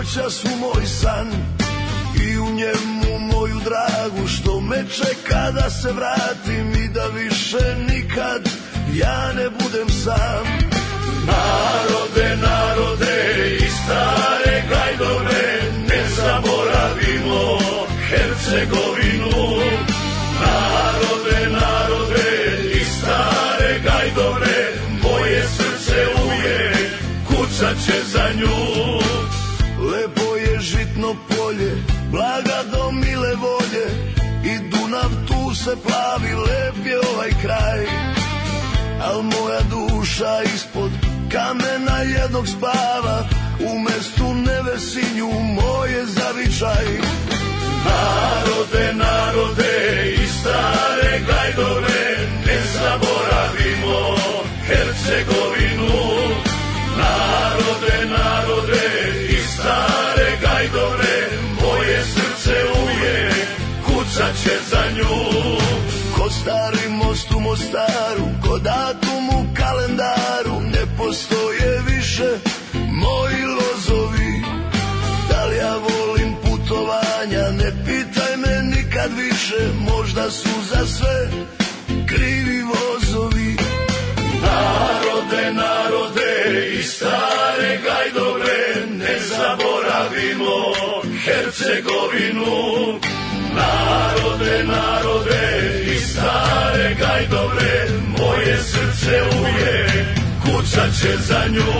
noćas u moj san i u njemu moju dragu što me čeka da se vratim i da više nikad ja ne budem sam. Narode, narode i stare gajdove, ne zaboravimo Hercegovinu. Narode, narode i stare gajdove, moje srce uvijek kucat će za nju. Lepo je žitno polje, blaga do mile volje, i Dunav tu se plavi, lep je ovaj kraj. Al moja duša ispod kamena jednog spava, u mestu Nevesinju moje zavičaj. Narode, narode i stare gajdove, ne zaboravimo Hercegovinu. Narode, narode i stare gajdove, moje srce uvijek kucat će za nju. Ko stari most u Mostaru, ko datum u kalendaru, ne postoje više moji lozovi. Da li ja volim putovanja, ne pitaj me nikad više, možda su za sve krivi vozovi. Narode, narode i stare gajdove, ne zaboravimo Hercegovinu. Narode, narode i stare gajdove, moje srce uvijek kucat će za nju.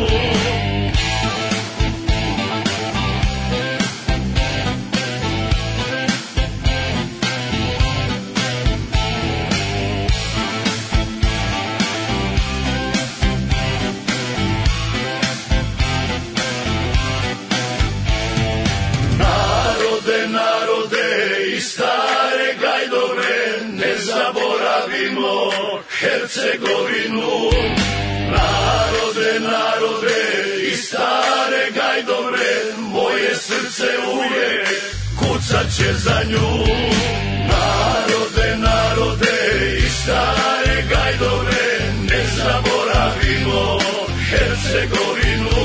Narode, narode i stare gajdove, ne zaboravimo Hercegovinu. Narode, narode i stare gajdove, moje srce uvijek kucat će za nju. Narode, narode i stare gajdove, ne zaboravimo Hercegovinu.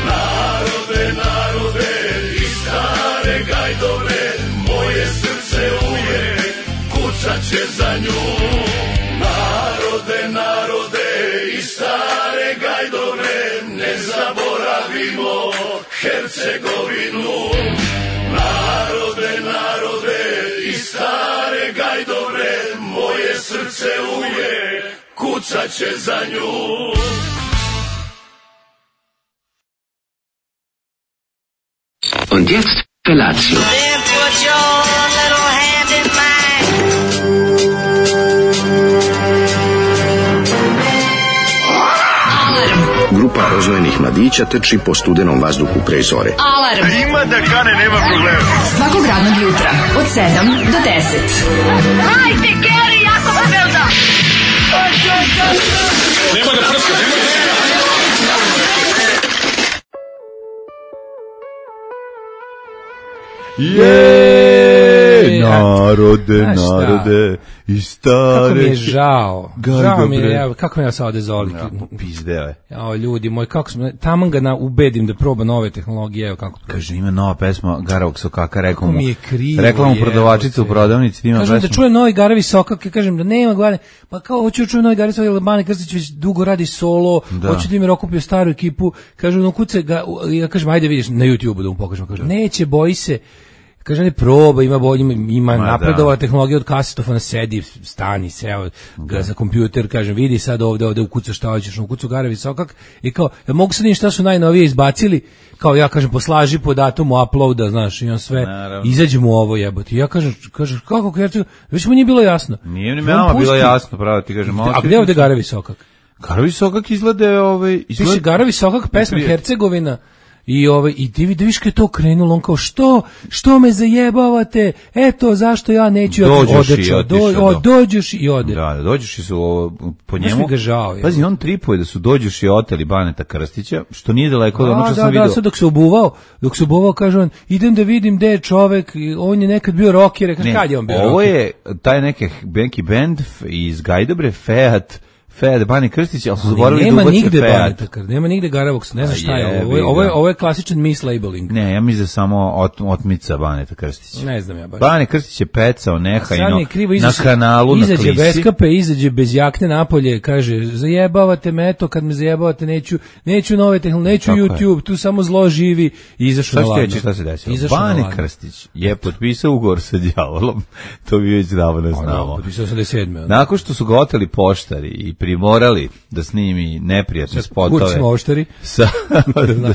Narode, narode i stare gajdove, moje srce uvijek kucat će za nju. Narode, narode i stare gajdove, ne zaboravimo Hercegovinu. Narode, narode i stare gajdove, moje srce uvijek kucat će za nju. Und jetzt Felatio. Then put your little hand in mine. Grupa rozvojenih mladića trči po studenom vazduhu pre zore. Alarm. Ima da kane, nema problema. Svakog radnog jutra od 7 do 10. Hajde, Geri, jako se velda. Nema da prska, nema da... Narode, narode i stare... Kako mi je žao. Žao mi je, kako mi je sad odezoli. Pizdeo je. Jao, ljudi moji, kako smo... Tamo ga ubedim da proba nove tehnologije, evo kako... Kaže, ima nova pesma Garavog Sokaka, rekao mu... mi je krivo, rekla mu prodavačica u prodavnici, ima kažem pesma. da čujem novi Garavi Sokak, ja kažem da nema Garavi, pa kao hoću da čujem novi Garavi Sokak, Bane Krstić već dugo radi solo, hoću da im okupio staru ekipu, kažem, no kuce ga, ja kažem, ajde vidiš na YouTube da mu pokažem, kažem, neće, boji se. Kaže, ne proba, ima napredova tehnologija od kasetofona, sedi, stani, seo ga za kompjuter, kažem, vidi sad ovde ukucaš šta hoćeš, ukucu Garavi Sokak i kao, ja mogu sad šta su najnovije izbacili, kao ja kažem, poslaži po datumu uploada, znaš, i on sve, izađe mu ovo jebote. Ja kažem, kako Herceg, već mu nije bilo jasno. Nije ni nama bilo jasno, pravo ti kažem. A gde ovde Garavi Sokak? Garavi Sokak izgleda Piše Garavi Sokak, pesma Hercegovina. I ti vidiš kad je to krenulo, on kao što me zajebavate, eto zašto ja neću, dođeš i ode. Da, dođeš i su po njemu. Znaš mi ga žao. Pazi, on tripuje da su dođeš i oteli Baneta Krstića, što nije daleko od onog što sam vidio. Da, sad dok se obuvao, kaže on, idem da vidim gde je čovek, on je nekad bio rocker, kaže kad je on bio rocker? Ovo je taj neki band iz Gajdobre, Fiat, Bane Krstić, ali su zaboravili da nema ubace nigde Fiat. Baneta, nema nigde Garavox, ne znam šta je ovo je klasičan mislabeling. Ne, ja mislim da samo otmica Baneta Krstića. Ne znam ja baš. Bane Krstić je pecao nehajno na kanalu na Klisi. Izađe bez kape, izađe bez jakne napolje, kaže, zajebavate me, eto, kad me zajebavate, neću nove tehnologije, neću YouTube, tu samo zlo živi, i izašao na ladno. Šta se desilo? Bane Krstić je potpisao ugovor sa đavolom, to bi već davno znamo. Potpisao 87. Nakon što su ga oteli poštari i primorali da snimi neprijatne spotove. Da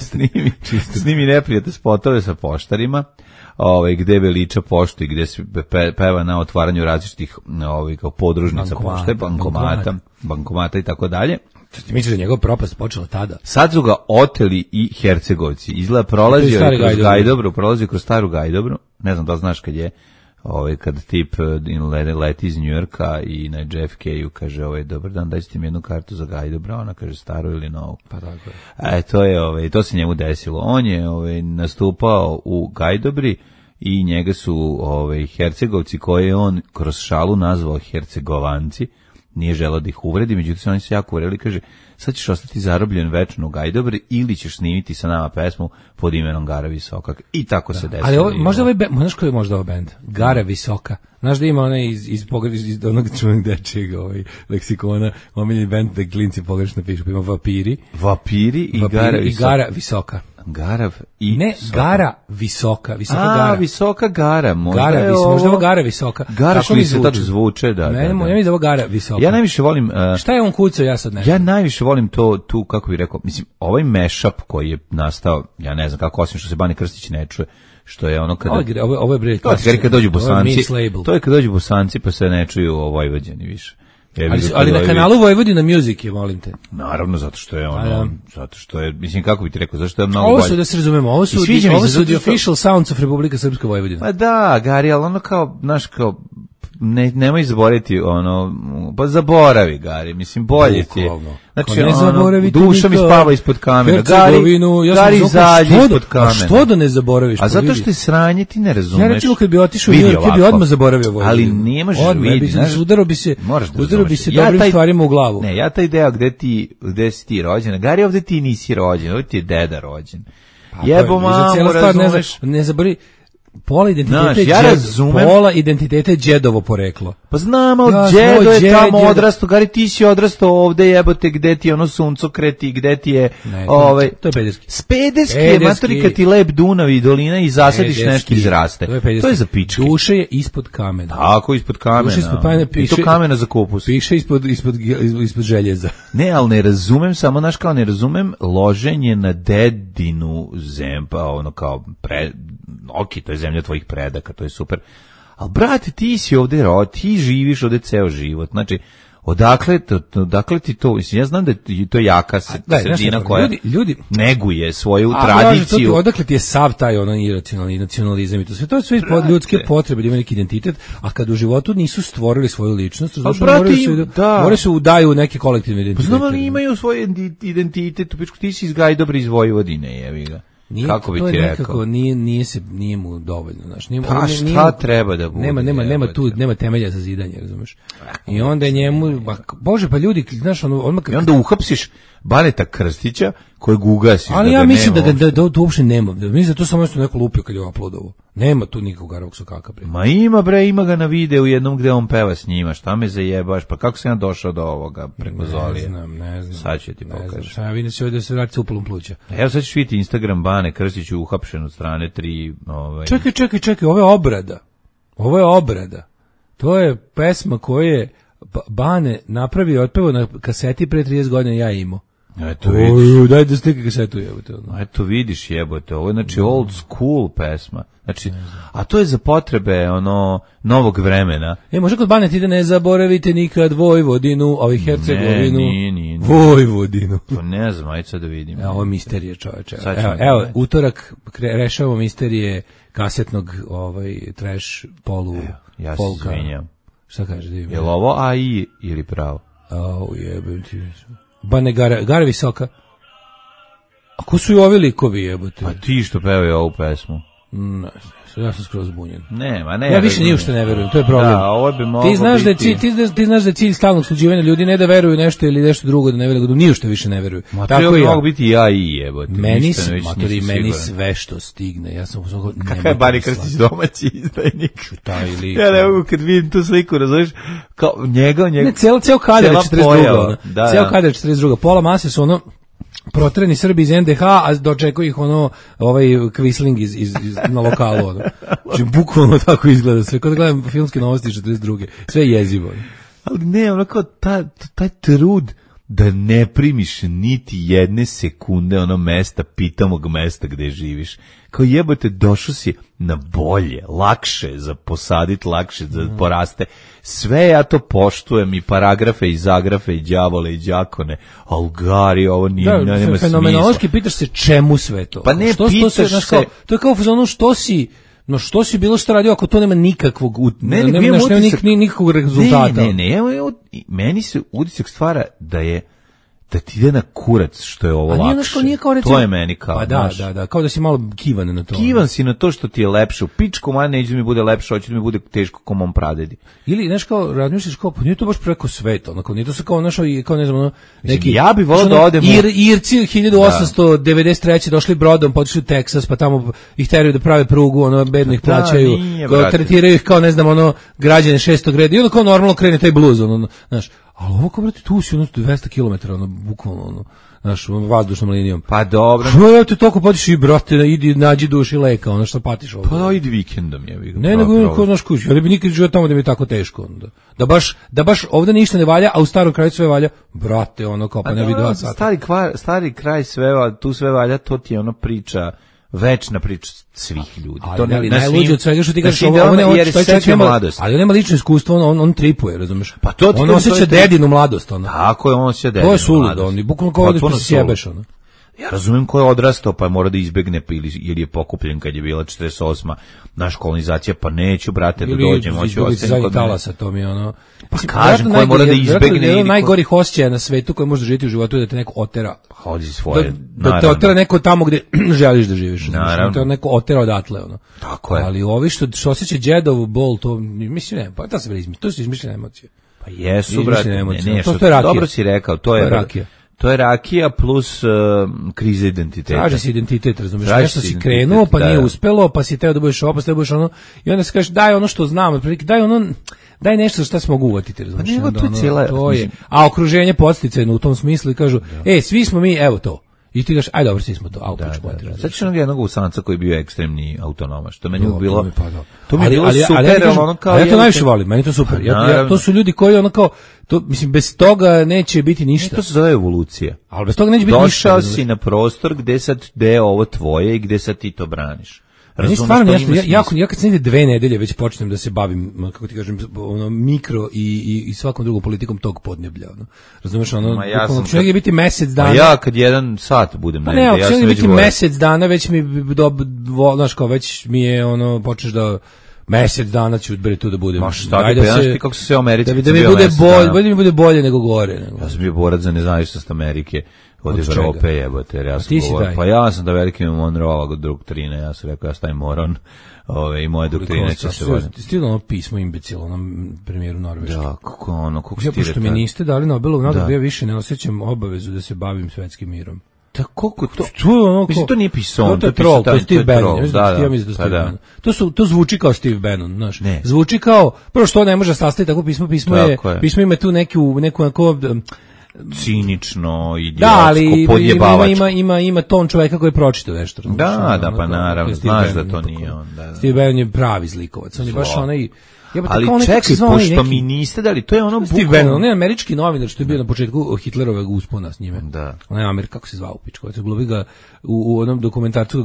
snimi neprijatne spotove sa poštarima, gde veliča poštu i gde se peva na otvaranju različitih kao podružnica pošte, bankomata i tako dalje. Ti misliš da njegov propast počela tada? Sad su ga oteli i Hercegovci. Izgleda prolazio kroz staru Gajdobru. Ne znam da znaš kad je kad tip leti iz Njujorka i na JFK-u kaže, dobar dan, dajte mi jednu kartu za Gajdobra, ona kaže staru ili novu. Pa tako je. To se njemu desilo. On je nastupao u Gajdobri i njega su Hercegovci koje je on kroz šalu nazvao Hercegovanci. Nije želeo da ih uvredi, međutim oni se jako uvreli, kaže, sad ćeš ostati zarobljen večno u Gajdobri ili ćeš snimiti sa nama pesmu pod imenom Gara Visoka. I tako se desilo. Ali možda ovaj band, znaš koji je možda ovaj band? Gara Visoka. Znaš da ima onaj iz onog čuvenog dečijeg leksikona, omiljeni band da klinci pogrešno pišu, pa ima Vapiri i Gara Visoka. Garav i ne, Soka. Gara Visoka Gara. Visoka Gara, možda možda ovo Gara Visoka. Gara što mi se tako zvuče, da. Ne, ja mislim da ovo Gara Visoka. Ja najviše volim... šta je on kucao, ja sad ne znam. Ja najviše volim tu, kako bih rekao, mislim, ovaj mashup koji je nastao, ja ne znam kako, osim što se Bane Krstić ne čuje, što je ono kada... Ovo je bre klasično. Kad dođu Bosanci, to je kad dođu Bosanci pa se ne čuju o Vojvođani više. Ali na kanalu Vojvodina Music je, molim te. Naravno, zato što je, mislim, kako bi ti rekao, zašto je mnogo bolje. Ovo su, da se razumemo, ovo su the official sounds of Republika Srpska Vojvodina. Pa da, Gari, ali ono kao, znaš, kao, nemoj zaboraviti, pa zaboravi, Gari, mislim, bolje ti je. Znači, duša mi spava ispod kamena. Gari izađi ispod kamena. A što da ne zaboraviš? A zato što je sranje, ti ne razumeš. Ja recimo kad bi otišao u Njujork, ti bi odmah zaboravio Vojvodinu. Ali ne možeš vidjeti. Udaro bi se dobrim stvarima u glavu. Ne, ja taj deo gde si ti rođen. Gari, ovde ti nisi rođen, ovde ti je deda rođen. Jebo mamu, razumeš. Ne zaboravi. Pola identiteta je džedovo poreklo. Pa znam, ali džedo je tamo odrastao. Gari, ti si odrastao ovde, jebote, gde ti je ono suncokreti, gde ti je... To je pederski. Pederski, matori, kad ti lep Dunav i dolina i zasadiš nešto izraste. To je za pičke. Duše je ispod kamena. Tako, ispod kamena. I to kamena za kupus. Piše ispod željeza. Ne, ali ne razumem, samo naš kao ne razumem loženje na dedinu zempa, ono kao to je zemlja tvojih predaka, to je super. Ali, brate, ti si ovde ti živiš ovde ceo život. Znači, odakle ti to? Ja znam da je to jaka sredina koja neguje svoju tradiciju. Odakle ti je sav taj iracionalni nacionalizam i to sve. To je sve pod ljudske potrebe da ima neki identitet, a kad u životu nisu stvorili svoju ličnost, moraju se udaju neke kolektivne identitete. Pa znam, ali imaju svoj identitet. Ti si iz Gajdobra iz Vojvodine, jevi ga. Kako bi ti rekao? Nije mu dovoljno, znaš. Šta treba da bude? Nema temelja za zidanje, razumeš? I onda je njemu, bože, pa ljudi, znaš, i onda uhapsiš Baneta Krstića kojeg ugasiš. Ali ja mislim da uopšte nema. Mislim da to samo nešto neko lupio kad je uploadovo. Nema tu nikog Garavog Sokaka. Ma ima ga na videu jednom gde on peva s njima. Šta me zajebaš? Pa kako sam ja došao do ovoga preko Zolije? Ne znam. Sad ću ti pokažem. Sad vidim se ovdje da se vrati sa upalom pluća. Evo sad ćeš vidjeti Instagram Bane Krstić uhapšen od strane 3... Čekaj, ovo je obrada. To je pesma koju je Bane napravio, otpevao na kaseti pre 30 godina, ja imao. Eto vidiš. Daj da slika kasetu, jebote. Eto vidiš, jebote. Ovo je znači old school pesma. Znači, a to je za potrebe novog vremena. Može kod Bane ti da ne zaboravite nikad Vojvodinu, Hercegovinu. Nije. Vojvodinu. Pa ne znam, ajde sad da vidim. Ovo je misterije, čoveče. Evo, utorak rešavamo misterije kasetnog trash polu ja se izvinjam. Šta kažeš? Je li ovo AI ili pravo? Jebem ti. Bane Gara Visoka. A ko su i ovi likovi, jebote? A ti što pevaju ovu pesmu? Ja sam skroz zbunjen. Nema, ne. Ja više ni u što ne verujem, to je problem. Da, ovo bi moglo ti znaš da je biti... ti znaš da je cilj stalnog sluđivanja ljudi ne da veruju nešto ili nešto drugo, da ne veruju, da ni u što više ne veruju. Tako je, mogu biti ja i jebote. Meni sve što stigne. Ja sam uzmano kakva je Bari Krstić domaći izdajnik. Taj lik. Ja ne mogu kad vidim tu sliku, razumiješ, kao njega. Ne, ceo kader 42. Ceo kader 42. Pola mase su ono protreni Srbi iz NDH, a dočekuje ih Kvisling na lokalu. Ono. Znači, bukvalno tako izgleda sve. Kada gledam filmske novosti 42. Sve je jezivo. Ali ne, ono kao taj trud da ne primiš niti jedne sekunde ono mesta, pitamog mesta gde živiš. Kao jebote, došao si na bolje, lakše za posaditi, lakše za poraste. Sve ja to poštujem, i paragrafe, i zagrafe, i đavole, i đakone. Algari, ovo nije, nema smisla. Fenomenološki pitaš se čemu sve to? Pa ne, pitaš se... To je kao ono što si bilo što radio ako to nema nikakvog nikakvog rezultata. Meni se utisak stvara da ti ide na kurac što je ovo lakše. To je meni kao. Pa da, kao da si malo kivan na to. Kivan si na to što ti je lepše. U pičku manje neće da mi bude lepše, hoće da mi bude teško ko mom pradedi. Ili, znaš kao, razmišljaš kao, pa nije to baš preko sveta, onako, nije to se kao našo, kao ne znam, neki... Ja bih volao da odem... Irci 1893. došli brodom, potišli u Teksas, pa tamo ih teraju da prave prugu, bedno ih plaćaju, tretiraju ih kao, ne znam, građane 6. reda, i onda kao normalno krene taj bluz, znaš. Ali ovo kao, brate, tu si 200 km, bukvalno, znaš, vazdušnom linijom. Pa dobro. Ja te toliko patiš i, brate, idi, nađi duši leka, što patiš ovdje. Pa idi vikendom, ja bih. Ne, nego, ko znaš kući, ja ne bi nikad živio tamo da mi je tako teško. Da baš ovdje ništa ne valja, a u starom kraju sve valja, brate, kao, pa ne bi 2 sata. Stari kraj tu sve valja, to ti je priča, večna priča svih ljudi. Ali najluđe od svega što ti kažeš, ali on nema lično iskustvo, on tripuje, razumeš? Pa to on osjeća dedinu mladost. Tako je, on osjeća dedinu mladost. To je suludo, on bukvalno kao da se sjebeš. Ja razumijem ko je odrastao, pa mora da izbegne ili je pokupljen kad je bila 48. naša kolonizacija, pa neću, brate, da dođem, hoću ostaviti kod talasa, to mi je Pa kažem, ko mora da izbegne. Jedan najgorih osjećaja na svetu koji može živjeti u životu je da te neko otera. Hodi svoje. Da te otera neko tamo gde želiš da živiš. Naravno. Da te neko otera odatle. Tako je. Ali ovi što osjeća džedovu bol, to mislim ne, pa to su izmišljene emocije. Pa jesu, brate, ne, to je rakija. Dobro si rekao, to je rakija. To je rakija plus kriza identiteta. Traži si identitet, razumiješ, nešto si krenuo, pa nije uspelo, pa si teo da budeš ovo, pa si teo da budeš ono, i onda se kažeš, daj ono što znam, daj nešto što se mogu uvatiti, razumiješ. Pa nego to je a okruženje podsticajno u tom smislu i kažu, svi smo mi, evo to. I ti kažeš, aj dobro, svi smo to, a upiču potrebno. Sad ću jednog usanca koji je bio ekstremni autonomaš, to meni je bilo... To mi je bilo super, ali ja to najviše volim, meni to super. To su ljudi koji kao, mislim, bez toga neće biti ništa. To se zove evolucija. Ali bez toga neće biti ništa. Došao si na prostor gde je ovo tvoje i gde sad ti to braniš. Meni stvarno jasno, ja kad sam negdje 2 nedelje već počnem da se bavim, kako ti kažem, mikro i svakom drugom politikom tog podneblja. Razumeš, će negdje biti mesec dana. A ja kad 1 sat budem negdje, ja sam već biti mesec dana, već mi, znaš kao, već mi je počneš da... Mesec dana ću tu da budem. Ma šta ti znaš ti kako se sve u Americi da mi bude bolje, mi bude bolje nego gore. Ja sam bio borac za nezavisnost Amerike od Evrope, jebote, jer ja sam govorio. Pa ja sam da veliki Monroe doktrine, ja sam rekao ja stavim moron, i moje doktrine će se voditi. Ti stiglo pismo imbecilo onom premijeru Norveške. Da, kako stire. Pošto mi niste dali Nobelovu nagradu, ja više ne osjećam obavezu da se bavim svetskim mirom. Da, koliko to? Mislim, to nije Pison. To je troll, to je Steve Bannon. To zvuči kao Steve Bannon, znaš. Zvuči kao, prvo što ne može sastaviti tako pismo ima tu neku cinično, idiotsko, podjebavačko. Ima ton čoveka koji je pročitao nešto. Da, pa naravno, znaš da to nije on. Steve Bannon je pravi zlikovac, on je baš onaj... Ali čekaj, pošto mi niste dali, to je ono Steve Bannon, on je američki novinar što je bio na početku Hitlerovog uspona s njime. Da. On je Amerika, kako se zvao pičko, glumi ga u onom dokumentarcu,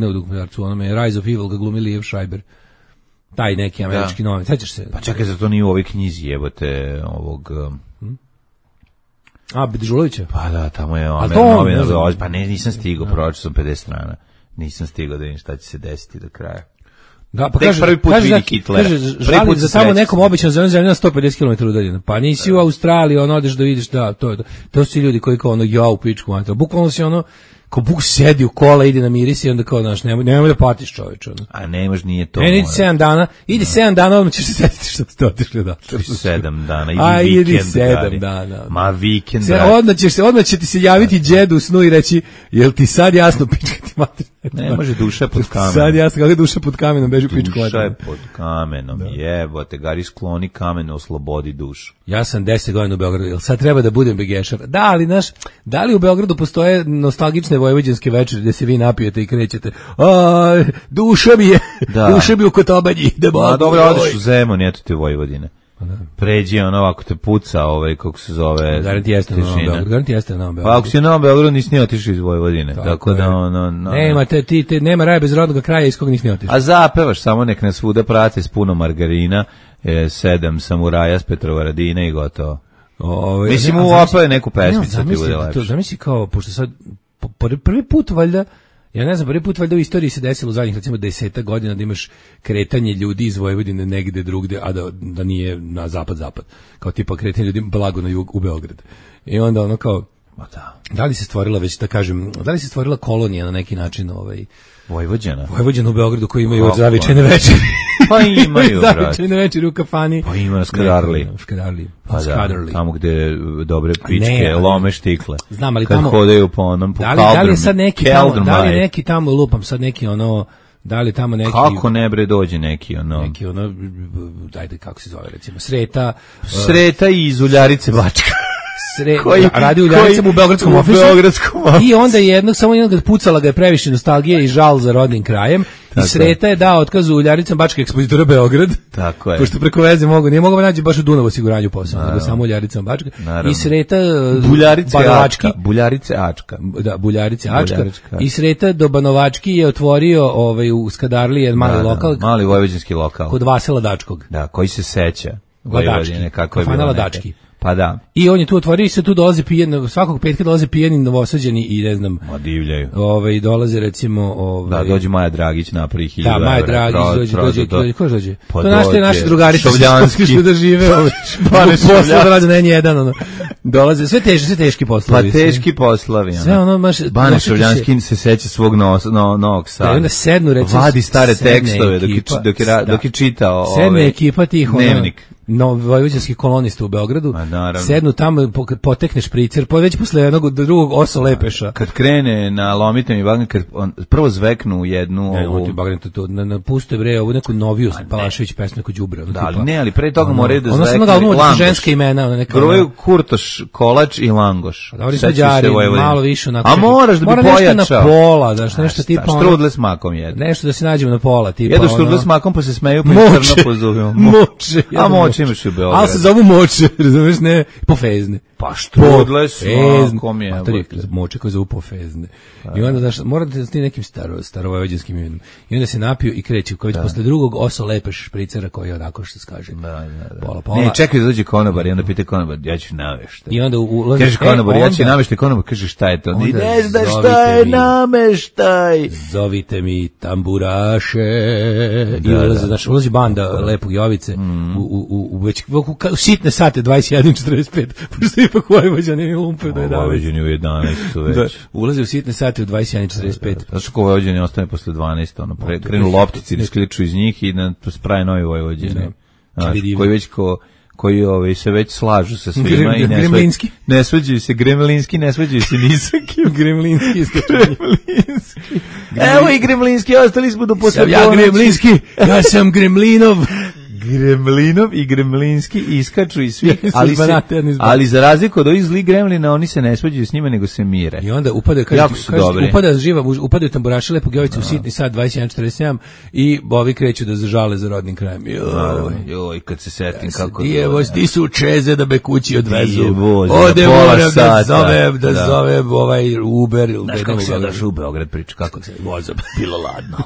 ne u dokumentarcu, onome Rise of Evil ga glumi Liev Schreiber. Taj neki američki novinar, sećaš se? Pa čekaj, za to nije u ovoj knjizi, jebote, ovog... Dežulovića? Pa da, tamo je novinar, pa nisam stigao, pročio sam 50 strana. Nisam stigao da vidim šta će se desiti do kraja. Da, pa kaže žali za samo nekom običnom zemljom na 150 km udaljeno. Pa nisi u Australiji, odeš da vidiš, da, to su ljudi koji kao ja u pičku, bukvalno si Ko Buk sedi u kola, ide na miris i onda kao, znaš, nemoj da patiš čoveče. A nemaš, nije to. Ne, idi 7 dana, idi 7 dana, odmah ćeš se setiti što ste otišli odatle. 7 dana, idi vikend. 7 dana. Ma vikend. Odmah će ti se javiti džedu u snu i reći, jel ti sad jasno pička ti mater? Ne može duša pod kamenom. Sad jasno, kako je duša pod kamenom, beži pičku mater. Duša je pod kamenom, jebote, Gari skloni kamen, oslobodi dušu. Ja sam 10 godina u Beogradu, jel sad treba da budem begešar? Da, ali znaš, da li u Beogradu postoje nostalgične vojvođanske večeri gde se vi napijete i krećete? Duša mi je, duša mi u Kotobanji. Dobro, odeš u Zemun, eto ti Vojvodine. Pređi ovako te puca, kako se zove. Garanti jeste na Novom Beogradu. Pa ako si na Novom Beogradu nisi ni otišao iz Vojvodine. Tako da nema raja bez rodnog kraja iz kog nisi ni otišao. A zapevaš samo nek nas svuda prate s puno margarina, 7 samuraja s Petrovaradina i gotovo. Mislim, opave neku pesmicu ti bude lepše. Zamisli kao, pošto sad prvi put valjda, ja ne znam, prvi put valjda u istoriji se desilo u zadnjih recimo 10 godina da imaš kretanje ljudi iz Vojvodine negde drugde, a da nije na zapad. Kao tipa kretanje ljudi blago na jug u Beograd. I onda ono kao, da li se stvorila već, da kažem, da li se stvorila kolonija na neki način Vojvođana u Beogradu koji imaju zavičajne večeri. Pa imaju, brate. Zavičajne večeri u kafani. Pa ima na Skadarli. Pa da, tamo gde dobre pičke lome štikle. Znam, ali kad tamo hodaju po onom, po da li je sad neki tamo, da li neki tamo lupam sad neki da li tamo neki... Kako ne bre dođe neki dajde kako se zove recimo, Sreta i iz Uljarice Bačka. Radi u Ljaricama u Beogradskom ofisu i onda samo jednog pucala ga je previše nostalgije i žal za rodnim krajem i Sreta je dao otkaz u Ljaricama Bačka ekspozitora Beograd. Tako je. Pošto preko veze nije mogao naći baš u Dunavu osiguranju posao, nego samo u Ljaricama Bačka. Naravno. I Sreta Buljarice Ačka. Da, Buljarice Ačka. I Sreta do Banovački je otvorio u Skadarli jedan mali lokal. Mali vojvođanski lokal. Kod Vasila Dačkog. Da, koji se seća. Ladački. Kafana Ladački. Pa da. I on je tu otvorio i se tu dolaze pijeni, svakog petka dolaze pijeni Novosađani i ne znam. Divljaju. Dolaze recimo da dođe Maja Dragić napravi 1000 evra. Da, Maja Dragić dođe. Ko dođe? Pa to naše drugarice Šovljanski da žive posle da rade na N1 dolaze sve teški poslovi. Pa teški poslovi. Sve baš Bane Šovljanski se seća svog Novog Sada. Da onda sednu recimo vadi stare tekstove dok je čitao sedne ekipa tih Dnevnik. Vojvođanskih kolonista u Beogradu, sednu tamo, potekne špricer, već posle jednog drugog oso lepeša. Kad krene na lomitem i bagren, kad prvo zveknu jednu na puste bre, ovu neku noviju Palašević pesmu neku đubre. Da, ali pre toga moraju da zveknu Langoš. Ženska imena. Prvo Kurtoš, Kolač i Langoš. Malo više onako. A moraš da bi pojačao. Nešto na pola, nešto tipa. Štrudle s makom jedu. Nešto da se nađemo na pola. Jedu štrudle s makom pa se smeju pa im crno pozuvimo. Moče. A moče imaš u Beogradu. Ali se zovu moče, razumiješ, ne, pofezne. Pa štrudle s makom je. Moče koje zovu pofezne. I onda, znaš, morate da ti nekim starovojvođanskim imenom. I onda se napiju i kreću, kao već posle drugog oso lepe špricera koji je onako što se kaže. Pola. Ne, čekaj da dođe konobar i onda pita konobar, ja ću nameštaj. I onda ulazi... Kaže konobar, ja ću nameštaj, konobar kaže šta je to? Ne znaš šta je nameštaj. Zovite mi tamburaše. I ulazi banda Lepog Jovice u već u sitne sate 21:45. Pošto ipak Vojvođani umpe do 11. Vojvođani u 11 su već. Ulazi u sitne sate u 21:45. Zašto ko Vojvođani ostane posle 12, krenu loptici, iskliču iz njih i spraje novi Vojvođani. Koji već koji se već slažu sa svima i ne svađaju se Gremlinski, ne svađaju se Nisakim. Gremlinski. Evo i Gremlinski, ostali smo do posle. Ja Gremlinski, ja sam Gremlinov i Gremlinski iskaču i svi, ali za razliku od ovih zlih Gremlina, oni se ne svađaju s njima, nego se mire. I onda upadaju tamburaši Lepog Jovice u sitni sat 21:47 i ovi kreću da zažale za rodnim krajem. Joj, kad se setim kako... Ti su čeze da me kući odvezu. Ode moram da zovem ovaj Uber. Znaš kako se odaš u Beograd priča, kako se vozom. Bilo ladno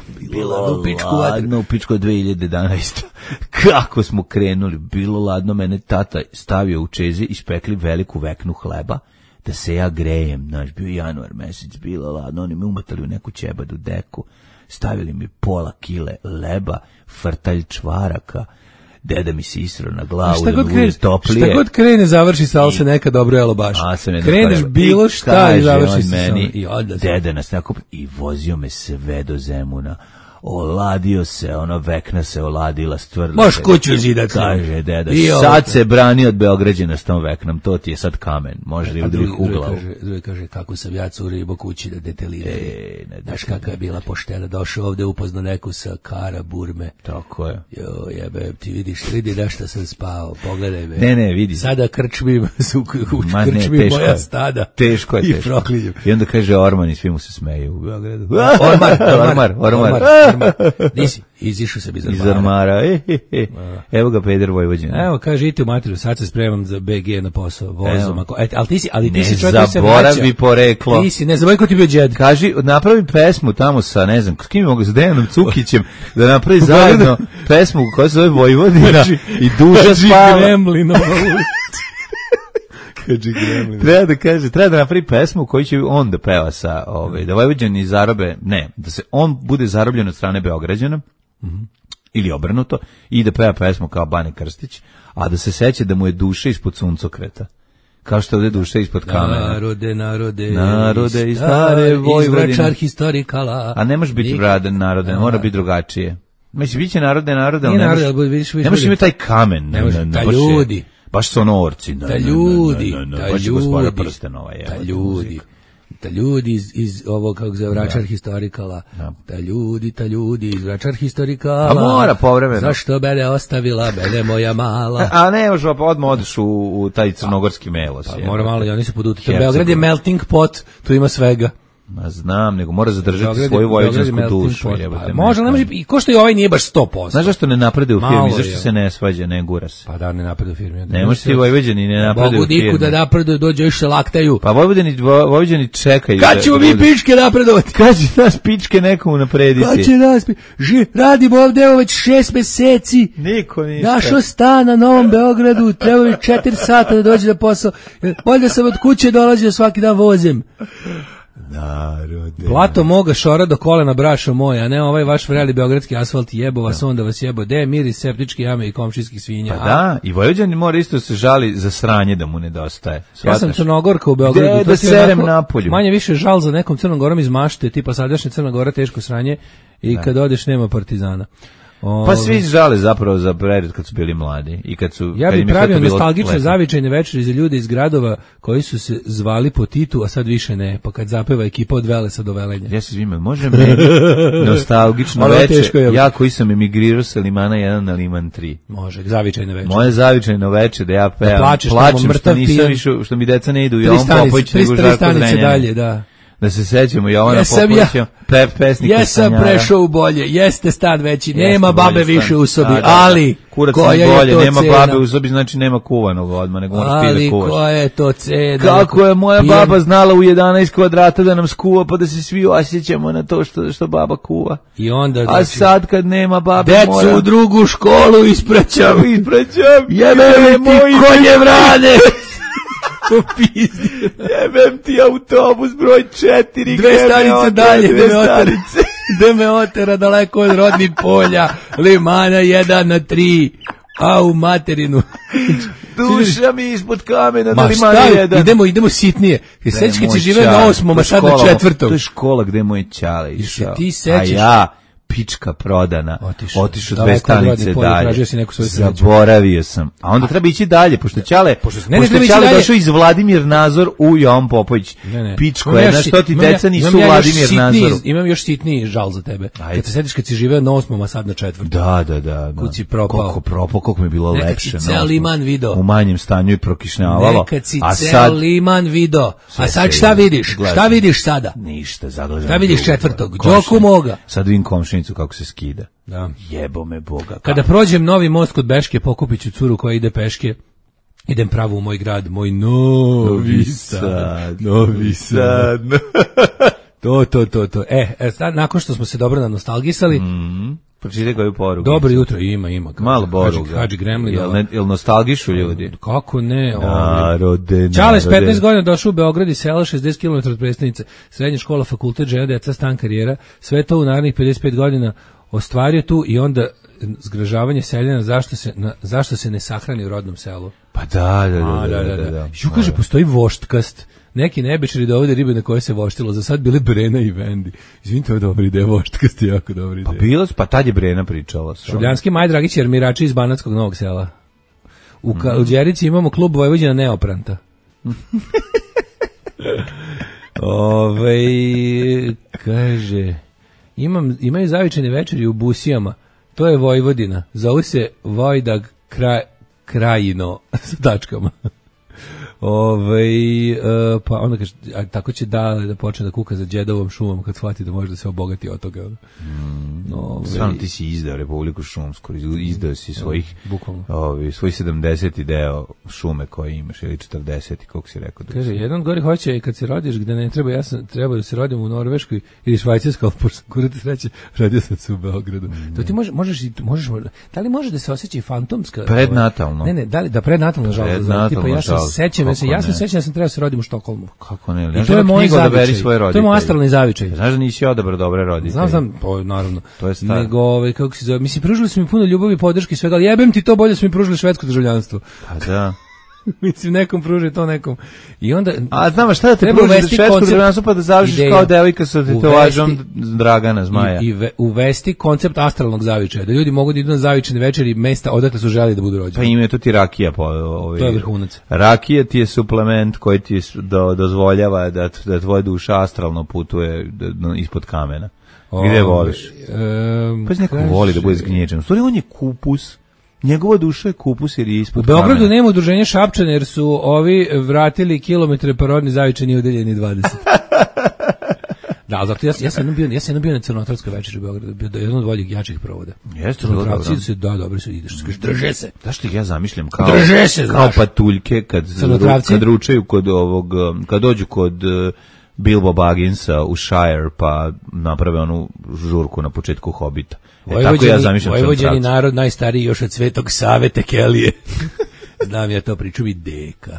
u pičku 2011. Kako smo krenuli, bilo ladno, mene tata stavio u čezi, ispekli veliku veknu hleba, da se ja grejem, znaš, bio januar mesec, bilo ladno, oni me umatali u neku ćebadu deku, stavili mi pola kile leba, frtalj čvaraka, deda mi se isro na glavu, Šta da god mi bude toplije. Šta god krene, završi sa ali se neka dobro jelo baš. Kreneš bilo šta i završi se meni, i odda se. deda nas nakup i vozio me sve do Zemuna. Oladio se, vekna se oladila, stvrla. Moš kuću zidat. Kaže deda, sad se brani od Beograđana s tom veknom, to ti je sad kamen, može li udri u glavu. Drugi kaže, kako sam ja curi ribo kući da deteliraju. Znaš kakva je bila poštena, došao ovde upozno neku sa Kara Burme. Tako je. Jo, jebe, ti vidi na šta sam spao, pogledaj me. Ne, vidi. Sada krčmim, krčmim moja stada. Teško je, i teško. proklinjem. I onda kaže Orman i svi mu se smeju u Beogradu. Ormar. Nisi, izišao se iz ormara. Evo ga Peder Vojvođan. Evo, kaže, idite u materiju, sad se spremam za BG na posao, vozom. Ali ti si čovjek koji se vraća. Ne zaboravi poreklo. Ti si, ne zaboravi ko ti bio džed. Kaži, napravi pesmu tamo sa, ne znam, s kim mogu, s Dejanom Cukićem, da napravi zajedno pesmu koja se zove Vojvodina i duša spava. Treba da napravi pesmu koju će on da peva sa, da Vojvođani zarobe, da se on bude zarobljen od strane Beograđana, ili obrnuto, i da peva pesmu kao Bane Krstić, a da se seća da mu je duša ispod suncokreta. Kao što ovdje duša ispod kamena. Narode i stare Vojvodine. Izvračar historikala. A ne može biti narode, mora biti drugačije. Mislim, bit će narode, ali ne može imati taj kamen. Da ljudi. Baš sonorci. Da ljudi. iz ovog, kako se vračar historikala. Da ljudi iz vračar historikala. A mora povremeno. Zašto mene ostavila, mene moja mala. A ne, možda odmah odeš u taj crnogorski melos. Pa mora malo i oni se podutiti. Beograd je melting pot, tu ima svega. Ma znam, nego mora zadržati svoju vojvođansku dušu. Može, ne može, i ko što i ovaj nije baš 100%. Znaš zašto ne napreduje u firmi? Zašto se ne svađa, ne gura se? Pa da, ne napreduje u firmi. Ne može ti Vojvođani ne napreduje u firmi. Mogu diku da napreduje, dođe još se laktaju. Pa Vojvođani čekaju. Kad ćemo mi pičke napredovati? Kad će nas pičke nekomu naprediti? Kad će nas radimo ovdje već 6 meseci. Niko ništa. Našo stan na Novom Beogradu, treba mi 4 sata da dođe na posao. Bolje sam od kuće dolazio svaki dan vozim. Narode. Plato moga šora do kolena, brašo moja, a ne ovaj vaš vreli beogradski asfalt, jebo vas, onda vas jebo. De miris septičke jame i komšijskih svinja. Pa da, i Vojvođanin mora isto se žali za sranje da mu nedostaje. Ja sam Crnogorka u Beogradu. Da serem napolju. Manje više žal za nekom Crnom Gorom iz mašte, tipa sadašnja Crna Gora, teško sranje, i kad odeš nema partizana. Pa svi žale zapravo za period kad su bili mladi i kad su. Ja bih pravio nostalgične zavičajne večeri za ljude iz gradova koji su se zvali po Titu, a sad više ne. Pa kad zapeva ekipa od Velesa do Velenja. Ja se zvime, može meni nostalgično večer. Ja koji sam emigrirao sa Limana 1 na Liman 3. Može, zavičajne večeri. Moje zavičajno večer da ja pevam. Plačem što nisam išao, što mi deca ne idu u Jovan Popović nego Žarko Zrenjanin. Dalje, da. Da se sećamo Jovana Popovića, pesnika. Jesam prešao u bolje, jeste stan veći, nema babe više u sobi, ali kurac koja je bolje, to nema cena? Babe u sobi, znači nema kuvanog odmah, nego moraš ti da kuvaš. Ali koja je to cena? Kako je moja baba znala u 11 kvadrata da nam skuva, pa da se svi osjećamo na to što baba kuva. I onda, a sad kad nema babe decu mora... u drugu školu ispraćam. Jebe ti konje vrane. Jebem ti autobus broj 4, 2 stanice dalje, da me otera daleko od rodnih polja, Limana 1 na 3, a u materinu. Duša mi ispod kamena na Limana 1. Idemo sitnije. Sećaš kad si živeo na 8, a sad na 4. To je škola gde moj čale išao. Ti sećaš? A ja, pička prodana, otišao 2 stanice dalje, zaboravio sam. A onda treba ići dalje, pošto Ćale došao iz Vladimir Nazor u Jovan Popović. Pičko je, znaš što ti deca nisu Vladimir Nazoru. Imam još sitniji žal za tebe. Kad se setiš kad si živeo na 8, a sad na 4. Da. Kud si propao. Koliko mi je bilo lepše. Nekad si ceo Liman video. U manjem stanju i prokišnjavalo. Nekad si ceo Liman video. A sad šta vidiš? Šta vidiš sada? Ništa, zaglažem. Šta vidiš 4. Đoku moga. Sad vidim komšinicu kako se skida. Da. Jebo me Boga. Kada prođem novi most kod Beške, pokupit ću curu koja ide peške. Idem pravo u moj grad, moj Novi Sad. To. Sad, nakon što smo se dobro nanostalgisali, pročitaj koju poruku. Dobro jutro, ima. Malo boruga. Hadži Gremlin. Jel nostalgišu ljudi? Kako ne? Narode. Čale s 15 godina došao u Beograd i sela 60 km od prestonice. Srednja škola, fakultet, žena, deca, stan, karijera. Sve to u narednih 55 godina ostvario tu i onda zgražavanje seljana zašto se ne sahrani u rodnom selu. Pa da. Ju kaže, postoji voštkast. Neki nebečari da ovde ribe na koje se voštilo, za sad bile Brena i Vendi. Izvinite, to je dobra ideja, voštkast je jako dobra ideja. Pa tad je Brena pričala. Šubljanski Maj Dragić i armirači iz Banatskog Novog Sela. U Đerici imamo klub Vojvođana Neopranta. Kaže, imaju zavičajne večeri u Busijama, to je Vojvodina, zovu se Vojdag Krajino sa tačkama. Pa onda kaže, tako će da počne da kuka za Đedovom šumom kad shvati da može da se obogati od toga. Stvarno ti si izdao Republiku Šumsku, izdao si svojih 70 deo šume koje imaš, ili 40, koliko si rekao. Kaže, jedan gori hoće kad se rodiš gde ne treba, treba da se rodim u Norveškoj ili Švajcarskoj, ali pošto kurati sreće, rodio sam se u Beogradu. To ti možeš, da li može da se osjeća fantomska? Prednatalno. Ne, da prednatalno žalost. Tipa, ja se sećam da sam trebao se rodim u Štokholmu. Kako ne? I to je moj zavičaj. To je moj astralni zavičaj. Znaš da nisi odabrao dobre roditelje? Znam, naravno. To je stvar. Nego, kako se zove, mislim, pružili su mi puno ljubavi, podrške i svega, ali jebem ti to, bolje su mi pružili švedsko državljanstvo. Pa da. Mislim, nekom pruži to nekom. I onda... A znamo šta da te pruži švedsko državljanstvo pa da završiš kao devojka sa tetovažom Dragana Zmaja. I uvesti koncept astralnog zavičaja, da ljudi mogu da idu na zavičajne večeri mesta odakle su želi da budu rođeni. Pa ime to ti rakija. To je vrhunac. Rakija ti je suplement koji ti dozvoljava da tvoja duša astralno putuje ispod kamena. Gde voliš? Pa neko voli da bude zgnječen. U stvari on je kupus. Njegova duša je kupus jer je ispod kamena. U Beogradu nema udruženja Šapčane jer su ovi vratili kilometre pa rodni zavičajni udeljeni 20. Da, zato ja sam jednom bio na Crnotravskoj večeri u Beogradu, bio jedan od boljih jačih provoda. Jeste, Crnotravci su dobro su ideš, skaš drže se. Zašto ja zamišljam kao patuljke kad ručaju kad dođu kod Bilbo Bagginsa u Shire pa naprave onu žurku na početku Hobita. Tako ja zamišljam Vojvođani narod najstariji još od Svetog Save Tekelije. Znam ja to, priču mi deka.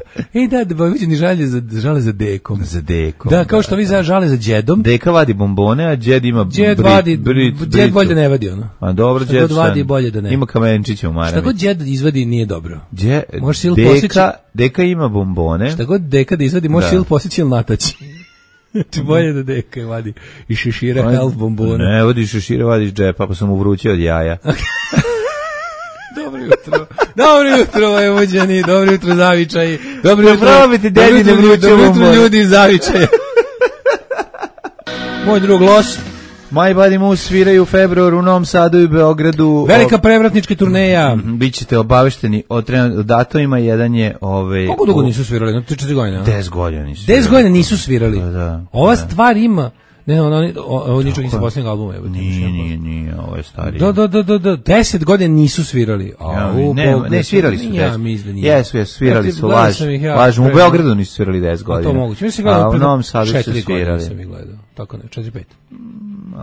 Da, Vojvođani žale za dekom. Za dekom. Da, kao što vi žale za džedom. Deka vadi bombone, a džed ima džed bolje da ne vadi ono. A dobro, džed vadi bolje da ne. Ima kamenčiće u maramici. Šta god džed izvadi nije dobro. Deka ima bombone. Šta god deka da izvadi, može sil posjeći ili nataći. Ti bolje da deka vadi i šešira health bombone. Ne, vadi šešira, vadiš džepa, pa sam mu vrućio od jaja. Dobro jutro, Vojvođani, dobro jutro, zavičaji. Dobro jutro, ljudi iz zavičaja. Moj drug Los. My Body Moose sviraju u februaru u Novom Sadu i Beogradu. Velika prevratnička turneja. Bićete obavešteni o datumima. Jedan je Koliko dugo nisu svirali? 4 godine. 10 godina nisu. 10 godina nisu svirali. Da. Ova stvar ima. Ovo ničeg iz posljednjeg albuma. Nije, ovo je stariji. Da, 10 godina nisu svirali. Ne, svirali su 10. Ja mislim da nije. Jesu, svirali su, lažem. U Beogradu nisu svirali 10 godina. To moguće. Mislim da u Novom Sadu su svirali. 4 godine sam ih gledao. Tako ne, 4-5.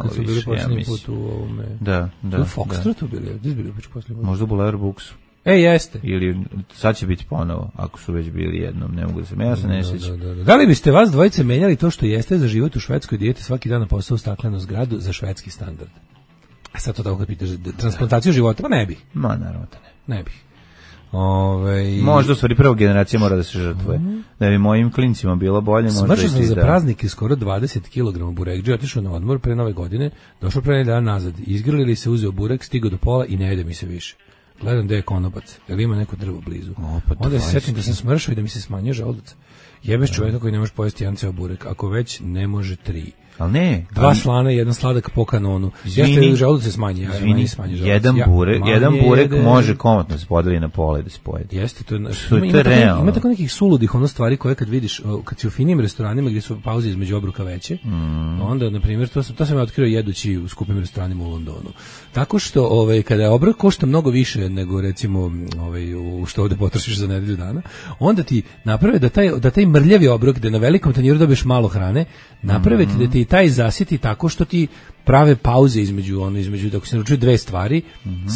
Kad su bili posljednji put u ovome. Da. U Foxtrotu bili, gdje su bili posljednji put? Možda u Blair Booksu. Jeste. Ili sad će biti ponovo, ako su već bili jednom, ne mogu da se ne sjećam. Da li biste vas dvojice menjali to što jeste za život u Švedskoj, dijete svaki dan na posao u staklenu zgradu za švedski standard? A sad to tako kad pitaš, transplantaciju života, pa ne bih. Ma naravno da ne. Ne bih. Možda u stvari prva generacija mora da se žrtvuje. Da bi mojim klincima bilo bolje. Smršao sam za praznike skoro 20 kg burekđe, otišao na odmor pre nove godine, došao pre dan nazad, izgrlili se, uzeo burek, stigao do pola i ne jede mi se više. Gledam gde je konobac, jer ima neko drvo blizu. Onda se setim da sam smršao i da mi se smanjio želudac. Jebeš čovjeka koji ne može pojesti jedan ceo burek, ako već ne može 3. Ali ne. 2 slana i 1 sladak po kanonu. Jeste želudac se smanji. Jedan burek može komotno da se podeli na pola i da se pojede. Jeste, to je realno. Ima tako nekih suludih stvari koje kad vidiš, kad si u finim restoranima gdje su pauze između obruka veće, onda, na primjer, to sam ja otkrio jedući u skupim restoranima u Londonu. Tako što, kada je obrok košta mnogo više nego, recimo, što ovdje potrošiš za nedelju dana, onda ti naprave da taj mrljavi obrok, gde na velikom tanjiru dobiješ malo hrane, naprave ti da ti taj zasiti tako što ti prave pauze između dok se naručuju 2 stvari,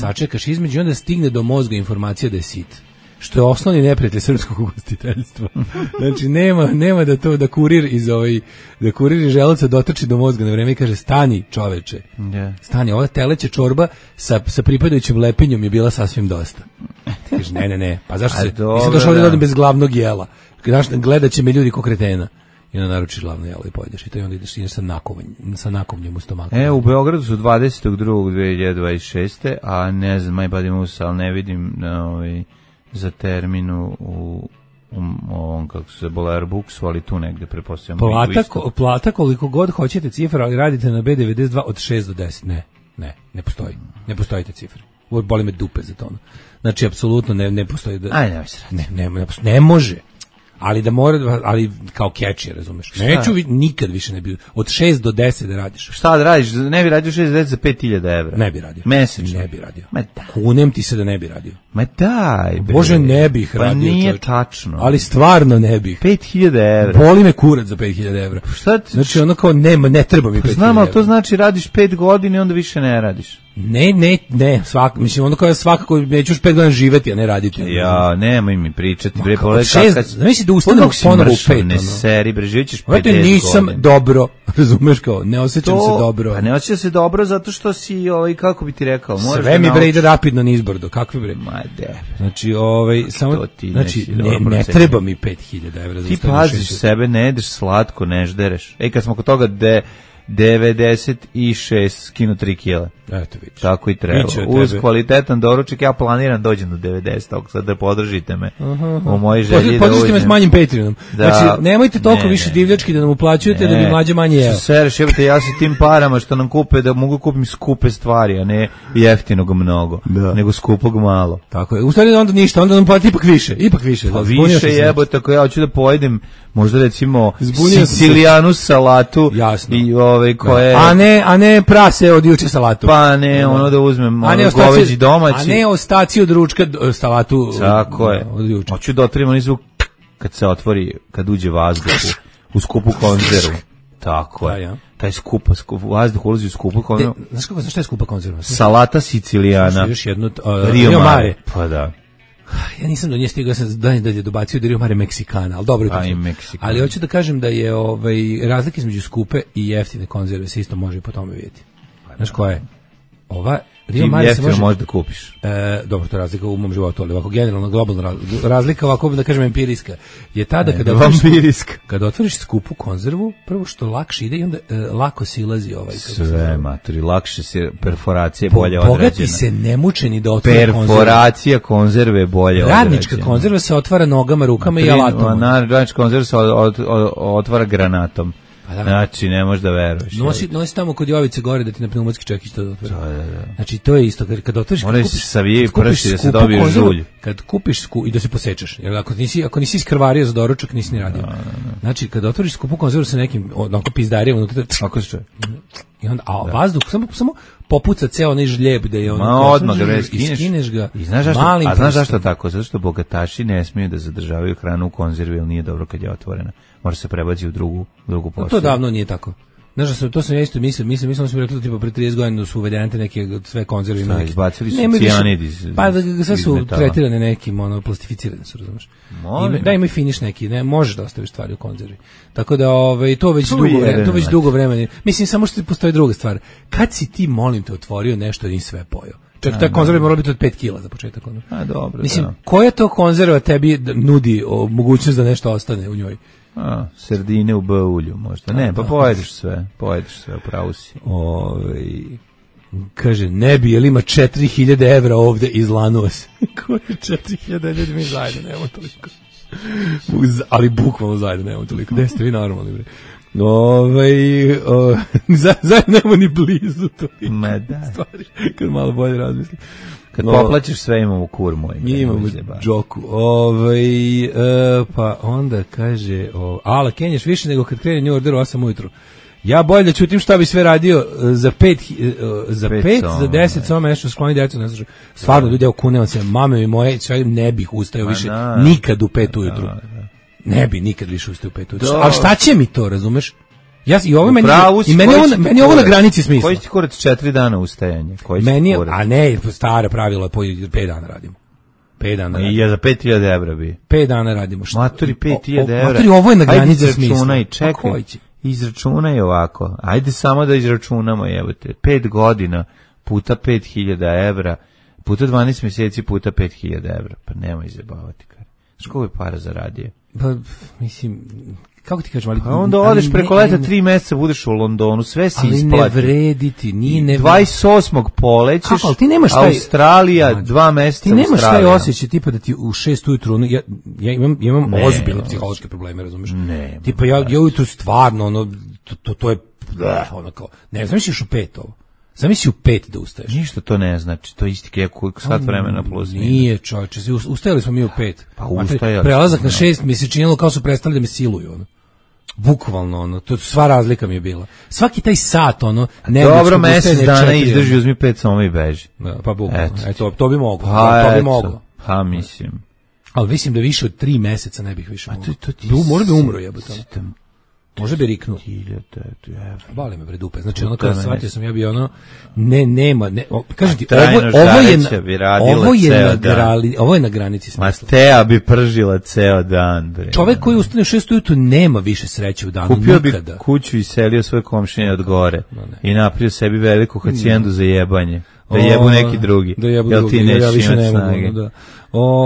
sačekaš između i onda stigne do mozga informacija da je sit. što je osnovni neprijatelj srpskog ugostiteljstva. Znači nema da kurir da kurir iz želuca dotrči do mozga na vreme i kaže stani čoveče. Stani, ova teleća čorba sa pripadajućim lepinjom je bila sasvim dosta. Ti kažeš ne, pa zašto se nisam došao ovdje bez glavnog jela. Gledat će me ljudi ko kretena. I onda naručiš glavno jelo i pojedeš. I to onda ideš sa nakovnjem u stomaku. U Beogradu su 22.2026. A ne znam, my body moves, ali ne vidim za terminu u ovom, kako se Boler Booksu, ali tu negde prepostavljamo. Plata koliko god hoćete cifra, ali radite na B92 od 6 do 10. Ne postoji. Ne postoji te cifre. Boli me dupe za to. Znači, apsolutno ne postoji. Ne može. Ali da mora, ali kao catchy, razumeš. Neću nikad više ne bi od 6 do 10 da radiš. Šta da radiš? Ne bi radio 6 do 10 za 5.000 evra. Ne bi radio. Mesečno. Ne bi radio. Kunem ti se da ne bi radio. Ma daj, bre. Bože, ne bih radio. Pa nije tačno. Ali stvarno ne bih. 5.000 evra. Boli me kurac za 5.000 evra. Šta ti? Znači ono kao ne treba mi 5.000 evra. Znam, ali to znači radiš 5 godina i onda više ne radiš. Ne, mislim ono kao ja svakako neću još 5 godina živeti, a ne raditi. Ja, nemoj mi pričati, bre, pogledaj kako. Znači da ustanem ponovo u 5. Ne seri, bre, živićeš 50 godina. Nisam dobro, razumeš kao, ne osjećam se dobro. Pa ne osjećam se dobro zato što si, kako bi ti rekao, moraš sve mi bre ide rapidno nizbrdo, kakvi bre. Ma de. Znači, samo, znači, ne treba mi 5.000 evra. Ti paziš sebe, ne jedeš slatko, ne ždereš. Kad smo kod toga 96 skinu 3 kila. Eto vidiš. Tako i treba. Uz kvalitetan doručak ja planiram dođem do 90, ako sad da podržite me u mojoj želji. Podržite me s manjim Patreonom. Znači, nemojte toliko više divljački da nam uplaćujete da bi mlađe manje jeo. Sereš, ja sa tim parama što nam kupe, da mogu kupim skupe stvari, a ne jeftinog mnogo, nego skupog malo. Tako je. U stvari onda ništa, onda nam plati ipak više. Pa više jebote, ako ja hoću da pojedem, možda recimo sicilijanu salatu. Jasno. I koje... A ne prase od juče salatu. Pa ne, ono da uzmem goveđi domaći. A ne ostaci od ručka salatu. Tako je. Hoću da otvorim onaj zvuk kad se otvori, kad uđe vazduh u skupu konzervu. Tako je. Taj vazduh ulazi u skupu konzervu. Znaš šta je skupa konzerva? Salata sicilijana. Još jednu Rio Mare. Pa da. Ja nisam do nje stigao, sam dalje dobacio da Rio Mare Meksikana, ali dobro je to. Ali hoću da kažem da je razlika između skupe i jeftine konzerve se isto može po tome vidjeti. Znaš koja je? Ova Rio Mare se može da kupiš. Dobro, to je razlika u mom životu, ali ovako generalno globalna razlika, ovako da kažem empirijska, je tada kada otvoriš skupu konzervu, prvo što lakše ide i onda lako silazi sve maturi, lakše se perforacija bolje odrađena. Bogati se nemučeni da otvore konzervu. Perforacija konzerve je bolje odrađena. Radnička konzerva se otvara nogama, rukama i alatom. Radnička konzerva se otvara granatom. Znači, ne možeš da veruješ. Nosi tamo kod Jovice gore da ti na pneumatski čekić to otvori. Znači, to je isto. Kad otvoriš... Moraš se savije prsti da se dobiješ žulj. Kad kupiš i da se posečeš. Jer ako nisi iskrvario za doručak, nisi ni radio. Znači, kad otvoriš skupu konzervu sa nekim onako pizdarijom unutra... Ako se čuje. I onda, vazduh, samo popuca ceo onaj žljeb da je ono... odmah ga skineš ga. A znaš zašto tako? Zato što bogataši ne smiju da zadržavaju hranu u konzervi, jer nije dobro kad je otvorena. Mora se prebaci u drugu postavu. To davno nije tako. Znaš, to sam ja isto mislim da smo rekli tipa pre 30 godina su uvedene neke sve konzerve. Šta, izbacili su cijanid iz... Pa sve su tretirane nekim, plastificirane su, razumeš. Da ima i finiš neki, ne, možeš da ostaviš stvari u konzervi. Tako da to već dugo vremena. Mislim, samo što postoji druga stvar. Kad si ti, molim te, otvorio nešto i sve pojeo? Čak taj konzerva mora biti od 5 kila za početak. Dobro, mislim, koja to konzerva tebi nudi mogućnost da nešto ostane u njoj? Sardine u B-ulju možda. Ne, pa pojedeš sve, upravo si. Kaže, ne bi, jel ima 4.000 evra ovde, izlanuo se. Koje 4.000, ljudi mi zajedno nemamo toliko. Ali bukvalno zajedno nemamo toliko. Gde ste vi normalni, bre? Zajedno nemamo ni blizu toliko stvari. Kad malo bolje razmislim. Kad poplaćeš sve imamo kur moj. Imamo džoku. Pa onda kaže, ala Kenjaš više nego kad krene New Order u 8 ujutru. Ja bolje da čutim šta bi sve radio za 5, za 10, samo nešto skloni djecu, ne znaš. Stvarno, ljudi, evo kunevam se, mame mi moje, sve ne bih ustajao više nikad u 5 ujutru. Ne bi nikad više ustao u 5 ujutru. Ali šta će mi to, razumeš? I ovo meni ovo na granici smisla. Koji ti kurac 4 dana ustajanje? A ne, stara pravila, po 5 dana radimo. 5 dana. I ja za 5.000 evra bi. 5 dana radimo. Maturi 5.000 evra. Maturi, ovo je na granici smisla. Izračunaj, čekaj. Izračunaj ovako. Ajde samo da izračunamo, jebote. 5 godina puta 5.000 evra, puta 12 mjeseci puta 5.000 evra. Pa nemoj izjebavati, kar. Školiko je para zaradio? Pa, mislim, kako ti kažem, ali... Pa onda odeš preko leta 3 mjeseca, budeš u Londonu, sve si isplati. Ali ne vrediti, nije ne... 28. polećeš, kako, ti nemaš Australija, 2 mjeseca Australija. Ti nemaš taj osjećaj, tipa da ti u 6 ujutru, ja imam ozbiljne psihološke probleme, razumiješ? Ne. Tipa ja ujutru stvarno, ono, to je, ono kao, ne, zamisliš u 5 ovo. Zamisli u 5 da ustaješ. Ništa to ne znači, to isti kako sat vremena plus. Nije, čovječe, ustajali smo mi u 5. Pa ustajali. Prelazak na 6 mi se činilo kao su prestali da me siluju, ono. Bukvalno, ono, to sva razlika mi je bila. Svaki taj sat, ono, dobro, mjesec dana izdrži, uzmi 5 samo i beži. Da, pa bukvalno, to bi moglo. Pa, to bi moglo. Pa mislim. Ali mislim da više od 3 mjeseca ne bih više moglo. Možda bi umro, jebote. Može bi riknuo. Bali me bre dupe. Znači ono kada shvatio sam ja bi ono nema kažem ti ovo je na granici smisla. Teja bi pržila ceo dan bre. Čovjek koji ustane u 6 ujutru nema više sreće u danu. Kupio nikada. Bi kuću i selio svoje komšije od gore i napravio sebi veliku hacijendu za jebanje. Da jebu neki drugi. Jel ti nećeš imati snage.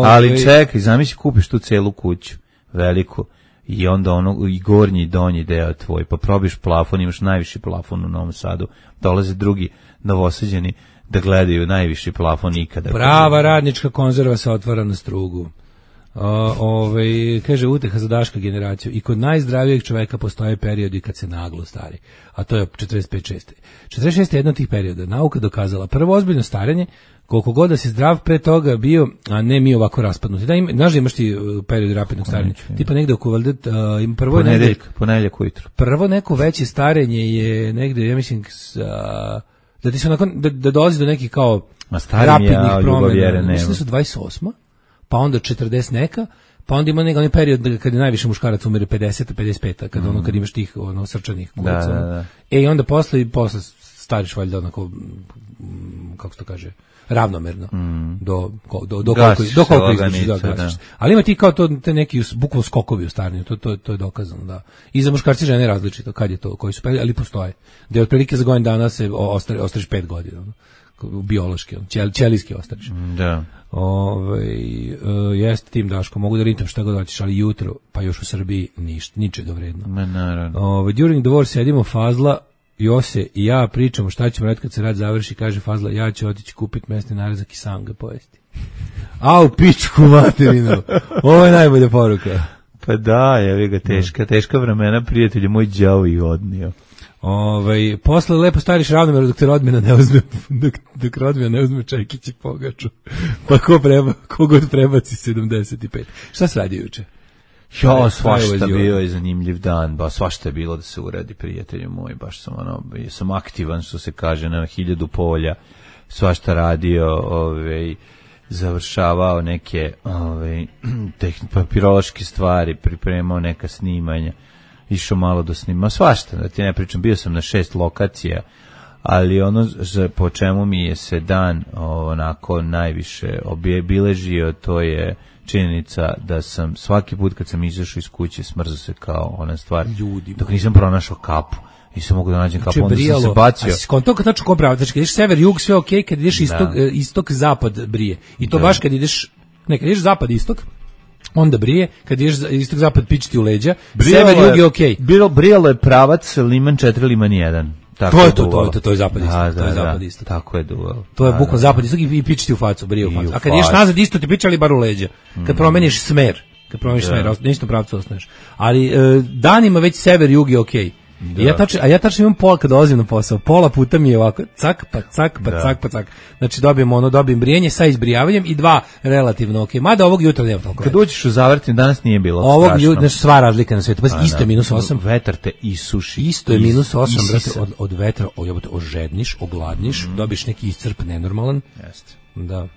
Ali čekaj, zamisli kupiš tu celu kuću veliku. I onda ono i gornji i donji deo tvoj, pa probiš plafon, imaš najviši plafon u Novom Sadu, dolaze drugi novosađeni da gledaju najviši plafon ikada. Prava radnička konzerva se otvara na strugu. Kaže uteha za Daška generaciju. I kod najzdravijeg čoveka postoje periodi kad se naglo stari, a to je 45-6. 46 je jedan od tih perioda. Nauka dokazala prvo ozbiljno starenje, koliko god da si zdrav pre toga bio, a ne mi ovako raspadnuti. Znaš da imaš ti period rapidnog starenja? Tipa negde oko valjda, ponedjeljak ujutru. Prvo neko veće starenje je negde, ja mislim, da ti se nakon, da dolazi do nekih kao rapidnih promjena. Mislim da su 28. pa onda 40 neka, pa onda ima onaj period kad je najviše muškaraca umire 50-55, kad imaš tih srčanih kulica. Da. I onda posle stariš valjda onako, kako se to kaže, ravnomerno do koliko izgušiš. Ali ima ti kao to te neki bukvalno skokovi u starenju, to je dokazano, da. I za muškarci i žene različito, kad je to, koji su periodi, ali postoje. Da je otprilike za godinu dana se ostariš 5 godina, biološki, ćelijski ostariš. Da. Jeste tim, Daško, mogu da ritam šta god hoćeš, ali jutro, pa još u Srbiji ničega vredno. Naravno. During the war sedimo Fazla, Jose i ja pričamo šta ćemo raditi kad se rad završi, kaže Fazla, ja ću otići kupiti mesni narezak i sam ga pojesti. Au, pičku materinu. Ovo je najbolja poruka. Pa da, jevi ga, teška vremena, prijatelji, moj đavo ih odnio. Posle lepo stariš ravnomerno dok te rodbina ne uzme, dok rodbina ne uzme čekić i pogaču. Pa ko god prebaci 75. Šta se radi juče? Svašta bio je zanimljiv dan, svašta je bilo da se uradi, prijatelju moj, baš sam aktivan, što se kaže, na 1000 polja, svašta radio, završavao neke papirološke stvari, pripremao neka snimanja, išao malo do snima, svašta, da ti ne pričam, bio sam na 6 lokacija, ali ono po čemu mi je se dan onako najviše obilježio, to je činjenica da sam svaki put kad sam izašao iz kuće smrzao se kao ona stvar, dok nisam pronašao kapu. Nisam mogu da nađem kapu, onda sam se bacio. A si skonto kad tačno kobrava, znači kad ideš sever, jug, sve okej, kad ideš istok, zapad brije. I to baš kad ideš zapad, istok, onda brije, kad ideš istok, zapad, pičiti u leđa, sever, jug je okej. Brijalo je pravac Liman 4, Liman 1. To je zapad istok, to je zapad istok. Tako je duvalo. To je bukvalno zapad istok i pičiti u facu, brije u facu. A kad ideš nazad isto ti pičali bar u leđa. Kad promeniš smer, na istom pravcu ostaneš. Ali danima već sever, jug je okej. Ja tačno imam pola kad dolazim na posao. Pola puta mi je ovako cak, pa cak, pa cak, pa cak. Znači dobijem brijanje sa izbrijavanjem i 2 relativno okej. Mada ovog jutra nema toliko. Kad uđeš u Zavrtin, danas nije bilo ovog strašno. Ovog jutra, sva razlika na svijetu. Isto je -8. Vetar te isuši. Isto je -8, brate, od vetra ožedniš, ogladniš, dobiš neki iscrp nenormalan. Jeste. Da.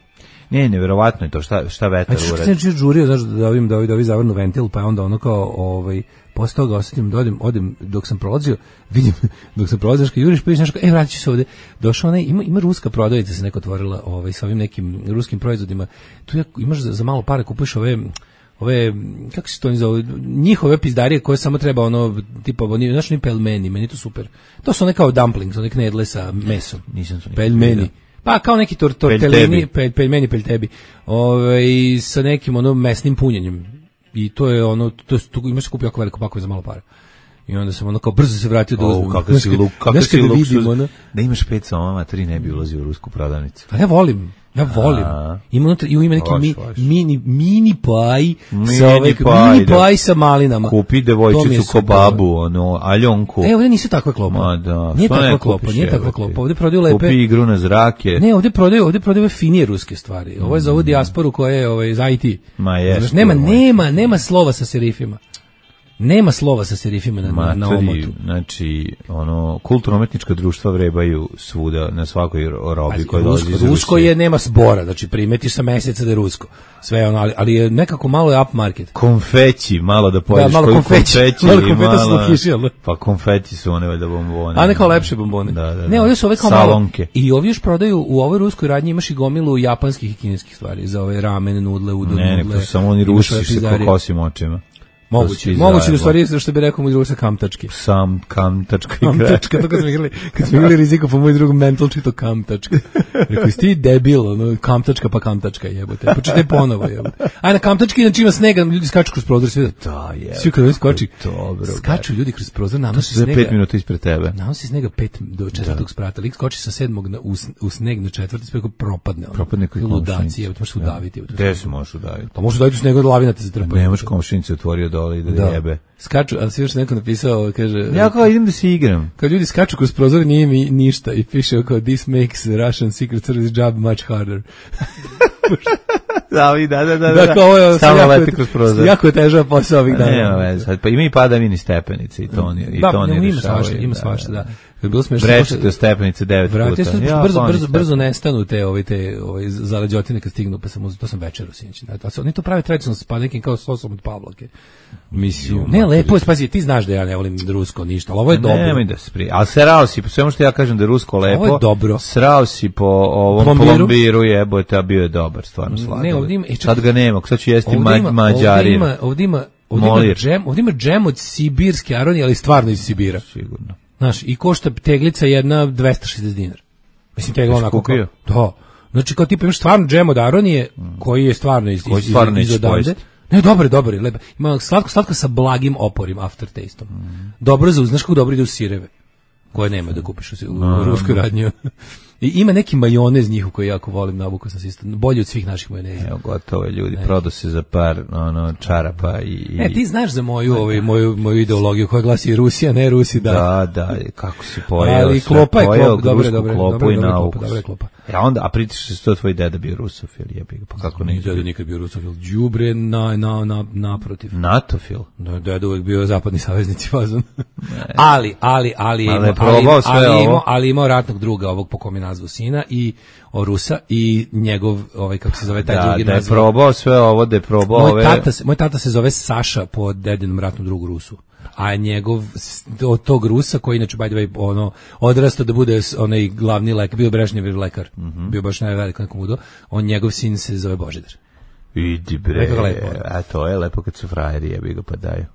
Ne, neverovatno je to, šta vetar Što uradi. sam žurio, znaš, da ovi zavrnu ventil, pa onda ono kao, posle toga osetim da odem, dok sam prolazio, vidim, dok sam prolazio, kad juriš, pa vidiš nešto, vratit ću se ovde. Došao onaj, ima ruska prodavnica se neko otvorila sa ovim nekim ruskim proizvodima. Tu imaš za malo para, kupuješ ove, kako se to zove, njihove pizdarije koje samo treba tipa, znaš, ni pelmeni, meni to super. To su one kao dumplings, one knedle sa mesom. Nisam to pelmeni. Pa kao neki tortellini, pelmeni, peltebi, sa nekim mesnim punjenjem. I to je tu imaš se kupi jako veliko pakove za malo para. I onda sam kao brzo se vratio da uzmem. Kako si luksuz. Da imaš 5 somama, 3 ne bi ulazio u rusku prodavnicu. Pa ja volim. Ima neki mini paj sa malinama. Kupi devojčicu ko babu, Aljonku. Ovdje nisu takve klopa. Nije takva klopa. Ovdje prodaju lepe. Kupi igru na zrake. Ne, ovdje prodaju finije ruske stvari. Ovo je za ovu dijasporu koja je za IT. Ma jest. Nema slova sa serifima. Nema slova sa serifima na omotu. Znači, kulturno-umetnička društva vrebaju svuda, na svakoj robi koja dolazi iz Rusije. Rusko nema zbora, znači primetiš sa meseca da je rusko. Sve ali je nekako malo je up market. Konfeći, malo da pojedeš malo konfeći. Malo konfeta su kiši, ali? Pa konfeti su one valjda bombone. A ne kao lepše bombone. Da. Ne, ovdje su ove kao salonke. I ovdje još prodaju, u ovoj ruskoj radnji imaš i gomilu japanskih i kineskih stvari, za ove ramen, nudle, udon, nudle. Ne, samo oni Rusi sa kokosim očima. Moguće da stvari, što bi rekao moj drug sa kamtački. Sam kamtačka igra. Kamtačka, to kad smo igrali riziko, pa moj drug mental čito kamtačka. Rekao, sti debil, kamtačka pa kamtačka, jebote. Počitaj ponovo, jebote. A na kamtački, znači ima snega, ljudi skaču kroz prozor, svi da, je. Svi kad oni skoči, skaču ljudi kroz prozor, nanosi snega. To je 5 minuta ispred tebe. Nanosi snega 5 do 4. sprata. Lik skoči sa 7. u sneg na 4. sprata, propadne. Propadne koji ludaci, jebote, možeš udaviti. Gde se možeš udaviti? Pa možeš udaviti u snegu od lavina te zatrpa. Ne možeš komšinice otvorio dole i da jebe. Skaču, ali si još neko napisao, kaže... Ja kao idem da se igram. Kad ljudi skaču kroz prozor, nije mi ništa. I piše kao, this makes Russian Secret Service job much harder. Da. Da, kao ovo je jako je težava posao ovih dana. Nema veze, pa ima i padavini stepenice i to oni rješavaju. Ima svašta, da. Brečete stepenice 9 puta. Brzo nestanu te zaleđotine kad stignu, pa to sam večeru sinoć. Oni to prave tradicionalno s nekim kao sosom od pavlake. Mislim, ne, lepo je, pazi, ti znaš da ja ne volim rusko ništa, ali ovo je dobro. Nemoj da se ali srao si, po svemu što ja kažem da je rusko lepo, ovo je dobro. Srao si po ovom plombiru, jebote, a bio je dobar, stvarno slagan. Sad ga nema, sad ću jesti mađarin. Ovdje ima džem od sibirske aronije, ali stvarno iz Sibira. Sigurno. Znaš, i košta teglica jedna 260 dinara. Mislim, tegla onako kao... Da. Znači, kao tipa imaš stvarno džem od aronije, koji je stvarno iz odavde. Ne, dobar je, lepa. Ima slatko sa blagim oporim, aftertasteom. Dobro znaš kako dobro ide u sireve, koje nema da kupiš u ruskoj radnji. I ima neki majonez njihov koji jako volim, nabukao sam se isto, bolji od svih naših majoneza. Evo, gotovo je, ljudi, prodao se za par čarapa i... ti znaš za moju ideologiju koja glasi Rusija, ne Rusi, da. Da, kako si pojeo, ali klopa je klopa, dobra klopa. A pritiš se to tvoj deda bio rusofil, jebi, pa kako ne? Deda nikad bio rusofil, đubre naprotiv. Natofil? Da, deda uvek bio zapadni saveznici fazon. Ali imao ratnog druga ovog po kome nazvu sina i Rusa i njegov kako se zove taj drugi da je probao sve ovo, da je probao moj tata se zove Saša po dedinom ratnom drugu Rusu, a njegov od tog Rusa koji inače by the way odrastao da bude onaj glavni lekar, bio Brežnjev lekar, bio baš najveliko nekom udo, njegov sin se zove Božidar. Idi bre, a to je lepo kad su frajeri, jebi ga pa daju.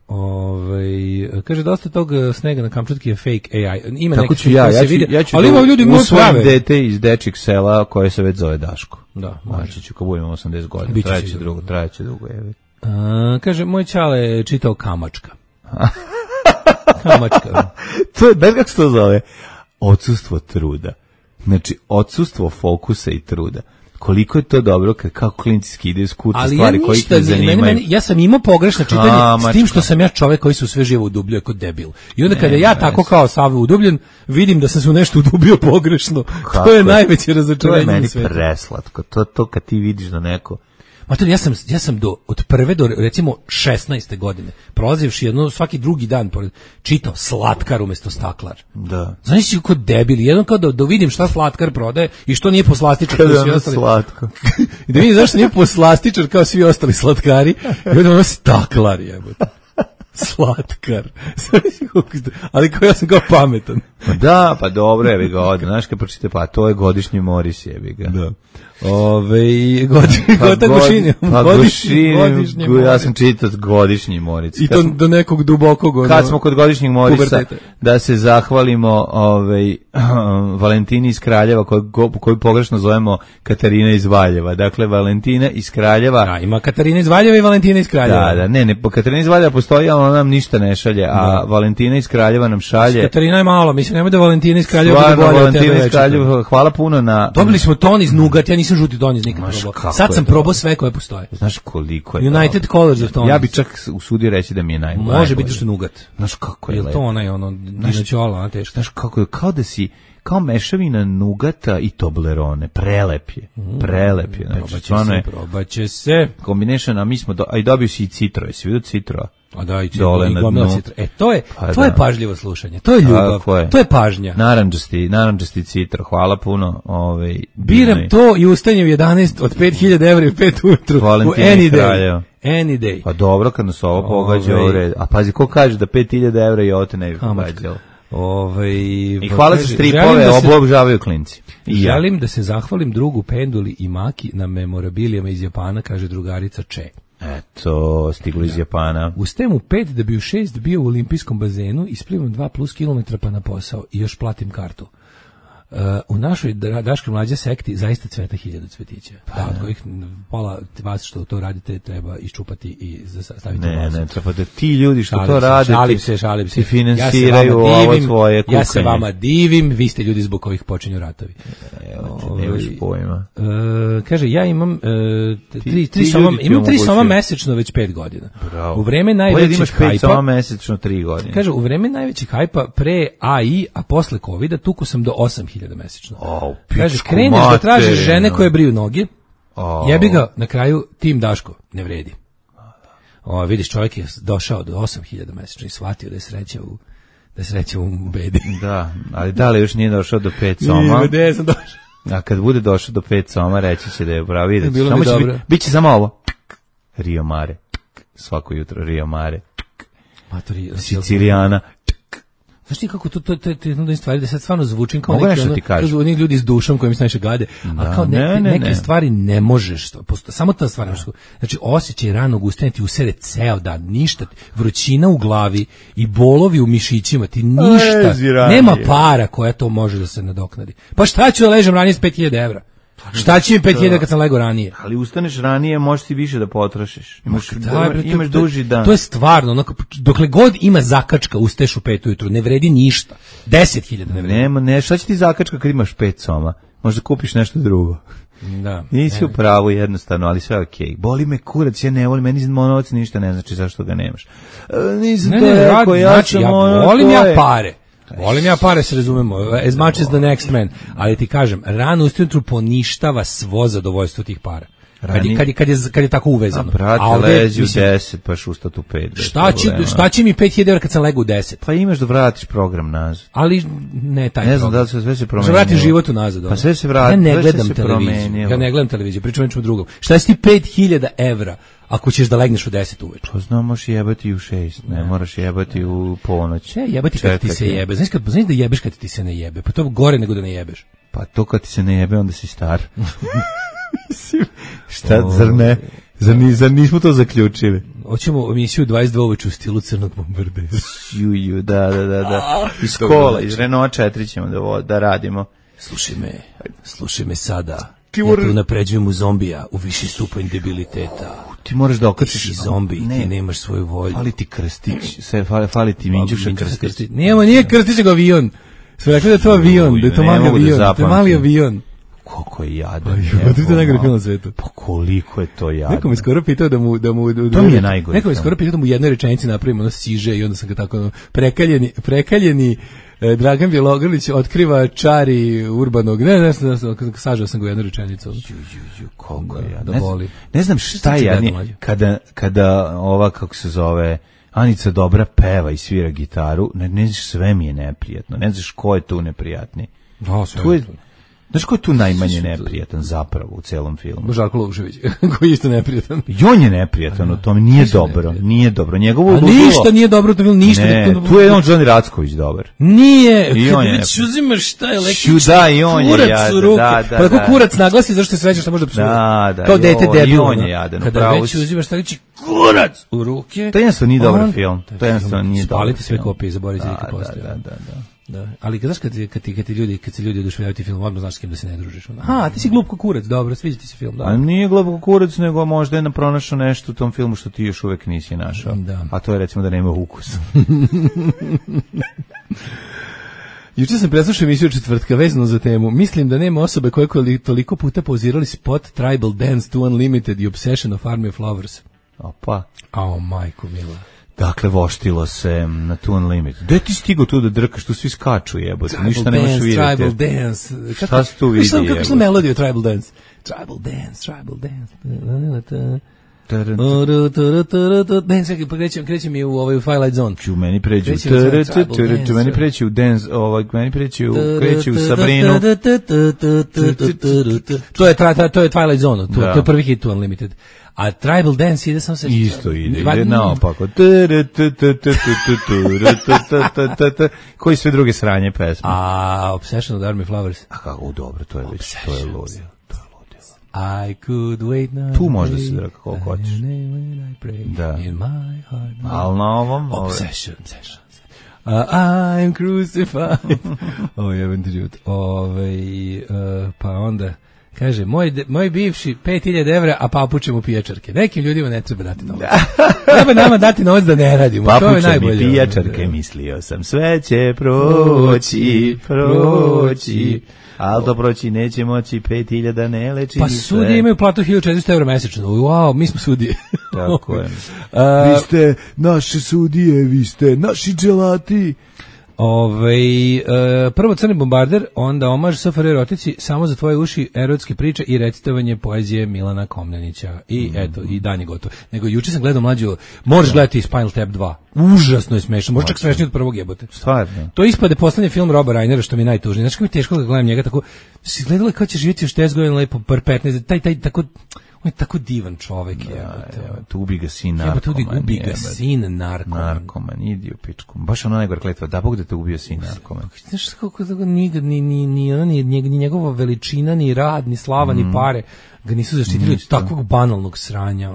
Kaže, dosta tog snega na Kamčatki je fake AI. Ima tako ću ja ću ali ima ljudi mu usvojim dete iz dečjeg sela koje se već zove Daško. Da, znači ću kad budemo 80 godina, trajeće dugo, jebi. Kaže, moj čale čitao Kamačka. Kamačka. To je, bez kako se to zove? Odsustvo truda. Znači, odsustvo fokusa i truda. Koliko je to dobro kad kako klinci skidaju s kuca stvari koji ih ne zanimaju. Ja sam imao pogrešno čitanje s tim što sam ja čovek koji se u sve živo udubljuje kod debil. I onda kada ja tako kao sav udubljen, vidim da sam se u nešto udubio pogrešno. To je najveće razočarenje. To je meni preslatko. To kad ti vidiš da neko Mater, ja sam od prve do recimo 16. godine, prolazivši jedno svaki drugi dan pored, čitao Slatkar umesto Staklar. Da. Znaš si kao debili, jedan kao da vidim šta Slatkar prodaje i što nije poslastičar kao svi ostali. Slatko. I da vidim zašto nije poslastičar kao svi ostali slatkari. I onda ono Staklar jebote. Slatkar. Ali kao ja sam kao pametan. Da, pa dobro, jebi ga ovdje. Znaš kad pročite, pa to je godišnji Moris, jebi ga. Da. Godišnji ja sam čitao godišnji Moris. I to do nekog dubokog. Kad smo kod godišnjeg Morisa, da se zahvalimo Valentini iz Kraljeva, koju pogrešno zovemo Katarina iz Valjeva. Dakle, Valentina iz Kraljeva. Da, ima Katarina iz Valjeva i Valentina iz Kraljeva. Da, ne, Katarina iz Valjeva postoji, ali ona nam ništa ne šalje, a Valentina iz Kraljeva nam šalje. Katarina je malo, mislim, nemoj da Valentina iz Kraljeva bude bolje od tebe već. Hvala puno na... Dobili smo ton iz Nugat, ja nisam žuti ton iz nikad probao. Sad sam probao sve koje postoje. Znaš koliko je United to? Colors of Tonis. Ja bi čak usudio reći da mi je najbolje. Može biti što Nugat. Znaš kako je lepo. Je to onaj, dinoćola, ona teška. Znaš kako je, kao da si... kao mešavina nugata i Toblerone. Prelep je. Znači, probaće se. Combination, a mi smo, a i dobio si i citro. Jesi vidio citro? A da, i citro, i gomila citro. To je pažljivo slušanje. To je ljubav. To je pažnja. Naranđasti citro. Hvala puno. Biram to i ustanjem 11 od 5.000 evra i 5 ujutru. U any day. Pa dobro, kad nas ovo pogađa u red. A pazi, ko kaže da 5.000 evra i ovo te ne bi pogađalo? I hvala se stripove, obožavaju klinci. Želim da se zahvalim drugu Penduli i Maki na memorabilijama iz Japana, kaže drugarica Če. Eto, stiglo iz Japana. Ustajem u 5 da bi u 6 bio u olimpijskom bazenu, isplivam 2+ kilometra pa na posao i još platim kartu. U našoj Daškoj mlađe sekti zaista cveta 1000 cvetića. Da, od kojih pola vas što to radite treba iščupati i staviti u vazu. Ne, treba da ti ljudi što to rade, šalim se. Ti finansiraju ovo tvoje kukanje. Ja se vama divim, vi ste ljudi zbog kojih počinju ratovi. Nemaš pojma. Kaže, ja imam 3 soma mesečno već 5 godina. Bravo. U vreme najvećeg hajpa... imaš 5 soma mesečno 3 godine. Kaže, u vreme najvećeg hajpa pre AI, a posle covida, tuku sam do 8.000 mesečno. Kaže, kreneš da tražiš žene koje briju noge, jebi ga, na kraju tim Daško, ne vredi. Vidiš, čovjek je došao do 8.000 mesečno i shvatio da je sreća u bedi. Da, ali da li još nije došao do 5 soma? Nije, sam došao. A kad bude došao do 5 soma, reći će da je bravo, vidjeti. Bilo bi dobro. Biće samo ovo. Rio Mare. Svako jutro Rio Mare. Sicilijana. Znaš ti kako to je jedna od stvari da sad stvarno zvučim kao neki oni ljudi s dušom koji mi se najviše gade, a kao neke stvari ne možeš, samo ta stvar, znači osjećaj ranog ustajanja ti usere ceo dan, ništa, vrućina u glavi i bolovi u mišićima, ti ništa, nema para koja to može da se nadoknadi. Pa šta ću da ležem ranije s 5.000 evra? Šta će mi 5.000 kad sam lego ranije? Ali ustaneš ranije, možeš ti više da potrošiš. Imaš duži dan. To je stvarno, dokle god ima zakačka, ustaješ u 5 ujutru, ne vredi ništa. 10.000 ne vredi. Ne, šta će ti zakačka kad imaš 5 soma? Možda kupiš nešto drugo. Da. Nisi u pravu jednostavno, ali sve okej. Boli me kurac, ja ne volim, meni novac ništa ne znači zašto ga nemaš. Nisam to rekao, ja volim pare. Volim ja pare, se razumemo, as much as the next man, ali ti kažem, rano ujutru poništava svo zadovoljstvo tih para. Kad je tako uvezano. A brate, leži u 10, pa šustat u 5. Šta će mi 5.000 evra kad sam legu u 10? Pa imaš da vratiš program nazad. Ali ne taj program. Ne znam da li se sve se promenilo. Vratiš život u nazad. Pa sve se vrati. Ja ne gledam televiziju. Ja ne gledam televiziju, pričam nečemu drugom. Šta si ti 5.000 evra ako ćeš da legneš u 10 uveče? Pa znam, možeš jebati u 6, ne moraš jebati u ponoć. Jebati kad ti se jebe. Znaš da jebeš kad ti se ne jebe? Pa to je gore nego da ne jebeš. Pa to kad ti se ne jebe, onda si star. Šta, zar nismo to zaključili? Hoćemo emisiju 22 uveče u stilu crnog bombardera. Da. Iz kola, iz Renault 4 ćemo da radimo. Slušaj me sada. Ja te unapređujem u zombija, u viši stupanj debiliteta. Ti moraš da okačiš. Ti zombi, ti nemaš svoju volju. Fali ti krstić, fali ti Minđuša krstić. Nije krstić, nego avion. Sve rekli da je to avion, da je to mali avion. To je mali avion. Koliko je jadan. To je najgore film na svetu. Pa koliko je to jadan. Neko mi skoro pitao da mu to mi je najgore. Neko mi skoro pitao da mu u jednoj rečenici napravimo ono siže i onda sam ga tako prekaljeni Dragan Bjelogrlić otkriva čari urbanog, ne, sažao sam ga u jednu rečenicu. Koliko ja, Ne znam šta ja, kada ova, kako se zove, Anica Dobra peva i svira gitaru, ne znaš, sve mi je neprijatno, ne znaš ko je tu neprijatni. Znaš ko je tu najmanje neprijatan zapravo u celom filmu? Žarko Lužević, koji je isto neprijatan. I on je neprijatan u tom, nije dobro. Njegovo ništa nije dobro u tom filmu, ništa. Ne, tu je on Johnny Racković dobar. Nije, kad već uzimaš šta je električni kurac u ruke. Pa tako kurac naglasi, zašto je sreće što može da psuje. Kao dete debil. I on je jadan. Kada već uzimaš šta reći kurac u ruke. To jednostavno nije dobar film. To jednostavno nije dobar. Spalite sve kopije, zaboravite nikad postoje. Da. Ali kad se ljudi oduševljavaju ti film, odmah znaš s kim da se ne družiš. Aha, ti si glup ko kurac, dobro, sviđa ti se film. A nije glup ko kurac, nego možda je pronašao nešto u tom filmu što ti još uvek nisi našao. Da. A to je recimo da nema ukus. Juče sam preslušao emisiju četvrtka vezano za temu. Mislim da nema osobe koje toliko puta pauzirali spot Tribal Dance to Unlimited i Obsession of Army of Lovers. Opa. Ao, majko mila. Dakle, voštilo se na tu Unlimited. Gde ti stigo tu da drkaš, tu svi skaču jebote, ništa nemaš vidjeti. Tribal Dance. Šta si tu vidi jebote? Kako su melodiju Tribal Dance? Tribal Dance. Ne, čekaj, pa krećem mi u Twilight Zone. Ću meni pređu u dance, meni pređu u Sabrinu. To je Twilight Zone, to je prvi hit u Unlimited. A Tribal Dance ide sam se... Isto ide naopako. Koji sve druge sranje pesme? A Obsession of Army Flowers. A kako, dobro, to je već, to je ludio. I could wait now. Tu možda se draka koliko hoćeš. Da. Ali na ovom... Obsession. I'm crucified. Ovo je jebem ti život. Pa onda... Kaže, moj bivši 5000 evra, a papuče mu pijačarke. Nekim ljudima ne treba dati novac. Treba nama dati novac da ne radimo. Papuče mi pijačarke, mislio sam, sve će proći. Ali to proći neće moći, 5000 ne leči. Pa sudije imaju platu 1400 evra mesečno. Wow, mi smo sudije. Tako je. Vi ste naše sudije, vi ste naši dželati. Prvo Crni bombarder, onda omaž SFRJ erotici, samo za tvoje uši, erotske priče i recitovanje poezije Milana Komnenića. I eto, i dan je gotov. Nego juče sam gledao mlađu, možeš gledati Spinal Tap 2. Užasno je smešno, možda čak smešnije od prvog jebote. Stvarno. To ispade poslednji film Roba Reinera, što mi je najtužnije. Znači kako mi je teško da gledam njega tako, si gledala kao će živjeti još 10 godina lepo, par 15, taj tako... On je tako divan čovek. Tu ubi ga sin narkoman. Ubi ga sin narkoman. Narkoman, idi u pičku. Baš ono najgore kletva, da Bog da te ubio sin narkoman. Znaš kako ni njegova veličina, ni rad, ni slava, ni pare ga nisu zaštitili od takvog banalnog sranja.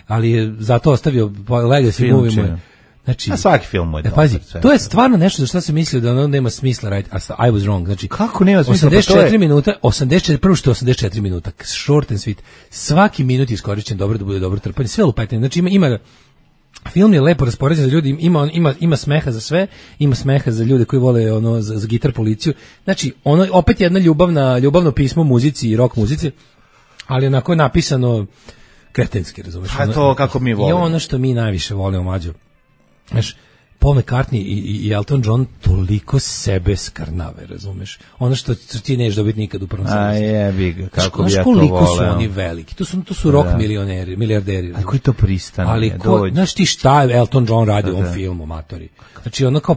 Ali je zato ostavio legacy movie. Znači, a svaki film mu je dobar. Pazi, to je stvarno nešto za što se mislio da ono nema smisla raditi. I was wrong. Znači, kako nema smisla? 84 minuta, 84 minuta, short and sweet. Svaki minut je iskorišćen dobro da bude dobro trpanje. Sve lupetanje. Znači, ima film je lepo raspoređen za ljudi, ima smeha za sve, ima smeha za ljude koji vole za gitar policiju. Znači, ono opet jedna ljubavno pismo muzici i rock muzici, ali onako je napisano kretenski, razumeš? A to kako mi volimo. I ono što mi najviše volimo, mlađo. Znaš, Paul McCartney i Elton John toliko sebe skarnave, razumeš? Ono što ti nećeš dobiti nikad u prvom smislu. A jebi ga, kako bi ja to voleo. Koliko su oni veliki, to su rock milijarderi. A koji to pristane? Ali znaš ti šta je Elton John radi u ovom filmu, matori? Znači ono kao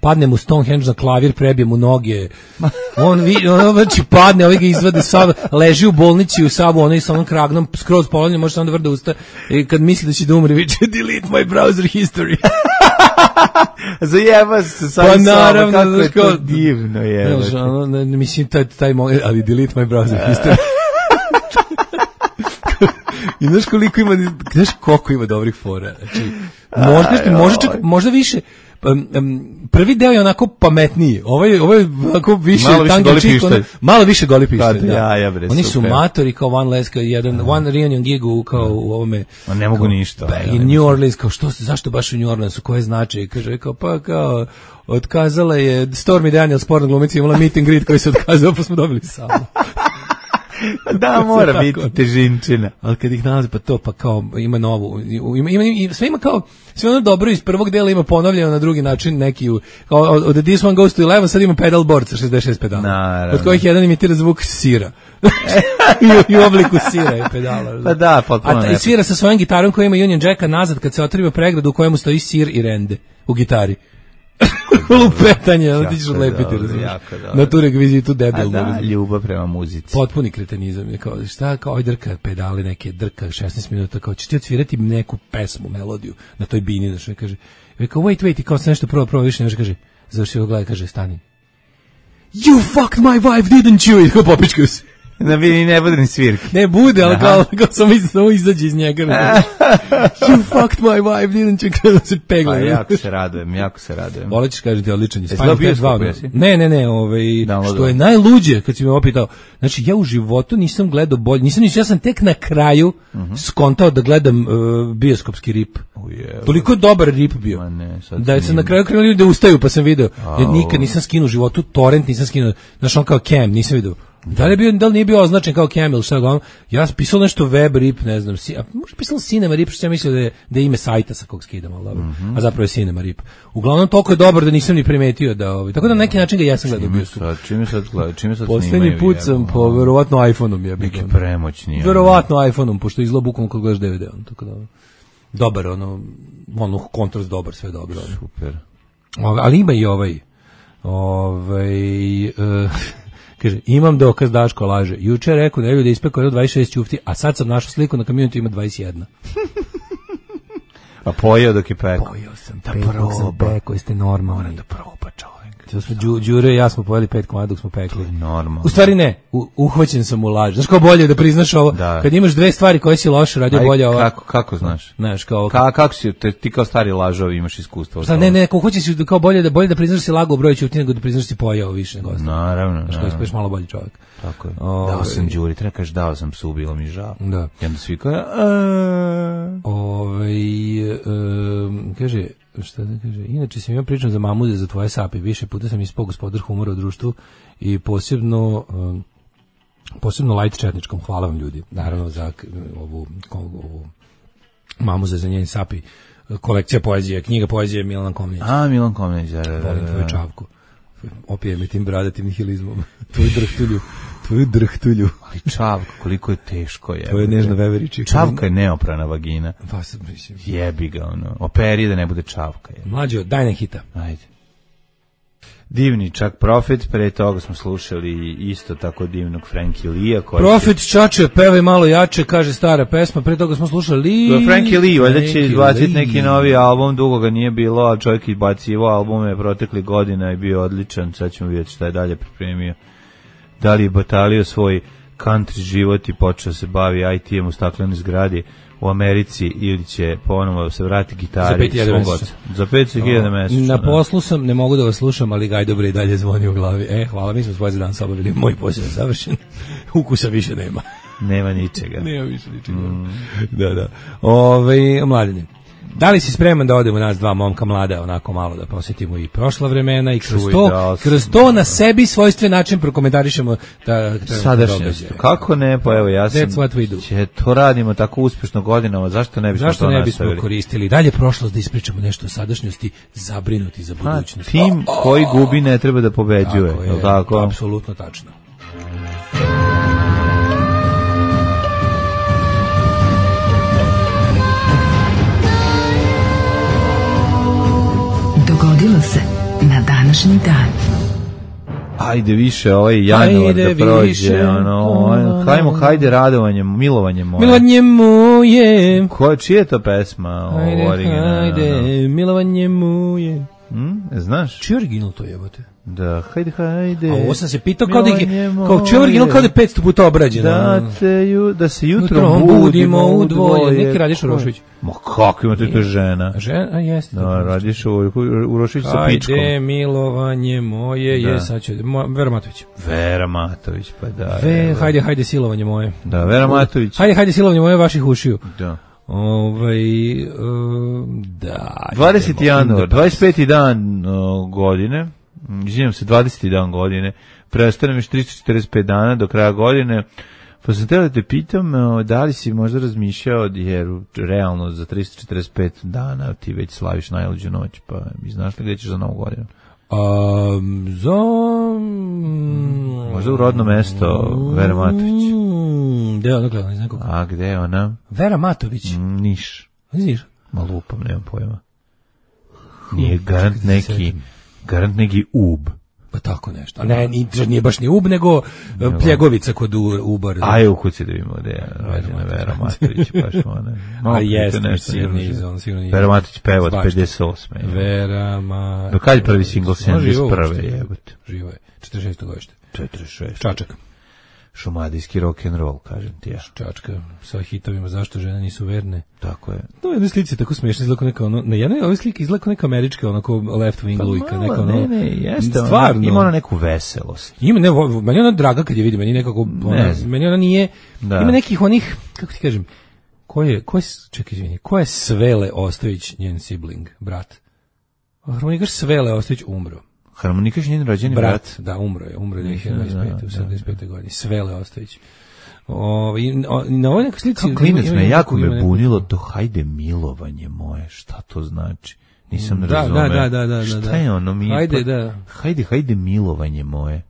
padne mu Stonehenge na klavir, prebije mu noge, on znači padne, ovaj ga izvade, leži u bolnici u Savu, onaj sa onom kragnom, skroz polovljen, može samo da vrde usta, i kad misli da će da umre, viče, delete my browser history. Zajeba se sam pa naravno, kako je to divno je. Mislim, taj moment, ali delete my browser history. I znaš koliko ima, znaš koliko ima dobrih fora. Znači, možda više. Prvi deo je onako pametniji. Ovo je onako više tango čik, malo više goli pištolj. Oni su matori kao one reunion gig kao u ovome. Ne mogu ništa. I New Orleans, kao zašto baš u New Orleansu, koje značaje? Kaže, kao otkazala je Stormy Daniels, porno glumica, imala meet and greet koji se otkazao, pa smo dobili samo. Da, mora biti težinčina. Ali kad ih nalazi, pa to, pa kao, ima novu, sve ima kao, sve ono dobro iz prvog dela ima ponovljeno na drugi način, neki, kao, od This One Goes to 11, sad ima pedal board sa 66 pedala. Naravno. Od kojih jedan imitira zvuk sira. I u obliku sira je pedala. Pa da, potpuno I svira sa svojom gitarom koja ima Union Jacka nazad kad se otriva pregradu u kojemu stoji sir i rende u gitari. Lupetanje, ali ti ćeš odlepiti, razumiješ. Na tu rekvizitu debil. Da, ljubav prema muzici. Potpuni kretenizam. Kao, šta, kao, drka pedale, neke drka 16 minuta, kao, ćeš ti odsvirati neku pesmu, melodiju na toj bini, da što je kaže, kao, wait, i kao se nešto prvo više, nešto kaže, završi ovo gleda, kaže, stani. You fucked my wife, didn't you? I kao popičkaju se. Da bi ne bude ni svirke. Ne bude, ali kao samo izađe iz njega. You fucked my wife, didn't you? Kada se pegla. Pa jako se radujem. Volećeš kažete, odličan je. Ne, što je najluđe, kad si me opitao, znači ja u životu nisam gledao bolje, ja sam tek na kraju skontao da gledam bioskopski rip. Toliko je dobar rip bio. Da sam na kraju krenuli da ustaju, pa sam video. Ja nikad nisam skinuo u životu, torrent nisam skinuo, znaš on kao Cam, nisam video. Da li nije bio označen kao Camel, šta ga on? Ja sam pisao nešto web rip, ne znam, možda pisao Cinema rip, što sam mislio da je ime sajta sa kog skidam, ali dobro. A zapravo je Cinema rip. Uglavnom toliko je dobar da nisam ni primetio da tako da na neki način ga jesam gledao bio. Čime sad poslednji put sam po verovatno iPhone-om je bio. Neki premoćni. Verovatno iPhone-om, pošto izgleda bukvalno kad gledaš DVD, tako da. Dobar, ono kontrast dobar, sve dobro. Super. Ali ima i kaže, imam dokaz Daško laže. Juče je rekao da je ispekao 26 ćufti, a sad sam našao sliku na Community ima 21. A pojeo dok je pekao. Pojeo sam, pekao, jeste normalni. Moram da proba, čovjek. Đure i ja smo pojeli 5 komada dok smo pekli. Normalno. U stvari ne, uhvaćen sam u laž. Znaš kao bolje da priznaš ovo? Da. Kad imaš dve stvari koje si loše radio, bolje ovo. Kako znaš? Znaš, kao... Kako si, ti kao stari lažov imaš iskustvo? Šta, ne, uhvaćen si kao bolje da priznaš si lago u broju ćuti nego da priznaš si pojeo više nego ostalo. Naravno. Znaš kao ispeš malo bolji čovjek. Tako je. Dao sam Đuri, treba kažeš dao sam psu, bilo mi žao. Da. I onda svi kao... Kaže... Šta da kaže? Inače sam imao pričam za mamuze, za tvoje sape. Više puta sam ispao gospodar humora u društvu i posebno light četničkom. Hvala vam ljudi. Naravno za ovu mamuze za njen sapi. Kolekcija poezije, knjiga poezije Milan Komnenić. Milan Komnenić, da. Volim tvoju čavku. Opije me tim bradatim nihilizmom. Tvoju drhtulju. Ali čavka, koliko je teško je. To je nežna veveriči. Čavka je neoprana vagina. Mislim. Jebi ga, operi da ne bude čavka. Mlađo, daj na hita. Ajde. Divni Čak Profit, pre toga smo slušali isto tako divnog Frankie Lee-a. Profit čače, pevaj malo jače, kaže stara pesma, pre toga smo slušali Frankie Lee, valjda će izbaciti neki novi album, dugo ga nije bilo, a čovjek izbacivao albume protekli godina i bio odličan, sad ćemo vidjeti šta je dalje pripremio. Da li je batalio svoj country život i počeo se bavi IT-em u staklenoj zgradi u Americi ili će ponovo se vrati gitari za 5.000 mesečno. Na poslu sam, ne mogu da vas slušam, ali gaj dobro i dalje zvoni u glavi. Hvala, mi smo svoj za dan se obavili, moj posao je završen, ukusa više nema. Nema ničega. Nema više ničega. Da. Mladine, da li si spreman da odemo nas dva momka mlada, onako malo da posjetimo i prošla vremena i kroz to na sebi svojstven način prokomentarišemo sadašnjost. Kako ne, pa evo ja sam to radimo tako uspješno godinama, zašto ne bismo to nastavili? Zašto ne bismo koristili dalje prošlost da ispričamo nešto o sadašnjosti, zabrinuti za budućnost. Tim koji gubi ne treba da pobeđuje. Tako je, apsolutno tačno. Dogodilo se na današnji dan. Ajde više januar da prođe, hajde radovanjem, milovanjem moje. Milovanjem moje. Čije je to pesma? Hajde, milovanjem moje. Znaš? Čiji original to jebote? Da, hajde. A ovo sam se pitao kao čiji original kao da je 500 puta obrađeno. Da se jutro budimo u dvoje. Neki radiš u Rošović. Ma kako imate to žena? Žena, jeste. Da, radiš u Rošović sa pičkom. Hajde, milovanje moje je, sad će, Vera Matović, pa da. Hajde, silovanje moje. Da, Vera Matović. Hajde, silovanje moje vaših ušiju. Da. Da. 20. januar, 25. dan godine, izvinjam se, 20. dan godine, preostane mi 345 dana do kraja godine, Pa sam teo da te pitam, da li si možda razmišljao, jer realno za 345 dana ti već slaviš najluđu noć, pa mi znaš li gde ćeš za Novu godinu? Možda u rodno mesto Vera Matović. Gde je ona gledala iz nekog? A gde je ona? Vera Matović. Niš. Niš? Ma lupam, nemam pojma. Nije garant neki Ub. Pa tako nešto. A ne, nije baš ni Ub, nego Pljegovica kod Uba. Aj, u kući da vidimo gde je rođena Vera Matović, baš ona. A jeste, sigurno nije. Vera Matović peva od 58. Vera Matović. Do kad je prvi singl 71. jebote? Živo je. 46. godište. 46. Čačak. Šumadijski rock'n'roll, kažem ti ja. Čačka sa hitovima Zašto žene nisu verne. Tako je. To je jedna slika tako smiješna, izgleda neka ono, na jednoj ovoj sliki izgleda neka američka, onako left wing lujka, neka ono. Ne, jeste. Stvarno. Ima ona neku veselost. Ima, ne, meni ona draga kad je vidi, meni nekako, meni ona nije, ima nekih onih, kako ti kažem, ko je Svele Ostojić, njen sibling, brat? Harmonikaš Svele Ostojić umro. Harmonikaš njen rođeni brat? Da, umro je 2025. u 75. godini. Svele Ostojić. Na ovoj nekoj slici... Klinac me, jako me bunilo to hajde milovanje moje, šta to znači? Nisam razumeo. Da. Šta je ono mi? Hajde, da. Hajde milovanje moje.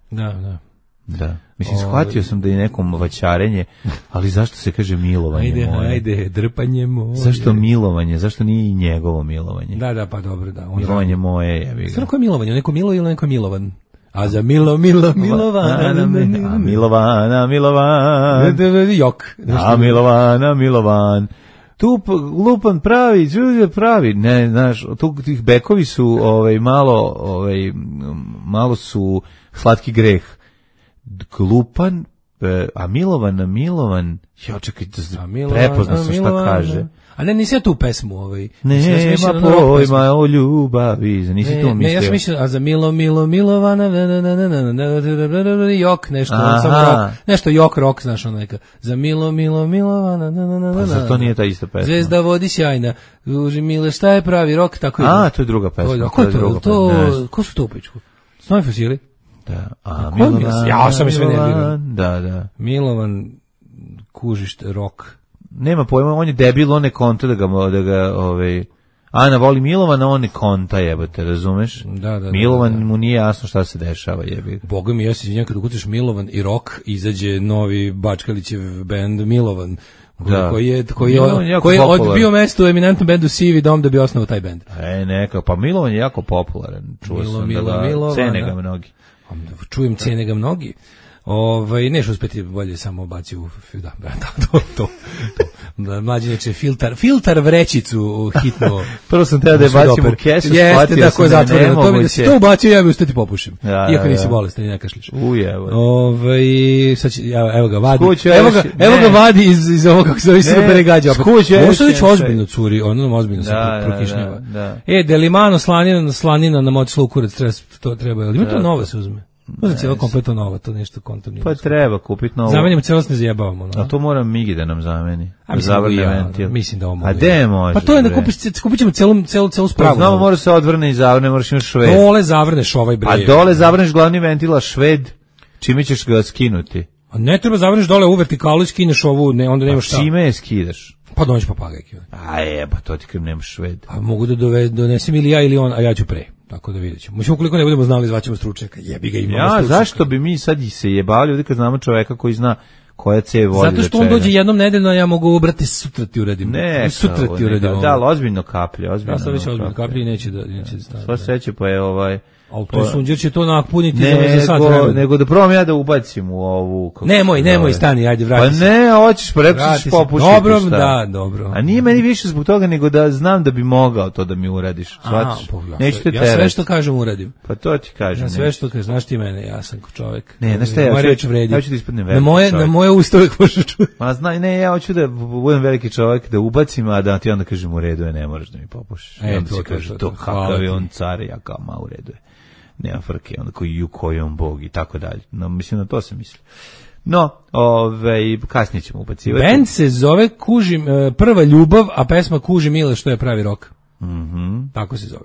Da. Mislim, shvatio sam da je nekom vaćarenje, ali zašto se kaže milovanje moje? Hajde, drpanje moje. Zašto milovanje? Zašto nije i njegovo milovanje? Da, pa dobro, da. Milovanje moje, ja bih. Stvarno, ko je milovanje? Neko milo ili neko milovan? A za milovana. Jok. A Milovan. Tu lupan pravi, ne, znaš, tu tih bekovi su malo su slatki greh. Glupan, a Milovan, ja čekaj, prepoznao sam šta kaže. A ne, nisi ja tu pesmu Nema pojma o ljubavi, nisi tu mislio. Ne, ja sam mislio, a za Milovana, jok, nešto, nešto jok, rock, znaš, ono neka. Za Milovana, pa zar to nije ta ista pesma? Zvezda vodi sjajna, uži Mile, šta je pravi rock, tako je. A, to je druga pesma. Ko su to u pičku? Snovi fosili? Da, a Milovan, ja sam i sve nervirao. Da. Milovan, kužiš rock. Nema pojma, on je debil, on ne konta da ga Ana voli Milovana, on ne konta, jebote, razumeš? Da. Milovan mu nije jasno šta se dešava, jebi. Boga mi, ja se izvinjam, kad ukucaš Milovan i rock, izađe novi Bačkalićev bend Milovan, koji je odbio mesto u eminentnom bendu Sivi dom da bi osnovao taj bend. Neka, pa Milovan je jako popularan, čuo sam da cene ga mnogi. Čujem, cene ga mnogi. Neš uspeti bolje samo baci u to. Mlađi neče filtar vrećicu hitno. Prvo sam teo da je bacim u kesu, shvatio sam da je nemoguće. Da si to ubacio, ja bi ustati popušim. Iako nisi bolestan i ne kašliš. Evo ga vadi. Evo ga vadi iz ovog, kako se zove, sve beregađa. Mosović ozbiljno curi, ozbiljno se prokišnjava. Delimano slanina na moć lukurac, to treba. Ima to novo se uzme. Možda cijelo kompletno novo, to nešto kontom. Pa treba kupiti novo. Zamenimo cijelost, ne zajebavamo. A to moram Migi da nam zameni. Zavrne ventil. Mislim da ovo mogu. A gde može? Pa to je da kupit ćemo celu spravu. Znamo, mora se odvrne i zavrne, moraš imaš šved. Dole zavrneš ovaj bre. A dole zavrneš glavni ventil, a šved, čime ćeš ga skinuti? A ne treba zavrneš dole u vertikalu i skineš ovu, onda nemaš šta. Čime je skidaš? Pa dođeš papagajke. Pa to ti kad nemaš šved. A mogu da donesem ili ja ili on, a ja ću pre. Tako da vidjet ćemo. Mislim, ukoliko ne budemo znali, zvaćemo stručnjaka. Jebi ga, imamo stručnjaka. Zašto bi mi sad se jebali ovdje kad znamo čoveka koji zna koja cev vodi? Zato što on dođe jednom nedeljno, a ja mogu obrati, sutra ti uradim. Sutra ti uradim. Da, ozbiljno kaplje. Ja sam već ozbiljno kaplje i neće da stavim. Sva sreće pa je Ali to sunđer će to napuniti za sad vremena. Nego da probam ja da ubacim u ovu... Nemoj, stani, ajde, vrati se. Pa ne, hoćeš, pa rekao ćeš popušiti. Dobro. A nije meni više zbog toga, nego da znam da bi mogao to da mi uradiš. Shvatiš? Neću te terati. Ja sve što kažem uradim. Pa to ti kažem. Ja sve što kažem, znaš ti mene, ja sam ko čovek. Ne, znaš šta, ja ću da ispadnem veliki čovek. Na moje usta uvijek možeš čuti. Ma znaj, ne, ja hoću da budem veliki čovek, da ubacim, a da ti onda kažem u redu je, ne moraš da mi popušiš. I onda si kaže, to kakav je on car, ja kao ma u redu je. Nema frke, onda koji je on bog i tako dalje. No, mislim, na to se misli. No, kasnije ćemo ubacivati. Band se zove Prva ljubav, a pesma Kuži Mile što je pravi rok. Tako se zove.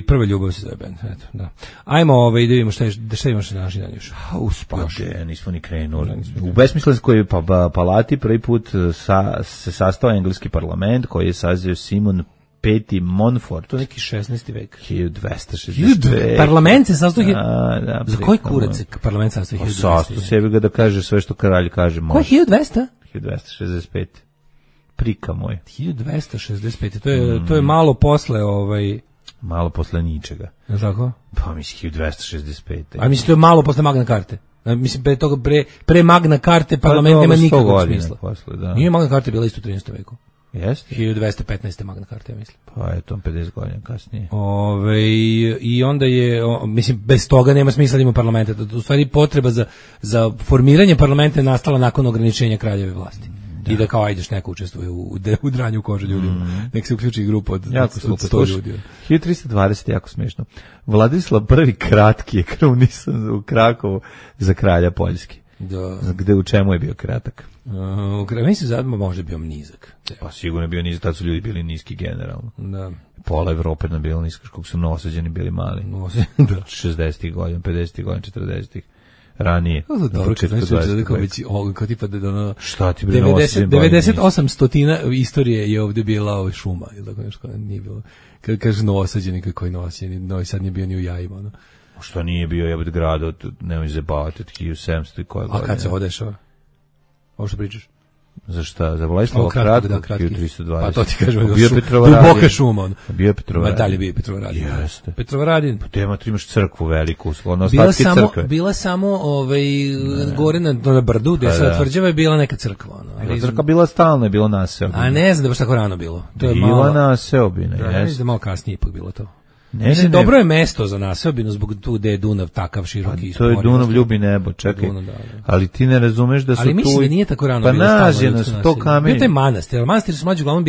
Prva ljubav se zove band, eto, da. Ajmo, da vidimo šta imaš na današnji dan još. Uspade, nismo ni krenuli. U besmislenskoj palati prvi put se sastao engleski parlament koji je sazio Simon Peti Montfort. To je neki 16. vek. 1265. Parlament se sastao... Da, za koji kurac se parlament sastao 1200? Sastao sebi ga da kaže sve što kralj kaže. Ko je 1200? 1265. Prika moj. 1265. To je malo posle malo posle ničega. Je tako? Pa mislim 1265. A mislim to je malo posle Magna Carte. Mislim pre Magna Carte parlament nema nikakvog smisla. Posle, da. Nije Magna Carte bila isto u 13. veku. Jeste? 1215. Magna Carte, ja mislim. Pa je to 50 godina kasnije. I onda je, mislim, bez toga nema smisla da ima parlamenta. U stvari potreba za formiranje parlamenta je nastala nakon ograničenja kraljeve vlasti. Da. I da kao ajdeš neko učestvuje u dranju kože ljudima. Nek se uključi grupa od 100 ljudi. 1320 jako smiješno. Vladislav I kratki je krunisan u Krakovu za kralja Poljski. Da. Gde u čemu je bio kratak? Mislim zadma možda bio nizak. Pa sigurno je bio nizak, tad su ljudi bili niski generalno. Da. Pola Evrope na bilo nisko, kako su nosađeni bili mali. Da. 60-ih godina, 50-ih godina, 40-ih. Ranije. Dobro, kao tipa da ono... Šta ti bre 98 stotina istorije je ovdje bila šuma, ili tako nešto, nije bilo. Kad kažeš noosađeni, kako je noosađeni, Novi Sad nije bio ni u jajima, ono. Što nije bio jebet grad od, nemoj zabavati, od 1700 i koja godina. A kad se odešao? Ovo što pričaš? Za šta? Za Vladislava kratkog 1320. Pa to ti kažem, bio Petrovaradin. Duboka šuma. Bio Petrovaradin. Ma dalje bio Petrovaradin. Jeste. Petrovaradin. Pa tema tu imaš crkvu veliku, ono ostatke crkve. Bila samo gore na brdu, gde se tvrđava je bila neka crkva. Crkva bila stalno, je bilo naseobina. A ne znam da baš tako rano bilo. To je bila naseobina, jeste. Mislim da malo kasnije ipak bilo to. Ne. Dobro je mesto za naseobinu zbog tu gde je Dunav takav široki. Pa, to je Dunav ljubi nebo, čekaj. Da. Ali ti ne razumeš da su tu... Ali mislim da nije tako rano pa bilo nađeno su to kamenje. Bio taj manastir, manastir su mlađi uglavnom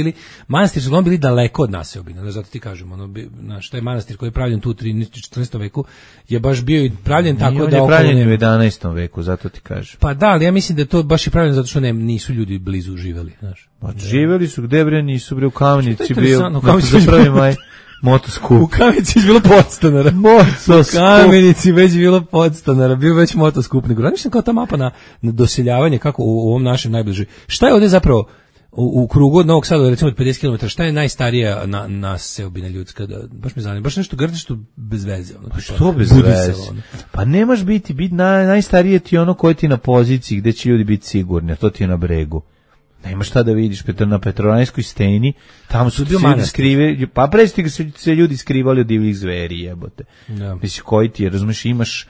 bili daleko od naseobina, zato ti kažem, taj manastir koji je pravljen tu u 13. 14. veku je baš bio i pravljen tako da... On je pravljen u 11. veku, zato ti kažem. Pa da, ali ja mislim da je to baš i pravljeno zato što nisu ljudi blizu živeli, znaš. Pa živeli su gde bre, nisu bre u Kamenici bio, na prvi maj. Motoskup. U Kamenici je bilo podstanara. U Kamenici već bilo podstanara. Bio već motoskup. Nego radiš kao ta mapa na doseljavanje, kako u ovom našem najbližoj. Šta je ovdje zapravo u krugu od Novog Sada, recimo od 50 km, šta je najstarija naseobina ljudska? Baš me zanima. Baš nešto grdišto bez veze. Pa što bez veze? Pa nemaš biti najstarije ti ono koje ti na poziciji gde će ljudi biti sigurni, a to ti je na bregu. Nema šta da vidiš, na Petrovaradinskoj steni, tamo su se ljudi skrivali, pa presti se ljudi skrivali od divljih zveri, jebote. Ja. Mislim, koji ti je, razumiješ, imaš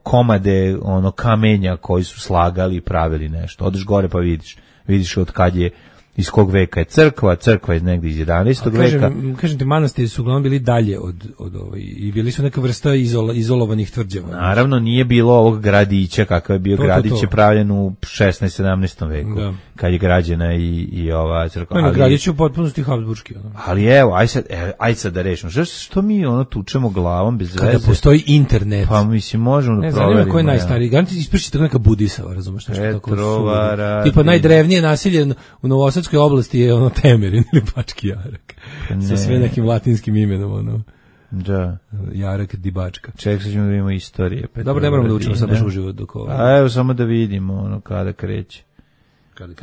komade, kamenja koji su slagali i pravili nešto. Odeš gore pa vidiš od kad je, iz kog veka je crkva je negdje iz 11. veka. Kažem ti, manastiri su uglavnom bili dalje od i bili su neka vrsta izolovanih tvrđava. Naravno, nije bilo ovog gradića, kakav je bio gradić je pravljen u 16. 17. veku, da. Kad je građena i ova crkva. Gradić je u potpunosti habsburški. Ali evo, aj sad da rešimo. Što mi tučemo glavom bez veze? Kada postoji internet. Pa mislim, možemo da proverimo. Ne znam ko je najstariji. Garanti ispričati tako neka Budisava, razumeš? Petrovaradin. Tipa najdrevnije nasilje u Novosadskoj oblasti je Temerin ili Bački Jarak. Sa sve nekim latinskim imenom, Da. Jarak di Bačka. Ček, sad ćemo da vidimo istorije. Dobro, ne moramo da učimo sad baš uživo dok ovo. A evo, samo da vidimo kada kreće.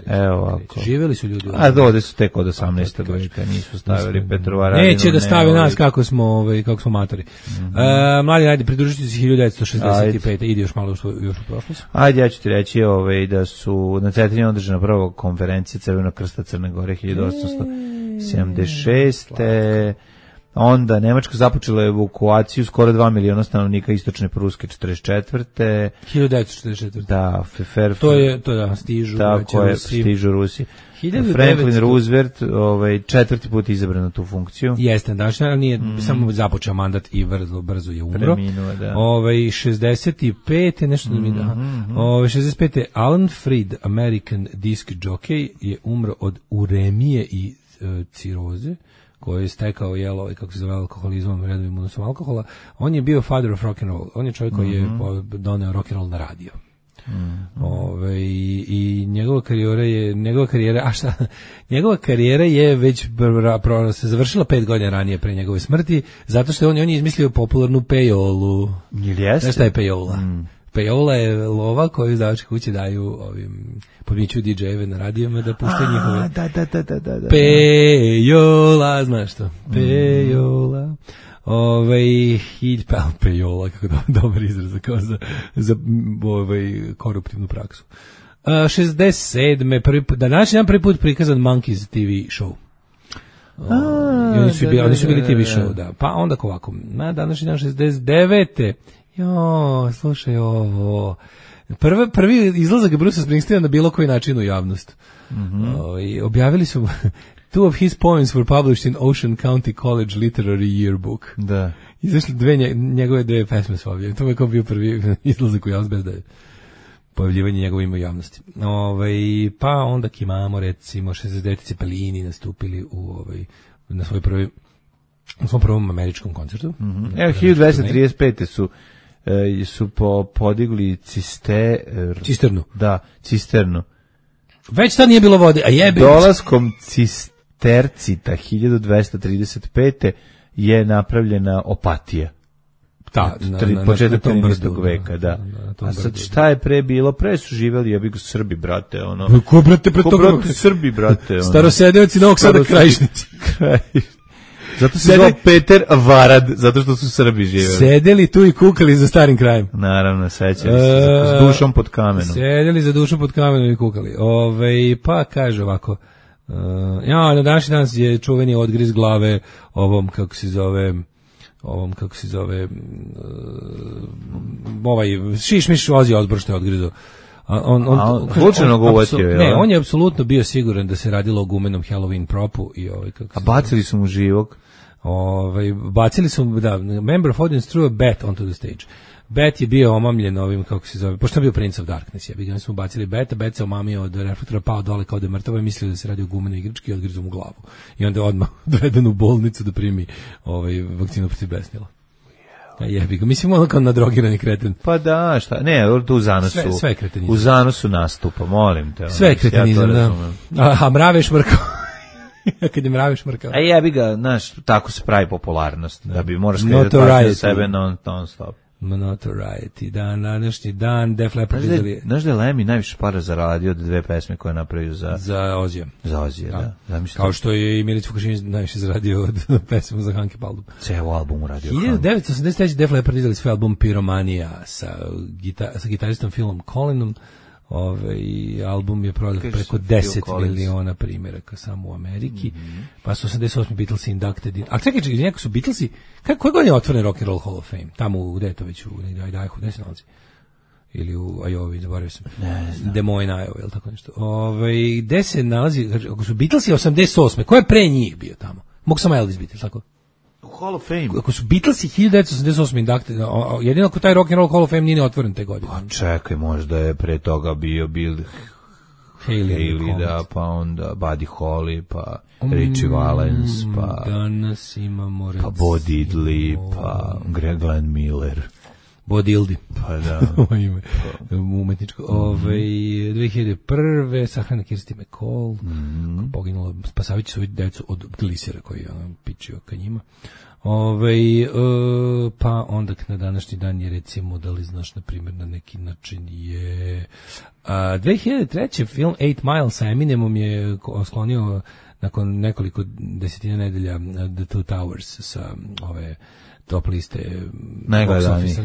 Evo ovako. Živeli su ljudi. A ovde su tek od 18. veka, nisu stavili Petrovaradinu. Neće da stave nas kako smo matori. Mladi, ajde, pridružiti se 1965. Ide još malo još u prošlost. Ajde, ja ću ti reći da su na Cetrini održana prva konferencija Crvenog krsta Crne Gore 1876. Onda Nemačka započela evakuaciju skoro 2 miliona stanovnika istočne Pruske 44. 1944. Da, stižu Rusi. Franklin Roosevelt četvrti put izabran na tu funkciju. Jeste, ali nije samo započeo mandat i brzo je umro. Preminuo, da. 65. nešto da mi da. 65. Alan Freed, American disc jockey, je umro od uremije i ciroze, koji je stekao kako se zove alkoholizmom, redovim unosom alkohola. On je bio father of rock and roll. On je čovjek koji je doneo rock and roll na radio. I njegova karijera je već se završila 5 godina ranije pre njegove smrti, zato što on je izmislio popularnu pejolu. Znaš šta je pejola? Pejola je lova koju izdavačke kuće daju ovim podmićuju DJ-eve na radijama da puštaju njihove. Da. Pejola, znaš što? Pejola. Pejola, kako dobar izraz kao za koruptivnu praksu. 67. Današnji dan prvi put prikazan Monkeys TV show. Oni su bili TV show, da. Pa onda ovako, na današnji dan 69. Slušaj ovo. Prvi izlazak Bruce Springsteena na bilo koji način u javnost. Objavili su two of his poems were published in Ocean County College Literary Yearbook. Da. Izašli njegove dve pesme su objavljene. To je kao bio prvi izlazak u javnost bez da je pojavljivanje njegove ima u javnosti. Pa onda imamo recimo 69. Cepelini nastupili na svoj svom prvom američkom koncertu. Evo 1235. su podigli cisternu. Da, cisternu. Već tad nije bilo vode, a jebe. Dolaskom cistercita 1235. je napravljena Opatija. Početak 13. veka, da. A sad šta je pre bilo? Pre su živeli, ja bih Srbi, brate, ono. Ko brate pre toga? Srbi, brate, ono. Starosedeoci Novog Sada Krajišnici. Zato se zvao Peter Varad, zato što su Srbi živeli. Sedeli tu i kukali za starim krajem. Naravno, sećali se, s dušom pod kamenom. Sedeli za dušom pod kamenom i kukali. Pa kaže ovako, na današnji dan je čuveni odgriz glave ovom, kako se zove, Šišmiš Ozzy Osbourne što je odgrizao. Slučajno ga uvatio, je? Ne, on je apsolutno bio siguran da se radilo o gumenom Halloween propu i a bacili su mu živog. Bacili su mu, da, member of audience threw a bat onto the stage. Bet je bio omamljen ovim, kako se zove, pošto je bio Prince of Darkness, oni su mu bacili beta, bet se omamio od reflektora, pao dole kao da je mrtavo i mislio da se radi o gumenoj igrački i odgrizu mu glavu. I onda je odmah doveden u bolnicu da primi vakcinu protiv besnila. Jebi ga, mislim ono kao nadrogirani kreten. Pa da, šta, ne, tu u zanosu. Sve kretenizam. U zanosu nastupa, molim te. Sve kretenizam, ja da. A mrave šmrkao. Kad je mrave šmrkao. A jebi ga, znaš, tako se pravi popularnost. Da bi moraš skredati pažnju za sebe non stop. Notoriety, današnji dan, Def Leppard vidjeli. Znaš da je Lemmy najviše para zaradio od dve pesme koje napravio za Ozija. Za Ozija, da. Kao što je i Milić Vukašinić najviše zaradio od pesme za Hanke Paldum. Ceo album uradio. 1983. Def Leppard izdali svoj album Pyromania sa gitaristom Philom Collinom. Album je prodao preko 10 miliona primjeraka samo u Ameriki. Pa su 88. Beatlesi inducted in. A čekaj, neko su Beatlesi, koje godine je otvoren Rock and Roll Hall of Fame? Tamo u Detoviću, u Idaho, gde se nalazi? Ili u Iowa, zaboravio sam. Des Moines, Iowa, ili tako nešto. Gde se nalazi, ako su Beatlesi 88. Ko je pre njih bio tamo? Mogu samo Elvis biti, tako? Hall of Fame. Ako su Beatlesi 1988. inducted, jedino ako taj Rock and Roll Hall of Fame nije otvoren te godine. Pa čekaj, možda je pre toga bio Bill Haley, da, pa onda Buddy Holly, pa Richie Valens, pa danas imamo pa Bo Diddley, pa Glenn Miller. Bo Dildi. Pa da. Umetničko. 2001. sahrana Kirsti McCall, poginulo, spasavajući svoju decu od glisera koji je pičio ka njima. Pa onda na današnji dan je, recimo, da li znaš, na primjer, na neki način je 2003. film 8 Mile sa Eminemom je sklonio nakon nekoliko desetina nedelja The Two Towers sa ove top liste najgledanijih.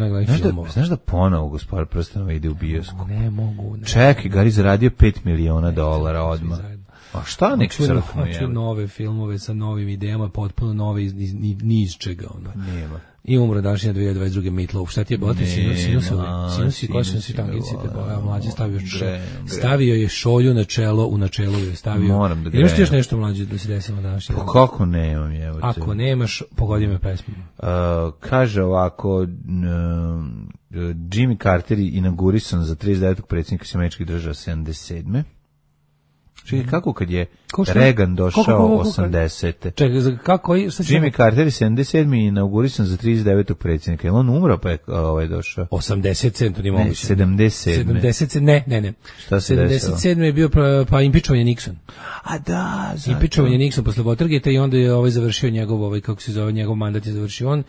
Znaš da ponovo Gospodar prstenova ide u bioskop? Ne mogu. Čekaj, Gari zaradio $5 miliona odmah. A šta nek crknu? Hoću nove filmove sa novim idejama, potpuno nove ni iz čega. Nema. I umro današnja 2022. Meatloaf. Šta ti je bote? Sinusi, kosinus i tangenci. Mlađe stavio je šolju na čelo, u načelu je stavio. Moram da imaš ti još nešto mlađe da se desilo današnje? Pa kako nemam, evo te. Ako nemaš, pogodi me pesmu. Kaže ovako, Jimmy Carter inaugurisan za 39. predsjednika Američkih država 77. Čekaj, kako kad je Ko šta? Reagan došao Koliko? 80. Čekaj, kako je? Jimmy Carter je 77. inaugurisan za 39. predsjednika. Je on umro pa je došao? 87, to nije Ne, moguće. 77. 77, ne. Šta se desilo? 77 je bio pa impičovan je Nixon. A da, zato. Impičovan je Nixon posle Watergate i onda je završio njegov kako se zove, njegov mandat je završio on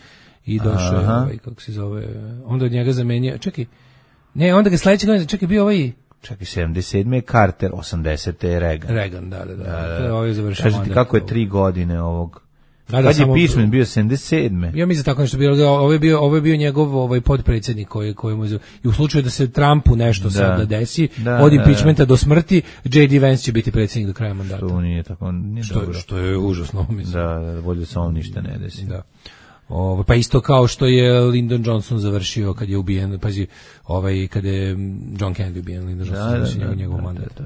i došao je kako se zove, onda od njega zamenio. Čekaj. Ne, onda ga sledeće godine, čekaj, bio Čekaj, 77. je Carter, 80. je Reagan. Reagan, da. To je završio Kažete mandat. kako je 3 godine ovog. Da, Kad je samo- Pičman bio 77. Ja mislim tako nešto bilo. Ovo je bio njegov podpredsjednik koji mu je, i u slučaju da se Trumpu nešto sad desi, od impeachmenta do smrti, J.D. Vance će biti predsjednik do kraja mandata. To nije tako, nije dobro. Što je užasno, mislim. Da, bolje da se ovom ništa ne desi. Da. Pa isto kao što je Lyndon Johnson završio kad je ubijen, pazi, kad je John Kennedy ubijen, Lyndon Johnson završio njegov mandat.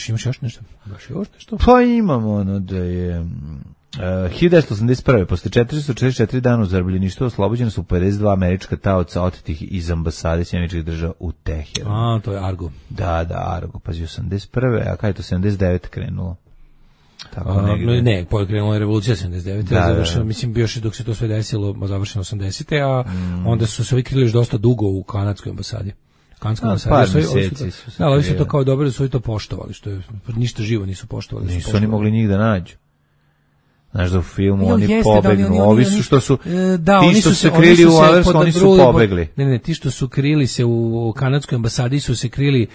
Imaš još nešto? Baš još nešto? Pa imamo ono da je 1981. posle 444 dana u zarobljeništvu oslobođena su 52 američka taoca otetih iz ambasade Sjedinjenih Američkih Država u Teheranu. To je Argo. Da, Argo, pazi 81. A kada je to 79 krenulo? Tako Ne, krenula je revolucija 79. Završeno, mislim, bio je dok se to sve desilo, završeno 80. A onda su se ovi krili još dosta dugo u kanadskoj ambasadi. Kanadskoj ambasadi. Par meseci su se ali su to kao dobro da su i to poštovali, što je ništa živo nisu poštovali. Nisu oni mogli njih da nađu. Znaš da u filmu oni pobegnu, ovi su što su, ti što se krili u Alersku, oni su pobegli. Ne, ti što su krili se u kanadskoj ambasadi su se krili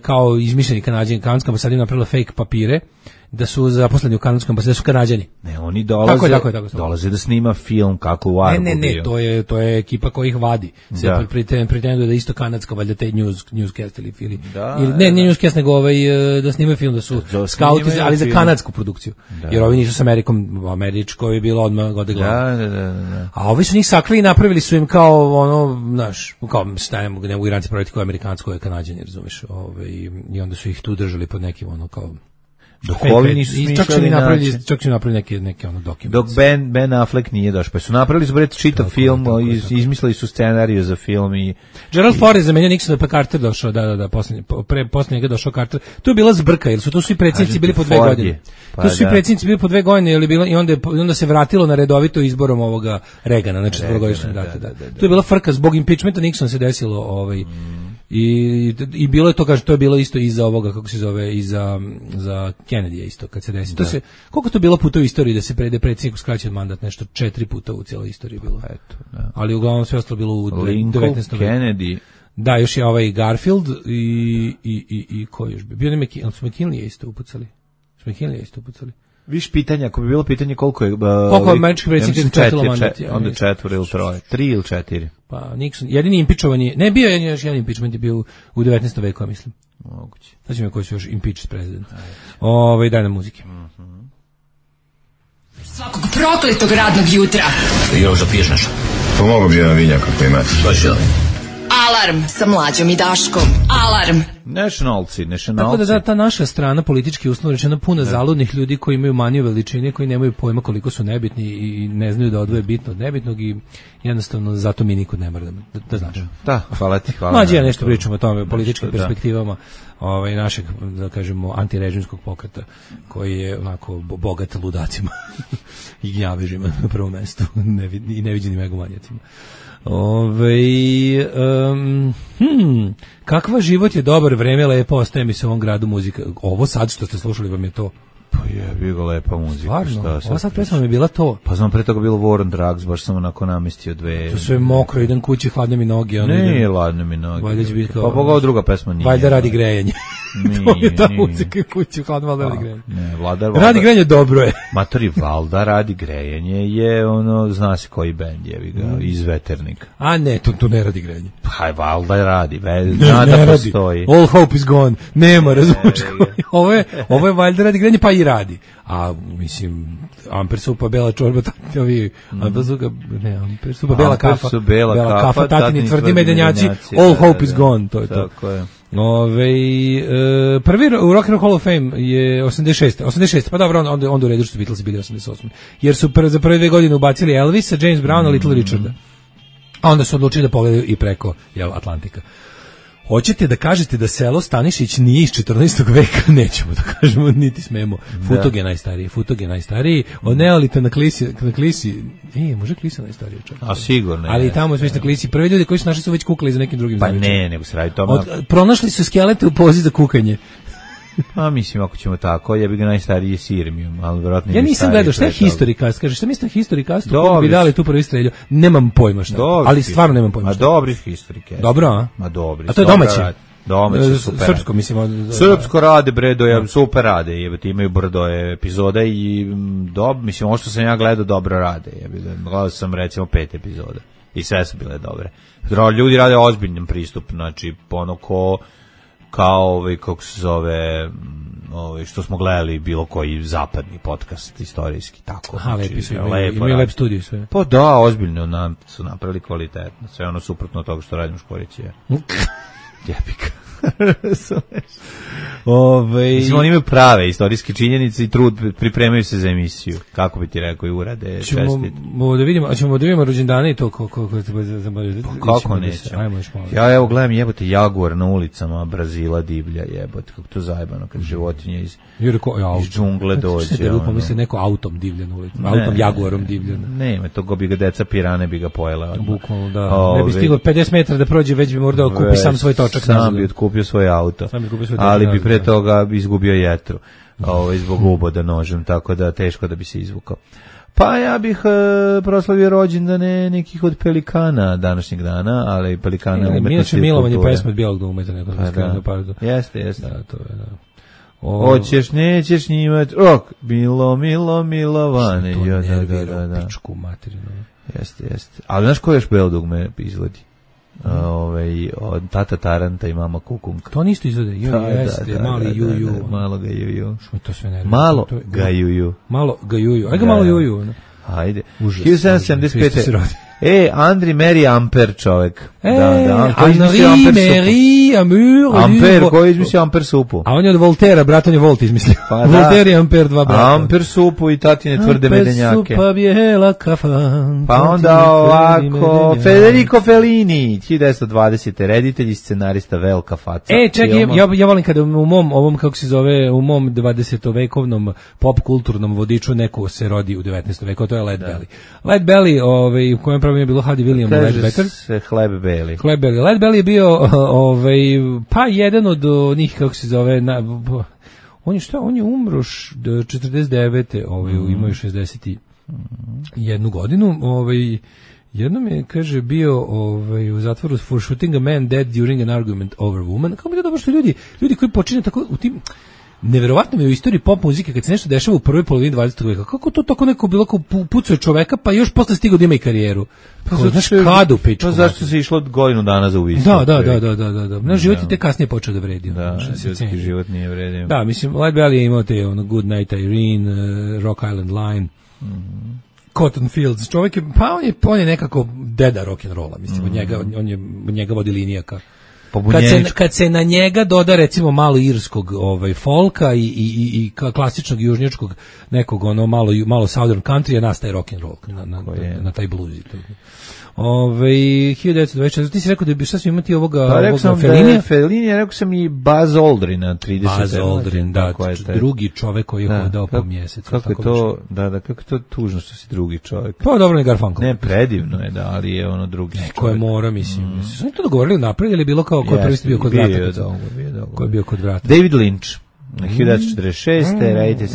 kao izmišljeni Kanađani. Kanadska ambasada je napravila fake papire da su zaposleni u kanadskom ambasadi, da su Kanađani. Ne, oni dolaze, tako. dolaze da snima film kako u Argu bio. Ne, to je ekipa koja ih vadi. Se pretenduje da isto kanadska, valjda te newscast ili ne newscast, nego da snimaju film, da su skauti, ali za kanadsku produkciju. Jer ovi nisu s Amerikom, američko je bilo odmah gode glava. Da. A ovi su njih sakli i napravili su im kao kao ne mogu Iranci praviti kao amerikansko, je Kanađani, razumiješ, i onda su ih tu držali pod nekim kao dok ovi nisu smišljali način. Čak su napravili neke dokumente. Dok Ben Affleck nije došao. Pa su napravili su čitav film, izmislili su scenariju za film i... Gerald Ford je zamenio Nixona, pa Carter došao, da, posle njega došao Carter. Tu je bila zbrka, jer su tu svi predsjednici bili po 2 godine. Tu su svi predsjednici bili po 2 godine, i onda se vratilo na redovito izborom ovoga Reagana, na 4-godišnjem mandatu. Tu je bila frka, zbog impeachmenta Nixona se desilo I bilo je to, kaže, to je bilo isto iza ovoga, kako se zove, iza Kennedy isto, kad se desi. To se, koliko to bilo puta u istoriji da se predsjedniku skraćen mandat, nešto 4 puta u cijeloj istoriji bilo. Eto, da. Ali uglavnom sve ostalo bilo u Lincoln, 19. veku. Kennedy. Da, još je Garfield i ko još bi? Bio McKinley je isto upucali. Viš pitanja, ako bi bilo pitanje koliko je... Koliko američki predsjednik je četilo mandat? Onda 4 ili 3. 3 ili 4. Pa Nixon, jedini impičovan je, ne bio je još jedan impičment, je bio u 19. veku, mislim. Moguće. Znači koji su još impeached president. Daj nam muzike. Svakog prokletog radnog jutra. Još da piješ nešto? Pomogu bi jedan vinjak ako imate. Baš ja. Alarm sa Mlađom i Daškom. Alarm. Nationalci. Tako da ta naša strana politički uslovno rečeno puna zaludnih ljudi koji imaju maniju veličine, koji nemaju pojma koliko su nebitni i ne znaju da odvoje bitno od nebitnog i jednostavno zato mi nikud ne mora da znaš. Da, hvala ti. Mlađe ja nešto pričam o tome, o političkim perspektivama našeg, da kažemo, antirežimskog pokreta koji je onako bogat ludacima i gnjavežima na prvom mestu i neviđenim egomanjacima. Kakva život je dobar, vreme lepo, ostaje mi se u ovom gradu muzika. Ovo sad što ste slušali vam je to? Pa je bila lepa muzika. Stvarno, ova sad pesma mi je bila to. Pa znam, pre toga bilo War on Drugs, baš sam onako namestio 2. To sve mokro, idem kući, hladne mi noge. Ne, hladne mi noge. Valjda će biti kao... Pa pogao druga pesma nije. Valjda radi grejanje. To je ta muzika kući, hladno, valjda radi grejanje. Ne, Valda... Radi grejanje dobro je. Matori, Valda radi grejanje je zna se koji bend je, iz Veternika. A ne, to ne radi grejanje. Pa Valda radi, zna da postoji. All hope is gone. Nema, razvučka. Ovo je Valjda radi grejanje, pa i radi. A mislim, amper supa, bela čorba, amper supa, bela kafa, tatini tvrdi medenjaci, all hope is gone, to je to. Tako je. Prvi u Rock and Roll Hall of Fame je 86. Pa dobro, onda u redu što su Beatlesi bili 88. Jer su za prve 2 godine ubacili Elvisa, James Browna, Little Richarda. A onda su odlučili da pogledaju i preko Atlantika. Hoćete da kažete da selo Stanišić nije iz 14. veka? Nećemo da kažemo, niti smemo. Futog je najstariji. Od Neolita na Klisi, može Klisa najstariji čovjek. A sigurno. Ali i tamo već na Klisi. Prvi ljudi koji su našli su već kukali za nekim drugim zavičima. Pa ne, nego se radi tome. Pronašli su skelete u pozi za kukanje. Pa mislim, ako ćemo tako, ja bih ga najstariji Sirmijom, ali vjerojatno ja nisam gledao, šta je Historicast? Kaže, šta mislite Historicast? Kako bi dali tu prvi streljio? Nemam pojma šta. Ali stvarno nemam pojma šta. A dobri Historicast. Dobro, a? Ma dobri. A to je domaće? Domaće, super. Srpsko, mislim. Srpsko rade, super rade. Jebate, imaju brdo epizoda i mislim, ovo što sam ja gledao dobro rade. Gledao sam recimo 5 epizoda i sve su bile dobre. Ljudi rade ozbiljnim pristup, znači ono kao kako se zove, što smo gledali bilo koji zapadni podcast istorijski, tako. Aha, lepi su, imaju lep studiju sve. Pa da, ozbiljno su napravili kvalitetno, sve ono suprotno od toga što radim u Škorići. Jebika. Mislim, oni imaju prave istorijske činjenice i trud, pripremaju se za emisiju. Kako bi ti rekao, i urade, čestit. Ćemo da vidimo rođendane i to kako neće. Ja evo gledam, jebote, jaguar na ulicama Brazila divlja, jebote, kako to zajebano, kad životinje iz džungle dođe. Pomisli neko autom divlja na ulici, autom jaguarom divlja. Ne, to go bi ga deca pirane bi ga pojela. Bukvalno, da. Ne bi stiglo 50 metara da prođe, već bi morao kupi sam svoj točak. Sam bi otkupio svoj auto, ali bi pre toga izgubio jetru zbog uboda nožem, tako da teško da bi se izvukao. Pa ja bih proslavio rođendane nekih od pelikana današnjeg dana, ali pelikana umetnosti i kulture. Milovan je pesma od Bijelog dugmeta. Jeste. Da, to je, da. Hoćeš, nećeš njimat, milovane. To nervira pičku materinu. Jeste. Ali znaš ko još Bijelog dugme izgledi? Od Tata Taranta i Mama Kukunka. To nisto izvode. Jeste, mali juju. Malo ga juju. Što mi to sve nervira? Malo ga juju. Ajde ga malo juju. Ajde. 1775. Andri Meri Amper čovek. Andri Meri Amper, koji je izmislio Amper supu? A on je od Voltera, brat, on je Volt izmislio. Volter i Amper, dva brata. Amper supu i tatine tvrde medenjake. Amper supa bijela kafan. Pa onda ovako, Federico Fellini, 1920. reditelj i scenarista, velika faca. Čekaj, ja volim kada u mom, ovom, kako se zove, u mom 20-vekovnom pop kulturnom vodiču neko se rodi u 19. veku, to je Led Belly. Led Belly, u kojem pravi je bilo Hadi William Ledbetter. Se Hleb Belly. Led Belly je bio pa jedan od njih, kako se zove, on je umro 49. Imao je 61 godinu. Jednom je, kaže, bio u zatvoru for shooting a man dead during an argument over woman. Kako bi to dobro što ljudi koji počine tako u tim... Neverovatno mi je u istoriji pop muzike kad se nešto dešava u prvoj polovini 20. veka. Kako to tako neko bilo kao pucao čoveka, pa još posle stigao da ima i karijeru? Pa znaš kada u pičku. Pa zašto se išlo godinu dana za ubistvo? Da. Naš život je te kasnije počeo da vredi. Da, ljudski život nije vredio. Da, mislim, Led Belly je imao te Good Night Irene, Rock Island Line, Cotton Fields. Čovjek je, pa on je nekako deda rock'n'rolla, mislim, od njega vodi linijaka. Kad se na njega doda recimo malo irskog folka i klasičnog južnjačkog nekog malo southern country, nastaje rock and roll na taj blues. 1924. Ti si rekao da bi šta su imati ovoga Fellinija? Fellinija, rekao sam i Buzz Aldrina 30. Buzz Aldrin, da, drugi čovek koji je hodao po mjesecu. Kako je to, kako je to tužno što si drugi čovek. Pa dobro, ne Garfunkel. Ne, predivno je, da, ali je drugi čovek. Ko je mora, mislim. Su oni to dogovorili napred ili bilo kao ko je prvi bio kod vrata? Ko je bio kod vrata? David Lynch. 1946. reditelj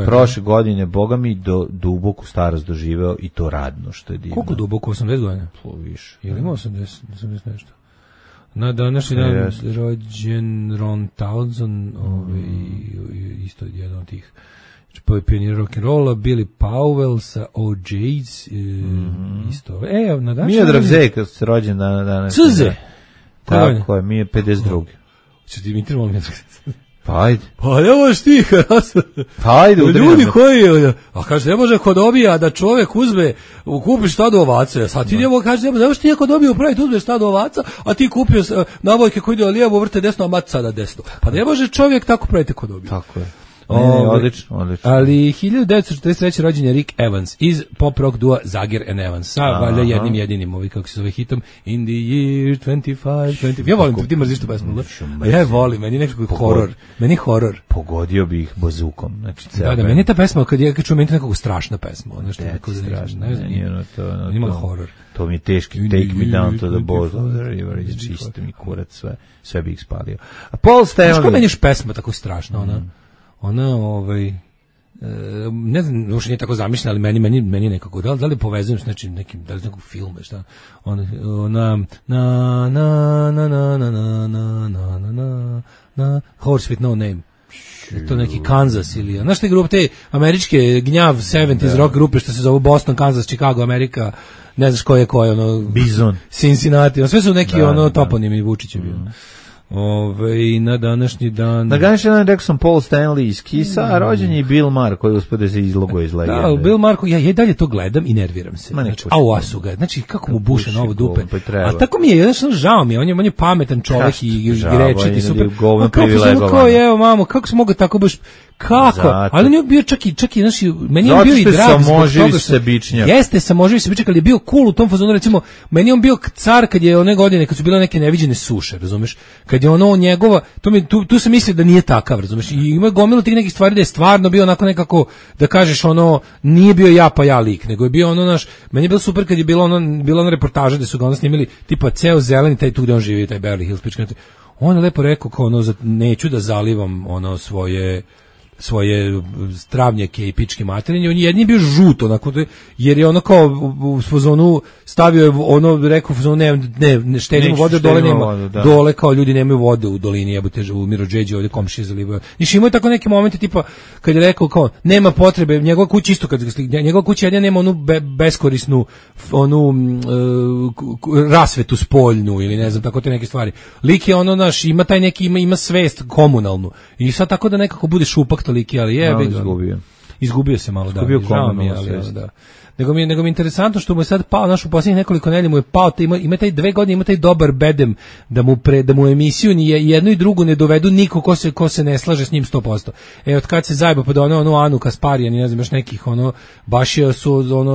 prošle godine, boga mi, duboku starost doživeo i to radno, što je divno. Koliko duboko? 80 godina? Više. Ili ima 80 nešto? Na današnji dan rođen Ron Townsend, isto jedan od tih pionira rock'n'rolla, Billy Powell sa OJ's, isto. Na današnji Miodrag Zeka se rođen danas. Cz! Tako je, mi je 52. Če ti imitiramo Miodrag Zeka? Pa ajde. Pa nemaš ti, pa ajde, ljudi koji, a kaže, ne može ko dobija da čovjek uzme, kupiš stado ovaca, sad ti njemu kaže, ne može ti ako dobio upraviti, uzmeš stado ovaca, a ti kupio nabojke koji ide lijevo, vrte desno, a mat sada desno. Pa ne može čovjek tako praviti ko dobio. Tako je. Odlično. Ali 1943. rođen je Rick Evans iz pop rock dua Zager and Evans sa valjda jednim jedinim kako se zove hitom In the year 25. Ja volim ti mrziš tu pesmu. Ja je volim, meni nekako horor. Meni horor. Pogodio bi ih bazukom. Znači, da, meni je ta pesma kad ja čujem meni nekako strašna pesma, nešto nekako strašno. Ima horor. To mi je teški Take Me Down to the Bottom of the River, čisto mi kurac, sve bi ih spalio. A Paul Stanley... Znaš ko meni još pesma tako strašna, ona ne znam, uopšte nije tako zamišljena, ali meni nekako, da li povezujem s nekim, da li s nekog filma, šta, Horse with No Name. To neki Kansas ili, znaš te grupe, te američke gnjav 70s rock grupe što se zove Boston, Kansas, Chicago, Amerika, ne znaš ko je, Bizon, Cincinnati, sve su neki toponimi, Vučić je bio. Na današnji dan... Na današnji dan rekao sam Paul Stanley iz Kissa, a rođen je Bill Maher koji uspode se izloguje iz legende. Da, Bill Maher, ja dalje to gledam i nerviram se. Asu ga, znači kako mu buše novo dupe. A tako mi je, jednostavno žao mi je, on je pametan čovjek i grečiti, super. Evo mamo, kako se mogu tako baš... Kako? Ali on je bio čak i znači, meni je bio i drag zbog toga sebičnjak. Jeste, samoživi sebičnjak, ali je bio cool u tom fazonu, recimo, meni je on bio car kad je one godine, kad su bile neke neviđene suše, razumeš? Kad je ono njegova, tu se misli da nije takav, razumeš? I ima gomilu tih nekih stvari da je stvarno bio onako nekako, da kažeš nije bio ja pa ja lik, nego je bio meni je bilo super kad je bila ona reportaža da su ga snimili, tipa ceo zeleni, taj tu gde on živi, taj Beverly Hills, pička. On je lepo rekao kao neću da zalivam svoje stravnjake i pičke materije, on jedni je bio žut onako, jer je ono kao u fazonu stavio je rekao u fazonu ne štedimo vode, dole nema, dole kao ljudi nemaju vode u dolini, jebote u Mirodžeđi ovdje komšije zalivaju. Znači imaju tako neke momente tipa kad je rekao kao nema potrebe, njegova kuća isto njegova kuća jedina nema onu beskorisnu rasvetu spoljnu ili ne znam, tako te neke stvari. Lik je ima taj neki, ima svest komunalnu i sad tako da nekako bude šupak toliki, ali izgubio se malo, žao mi je, ali da. Nego mi je interesantno što mu je sad pao, u posljednjih nekoliko nedelja mu je pao, ima taj 2 godine, ima taj dobar bedem da mu emisiju ni jednu i drugu ne dovedu niko ko se ne slaže s njim 100%. Od kad se zajeba pa da Anu Kasparijan i ne znam još nekih, baš je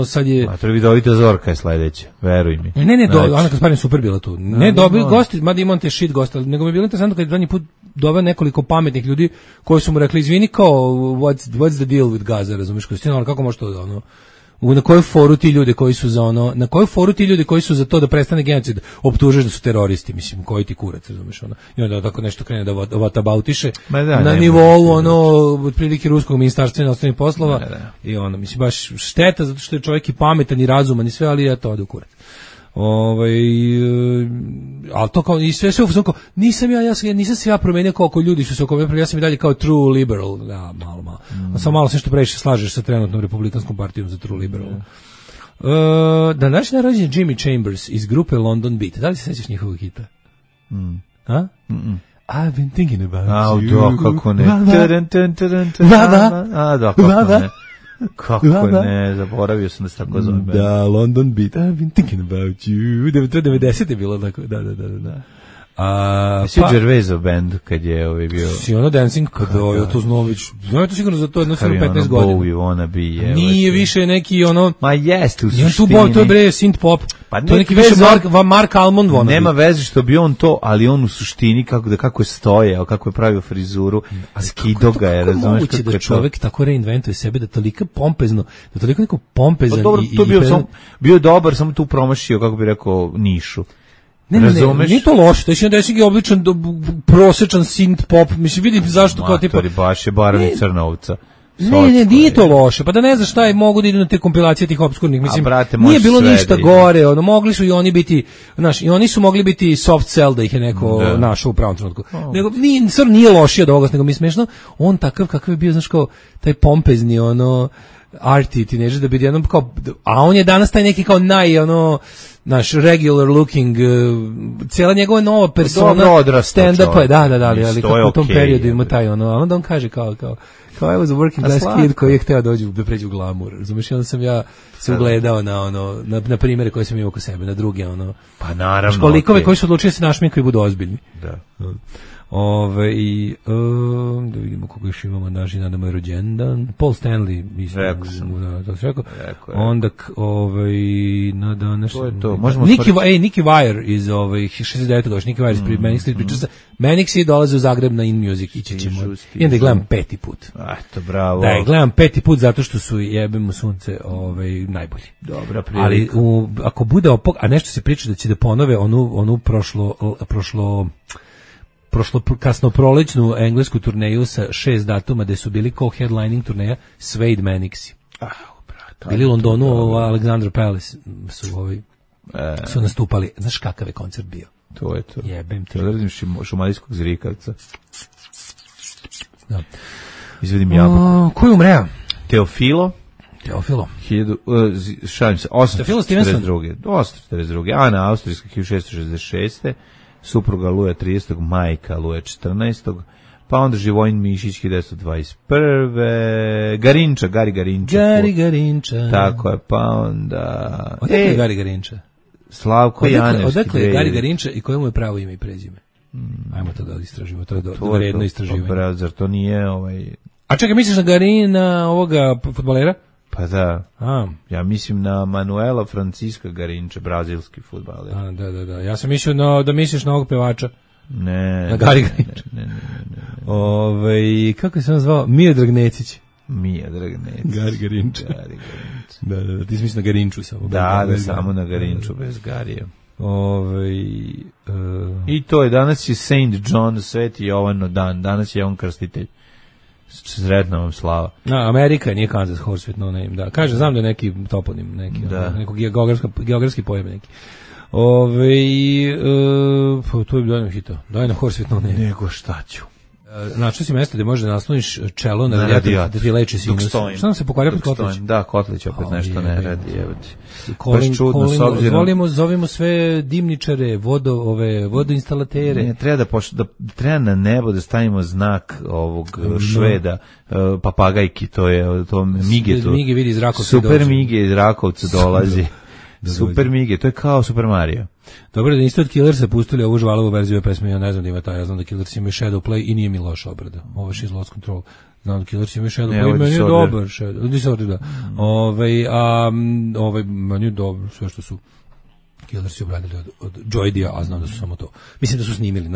sad je... A to je vidovita Zorka je sledeće, veruj mi. Ne, Ana Kasparijan super bila tu. Ne, dobili gosti, mada imam te shit gosti, nego mi je bilo interesantno kad je zadnji put doveo nekoliko pametnih ljudi koji su mu rekli, izvini kao, what's the deal with Gaza, razumiješ, kako može to na koju foru ti ljudi koji su za to da prestane genocid optužeš da su teroristi, mislim, koji ti kurac, razumeš, i onda tako nešto krene da vatabautiše na nivou otprilike ruskog ministarstva inostranih poslova i mislim, baš šteta zato što je čovjek i pametan i razuman i sve, ali ja to ode u kurac. Ali to kao i sve kao nisam se ja promenio kao ljudi su se oko mene, ja sam i dalje kao true liberal, da, malo. Samo malo se što previše slažeš sa trenutnom republikanskom partijom za true liberal. Današnji rođendan Jimmy Chambers iz grupe London Beat. Da li se sećaš njihovog hita? A? I've been thinking about you. Kako ne. Kako ne, zaboravio sam da se tako zove. Da, London Beat, I've been thinking about you. 90 je bilo tako, da. Si Gervaisov band kad je bio... Si Dancing, kad je to Znović, znam je to sigurno za to jedno 15 godina. Bowie, wanna be, nije više neki Ma jest, u suštini. To je bre synth pop, to je neki više Mark Almond wanna be. Nema veze što bi on to, ali on u suštini kako je stojao, kako je pravio frizuru, skido ga je, razumiješ kako je to. Da čovjek tako reinventuje sebe, da toliko pompezno, da toliko neko pompezan i... Dobro, to bio dobar, samo tu promašio, kako bi rekao, nišu. Ne, nije to loše, to je neki obličan, prosječan synth pop, mislim, vidim zašto kao tipa... baš je Baran i Crnovca. Ne, nije to loše, pa da ne znaš šta je, mogu da idu na te kompilacije tih obskurnih, mislim, nije bilo ništa gore, mogli su i oni biti, znaš, i oni su mogli biti soft sell da ih je neko našao u pravom trenutku. Nego, nije lošije od ovoga, nego mi je smešno, on takav kakav je bio, znaš, kao taj pompezni, arty tineđer, da bi jednom kao, a on je danas taj neki kao naš regular looking, cijela njegova nova persona stand-up, da, ali kako u tom periodu ima taj ono, a onda on kaže kao I was a working class kid koji je hteo da pređe u glamur, razumiješ, i onda sam ja se ugledao na primjere koje sam imao oko sebe, na druge, ono, pa naravno, školikove koji su odlučili da se našminkaju i budu ozbiljni. Da. Da vidimo koga još imamo, naši na moj rođendan, Paul Stanley, rekao. Onda na današnji Nicky Wire iz Nicky Wire iz Manic Street Preachersa. Manic Street dolaze u Zagreb na In Music, ići ćemo. I onda gledam 5. put. Eto, bravo. Da, gledam 5. put zato što su jebemo sunce najbolji. Dobra prilika. Ali ako bude a nešto se priča da će da ponove onu prošlo kasno prolećnu englesku turneju sa 6 datuma gde su bili kao headlining turneja Suede Manixi. Bili u Londonu, Alexandra Palace su nastupali. Znaš kakav je koncert bio? To je to. Jebem ti. Odredim šumadijskog zrikavca. Da. Izvedim jabuku. Ko je umreo? Teofilo. Šalim se, 842. Ana Austrijska, 1666. Supruga Luja 30. Majka Luja 14. Pa onda Živojin Mišić 1921. Gari Garinča. Tako je, pa onda... Odakle je Gari Garinča? Slavko Janevski. Odakle je Gari Garinča i koje mu je pravo ime i prezime? Ajmo to da istražimo, to je vredno istraživanje. Zar to nije A čekaj, misliš na Garina, ovoga fudbalera? Pa da, ja mislim na Manuela Francisca Garinča, brazilski fudbaler. Da. Ja sam mislio da misliš na ovog pevača. Ne. Na Gari Garinča. Ne. Kako se on zvao? Miodrag Necić. Gari Garinča. Da, ti si misliš na Garinču samo. Da, samo na Garinču, bez Garija. I to je, danas je Saint John, Sveti Jovano dan, danas je on krstitelj. Sretna vam slava. Amerika nije Kansas Horse with no name, da. Kažem, znam da je neki toponim, neko geografski pojam neki. To je dojno hito. Dojno Horse with no name. Nego šta ću. Način si mjesto gde možeš da nasloniš čelo na radijator da ti leči sinus. Šta nam se pokvario pod Kotlić? Da, Kotlić opet nešto ne radi. Zovimo sve dimničare, vodoinstalatere. Treba na nebo da stavimo znak ovog Šveda, papagajki, to Mige. Mige vidi iz Rakovca. Super Mige iz Rakovca dolazi. Super Mige, to je kao Super Mario. Dobro da niste od Killersa pustili ovu žvalovu verziju ove pesme, ja ne znam da ima taj, ja znam da Killers ima Shadow Play i nije mi loša obrada. Ovo je She's Lost Control. Znam da Killers ima Shadow Play, meni je dobar Disorder, da. Meni je dobro, sve što su Killersi obradili od Joydija, a znam da su samo to. Mislim da su snimili,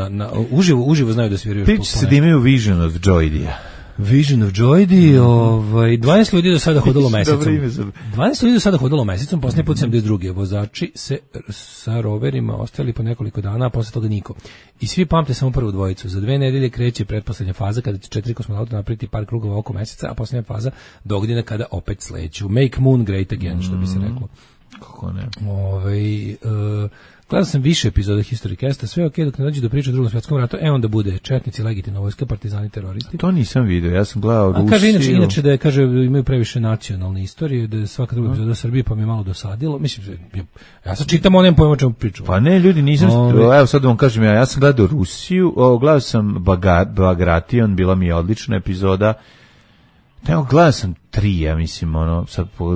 uživo znaju da sviraju. Pići se da imaju Vision of Joydija. Vision of Joydi, 12 ljudi do sada hodalo mesecom. 12 ljudi do sada hodalo mesecom, posljednji put 72. Vozači se sa roverima ostali po nekoliko dana, a posle toga niko. I svi pamte samo prvu dvojicu. Za 2 nedelje kreće pretposlednja faza kada će 4 kosmonauta napraviti par krugova oko meseca, a posljednja faza dogodina kada opet sleću. Make moon great again, što bi se reklo. Kako ne? Gledao sam više epizoda History Casta, sve ok dok ne dođe do priče o Drugom svjetskom ratu, onda bude četnici, legitimna vojska, partizani, teroristi. To nisam vidio, ja sam gledao Rusiju. Kaže inače da je, kaže, imaju previše nacionalne istorije, da je svaka druga epizoda Srbije, pa mi je malo dosadilo. Mislim, ja sad čitam onem pojma čemu priču. Pa ne, ljudi, nisam, evo sad vam kažem, ja sam gledao Rusiju, gledao sam Bagration, bila mi je odlična epizoda. Evo, gledao sam 3, ja mislim,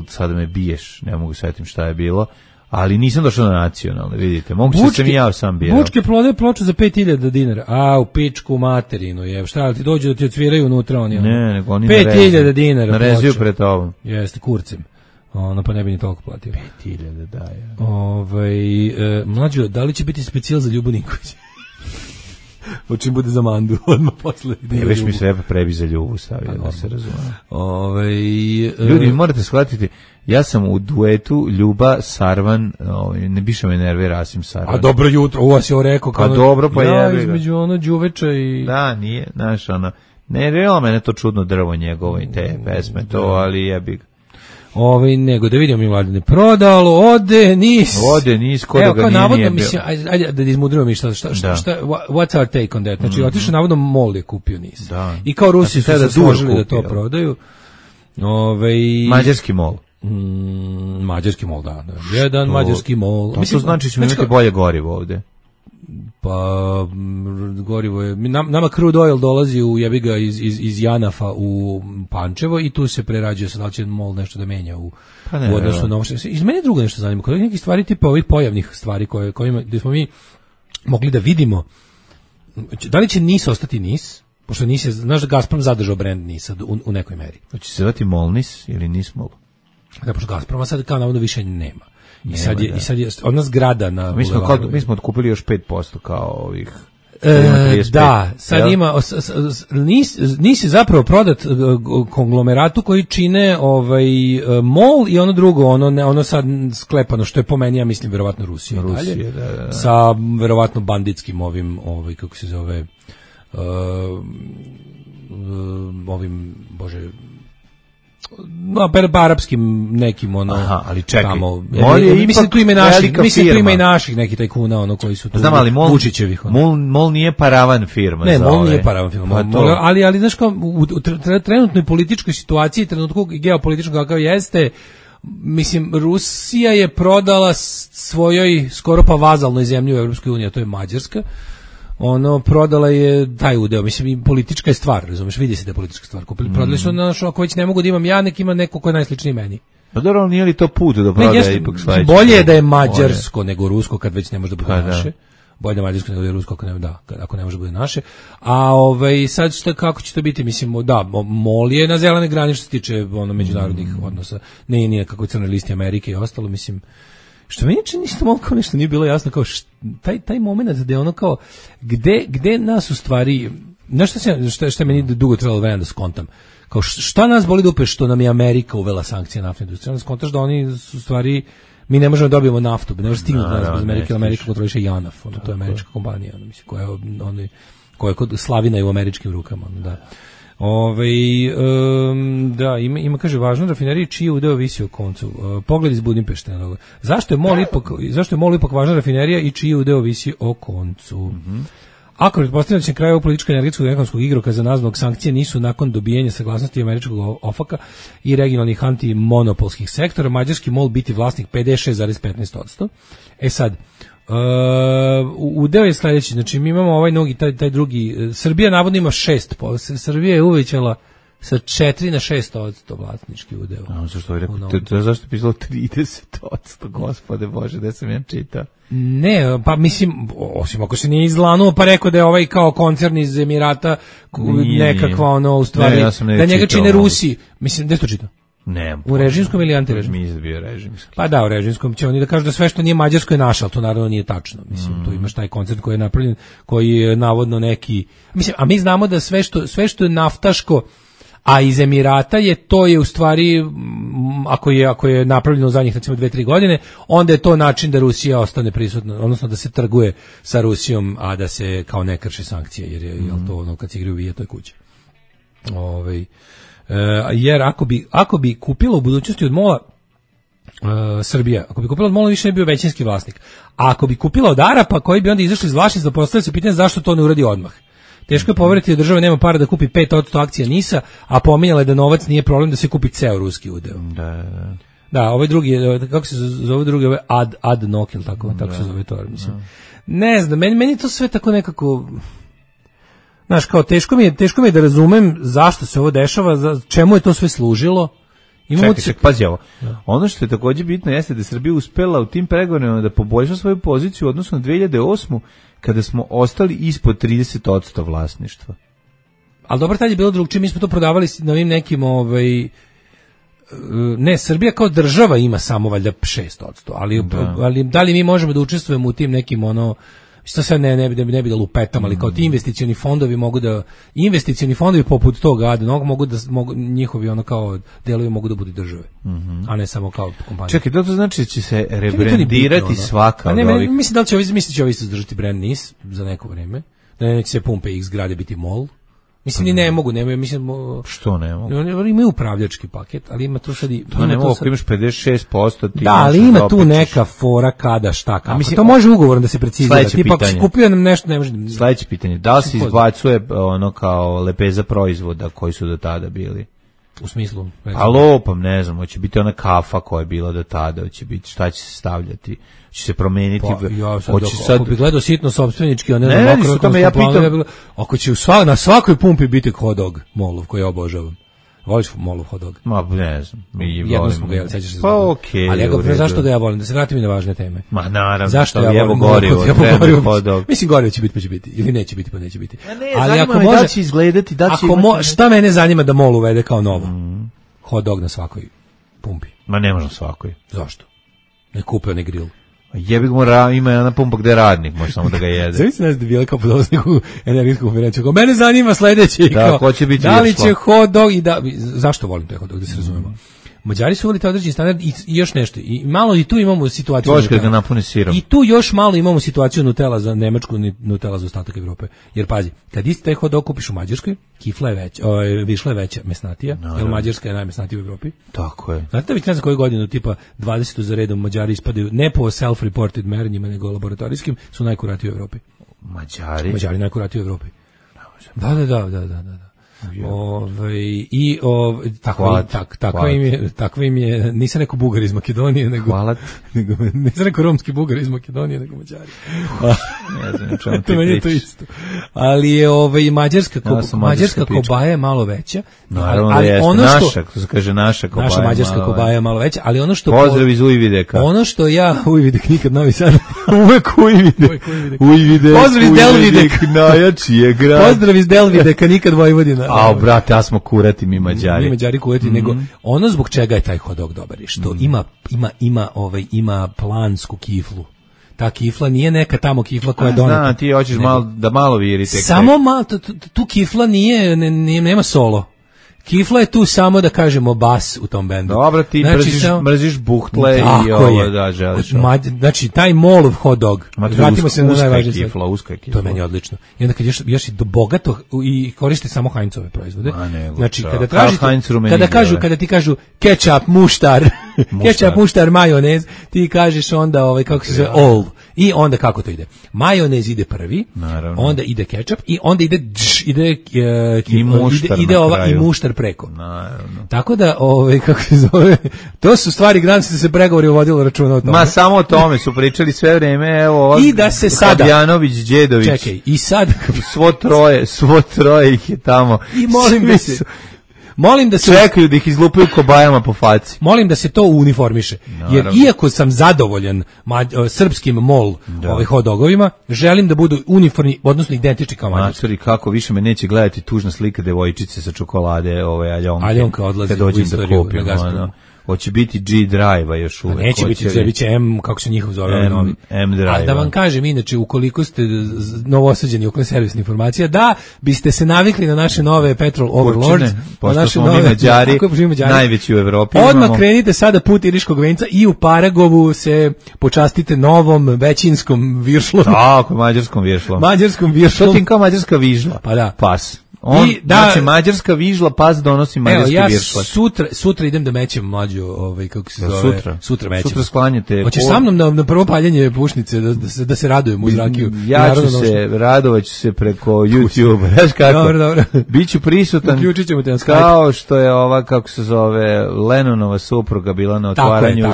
sad me biješ, ne mogu svetim šta je bilo. Ali nisam došao na nacionalne, vidite. Moguće sam i ja sam bio. Bučke prodaju ploču za 5000 dinara. U pičku materinu je. Šta ti dođe da ti odsviraju unutra oni? Ne, nego oni 5000 dinara. Narezuju pred tobom. Jeste, kurcem. Pa ne bi ni toliko platio. 5000 daje. Mlađo, da li će biti specijal za Ljubu Nikolić? O čim bude za Mandu, odmah posle. Već mi sve prebi za Ljubu stavio, da se razume. Ljudi, morate shvatiti, ja sam u duetu Ljuba Sarvan, ne biše me nerve Rasim Sarvan. A dobro jutro, ovo si ovo rekao. Pa dobro, pa jebi ga. Između Đuveča i... Da, nije, znaš, ne rejela mene to čudno drvo njegovo i te pesme, to, ali jebi ga. Nego da vidimo mi Mladine prodalo, ode niz, ko da ga nije bio. Mislim, ajde da izmudrimo mi šta, what's our take on that? Znači, otišao navodno MOL je kupio niz. I kao Rusi su se složili da to prodaju. Mađarski MOL. Mađarski mol, da. Jedan mađarski mol. To znači ćemo imati bolje gorivo ovde. Pa gorivo je nama crude oil dolazi u jebiga iz Janafa u Pančevo i tu se prerađuje, sad da će mol nešto da menja u odnosu na ovo. Iz mene drugo nešto zanima, kod nekih stvari tipa ovih pojavnih stvari kojima gde smo mi mogli da vidimo da li će NIS ostati NIS, pošto NIS je, znaš da Gazprom zadržao brend NIS-a u nekoj meri. Hoće se zvati Molnis ili NIS-Mol? Da, pošto Gazproma sad kao navodno više nema. I sad je ona zgrada na mi smo otkupili još 5% kao ovih. Da, sad ima NIS je zapravo prodat konglomeratu koji čine MOL i ono drugo, ono sad sklepano što je po meni, ja mislim verovatno Rusija dalje, da. Sa verovatno banditskim kako se zove arapskim nekim ali čekaj. Tamo, mislim tu ima i naših neki tajkuna koji su tu. Znam, ali Vučićevih. MOL nije paravan firma. Ne, MOL nije paravan firma. Ali znaš kao u trenutnoj političkoj situaciji, trenutku geopolitičkog kakav jeste, mislim Rusija je prodala svojoj skoro pa vazalnoj zemlji u Evropskoj uniji, a to je Mađarska. Prodala je taj udeo, mislim i politička je stvar, razumeš, vidi se da je politička stvar. Prodali su ako već ne mogu da imam ja, nek ima neko ko je najsličniji meni. Pa dobro, nije li to put da prodaje ipak sledeće? Bolje je da je mađarsko nego rusko kad već ne može da bude naše. Bolje da je mađarsko nego da je rusko ako ne može da bude naše. A sad kako će to biti, mislim, da, MOL je na zelenoj grani što se tiče međunarodnih odnosa. Nije kako je crnoj listi Amerike i ostalo, mislim. Što meni čini isto malo kao nešto nije bilo jasno, kao taj moment da je ono kao, gde nas u stvari, znaš što je meni dugo trebalo vremena da skontam, kao šta nas boli dupe što nam je Amerika uvela sankcije naftne industrije, onda skontaš da oni su stvari, mi ne možemo da dobijemo naftu, ne možemo stignuti nas bez Amerike, Amerika kontroliše Janaf, to je američka kompanija, mislim, koja je kod slavina i u američkim rukama, da. Da, ima kaže važno rafinerija čiji udeo visi o koncu. Pogled iz Budimpešte. Zašto je MOL ipak važna rafinerija i čiji udeo visi o koncu? Ako pretpostavljamo da će kraj ovog političkog energetskog i ekonomskog igrokaza nazvanog sankcije nisu nakon dobijenja saglasnosti američkog OFAK-a i regionalnih antimonopolskih sektora, mađarski MOL biti vlasnik 56,15%. Sad, udeo je sledeći, znači mi imamo ovaj nogi, taj drugi, Srbija navodno ima 6%, Srbija je uvećala sa 4 na 6% vlasnički udeo. Zašto je rekao, zašto je pisalo 30%, gospode Bože, gde sam ja čitao? Ne, pa mislim, osim ako se nije izlanuo, pa rekao da je ovaj kao koncern iz Emirata nekakva u stvari, da njega čine Rusi, mislim, gde si to čitao? Ne, u režimskom ili antirežimskom? Mi je bio režimski. Pa da, u režimskom će oni da kažu da sve što nije mađarsko je naše, ali to naravno nije tačno. Mislim, tu imaš taj koncert koji je napravljen, koji je navodno neki, mislim, a mi znamo da sve što je naftaško, a iz Emirata to je u stvari, ako je napravljeno u zadnjih recimo 2-3 godine, onda je to način da Rusija ostane prisutna, odnosno da se trguje sa Rusijom, a da se kao ne krši sankcije, jer je to kad se igraju vije, to je kuće. Jer ako bi kupila u budućnosti od MOL-a Srbija, ako bi kupila od MOL-a više ne bio većinski vlasnik, a ako bi kupila od Arapa koji bi onda izašli iz vlasništva, postavlja se pitanje zašto to ne uradi odmah. Teško je poveriti da država nema para da kupi 5% akcija NIS-a, a pominjala je da novac nije problem da se kupi ceo ruski udeo. Da, ovaj drugi, kako se zove drugi, ovaj ad nok ili tako se zove to, mislim. Ne znam, meni to sve tako nekako. Znaš, kao teško mi je da razumem zašto se ovo dešava, čemu je to sve služilo. Čekaj, pazi ovo. Ono što je također bitno jeste da je Srbija uspela u tim pregovorima da poboljša svoju poziciju u odnosu na 2008. kada smo ostali ispod 30% vlasništva. Ali dobro, tad je bilo drugčije, mi smo to prodavali na ovim nekim, ne, Srbija kao država ima samo valjda 6%, ali da li mi možemo da učestvujemo u tim nekim što sad ne bi da lupetam, ali kao ti investicioni fondovi poput toga Adnog mogu njihovi kao delovi mogu da budu države, a ne samo kao kompanije. Čekaj, to znači da će se rebrandirati svaka od ovih. Mislim da će ovi izdržati brand NIS za neko vreme, da neće se Pumpe X grade biti MOL. Mislim ni ne mogu, mislim. Što ne mogu? Oni imaju upravljački paket, ali ima tu sad i to ne mogu, ako imaš 56%, ti. Da, ali ima tu neka fora kada šta kako. Mislim, to može ugovorno da se precizira. Tipa ako si kupio nam nešto, ne može. Sledeće pitanje, da li se izbacuje kao lepeza proizvoda koji su do tada bili? U smislu? Pa lopam, ne znam, hoće biti ona kafa koja je bila do tada, hoće biti, šta će se stavljati, će se promeniti. Pa, ja sad, hoće sad... ako bi gledao sitno sopstvenički, a ne Ne, znam, nisu tome, ja pitam. Ako će na svakoj pumpi biti hot dog molov, koji ja obožavam. Voliš molov hot dog? Ma, ne znam. Jedno smo ga jeli, sećaš se. Pa okej. Ali ja ga, zašto ga ja volim? Da se vratim i na važne teme. Ma naravno. Zašto ja volim gorivo, treba hot dog. Mislim, gorivo će biti, pa će biti. Ili neće biti, pa neće biti. Ne, ali ako može, da će izgledati, da će imati... Šta mene zanima da mol uvede kao novo? Hot dog na svakoj pumpi. Ma ne može na svakoj. Zašto? Ne kupe onaj grill. Jebi ga, ima jedna pumpa gde je radnik, može samo da ga jede. Zavisno da bila kao podolazniku energetsku konferenciju. Kao, mene zanima sledeće. Da, ko će biti da li će hot dog i da... Zašto volim taj hot dog, da se razumemo? Mađari su volite određeni standard i još nešto. I malo i tu imamo situaciju. Točka ga napuni sirom. I tu još malo imamo situaciju Nutella za Nemačku, Nutella za ostatak Evrope. Jer pazi, kad isti taj hot dog kupiš u Mađarskoj, kifla je veća, višla je veća, mesnatija, jer Mađarska je najmesnatija u Evropi. Tako je. Znate da već ne znam koju godinu, tipa 20. za redom Mađari ispadaju, ne po self-reported merenjima, nego laboratorijskim, su najkuratiji u Evropi. Mađari najkuratiji u Evropi. Da. Takva im je, nisam rekao Bugar iz Makedonije, nego nisam rekao romski Bugar iz Makedonije, nego Mađari. Ne znam čemu ti pričaš. To isto. Ali je mađarska kobaja je malo veća. Naravno da jeste, naša, to se kaže naša kobaja. Naša mađarska kobaja je malo veća, ali ono što... Pozdrav iz Ujvideka. Ono što ja, Ujvidek, nikad Novi Sad, uvek Ujvidek. Pozdrav iz Delvidek. Najjači je grad. Pozdrav iz Delvideka, nikad Vojvodina. A brate, ja smo kurati mi Mađari. Mi Mađari kurati, nego ono zbog čega je taj hot dog dobar, što ima plansku kiflu. Ta kifla nije neka tamo kifla koja je doneta. Znam, ti hoćeš malo viri. Samo malo, tu kifla nema solo. Kifla je tu samo da kažemo bas u tom bendu. Dobro, ti mrziš buhtle i ovo da želiš. Znači, taj molov hot dog. Vratimo se na najvažnije stvari. Uska kifla. To je meni odlično. I onda kad još i do bogato i koriste samo Heinzove proizvode. Znači, kada ti kažu ketchup, muštar, ketchup, muštar, majonez, ti kažeš onda, kako se zove, all. I onda kako to ide? Majonez ide prvi, onda ide ketchup i onda ide i muštar preko. Naravno. Tako da, kako se zove, to su stvari granice da se pregovori uvodilo računa o tome. Ma samo o tome su pričali sve vreme, evo. I da se sada Habjanović, Đedović. Čekaj, i sad svo troje ih je tamo. I molim da se čekaju da ih izlupaju kobajama po faci. Molim da se to uniformiše. Jer iako sam zadovoljan srpskim mol hot dogovima, želim da budu uniformni, odnosno identični kao mađarski. Matori, kako više me neće gledati tužna slika devojčice sa čokolade, Aljonka odlazi u istoriju na Gazpromu. Hoće biti G-Drive-a još uvek. Neće biti, će M, kako se njihov zove novi. M-Drive. A da vam kažem, inače, ukoliko ste novosađeni oko servisne informacija, da biste se navikli na naše nove Petrol Overlords, pošto smo mi Mađari, najveći u Evropi. Odmah krenite sada put Iriškog venca i u Paragovu se počastite novom većinskom viršlom. Tako, mađarskom viršlom. To ti kao mađarska vižla. Pa da. Pas. Znači mađarska vižla, pas donosi mađarski viršla. Sutra idem da mećem mlađu, kako se zove. Sutra mećem. Sutra sklanjate. Hoćeš sa mnom na prvo paljenje pušnice da se radujem uz rakiju. Ja ću se, radovaću se preko YouTube. Znaš kako? Dobro. Biću prisutan. Uključit ćemo te na Skype. Kao što je ova, kako se zove, Lennonova supruga bila na otvaranju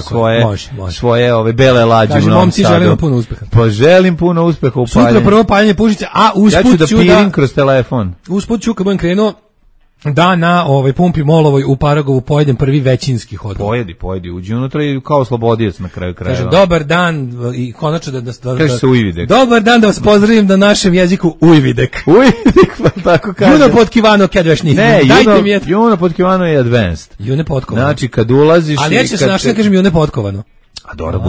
svoje ove bele lađe u Novom Sadu. Želim puno uspeha. Pa želim puno uspeha u paljenju. Sutra prvo paljenje pušnice, a usput ću da... Ja ću da pirim kroz telefon. Ću kad budem krenuo da na pumpi Molovoj u Paragovu pojedem prvi većinski hot dog. Pojedi, uđi unutra i kao slobodijac na kraju krajeva. Kaže, dobar dan i konačno kaže se Ujvidek. Dobar dan, da vas pozdravim na našem jeziku Ujvidek. Ujvidek, pa tako kaže. Juno potkivano kad veš nisi. Ne, Juno potkivano je advanced. Juno potkovano. Znači, kad ulaziš... Ali ja ću se našli da kažem Juno potkovano. A dobro,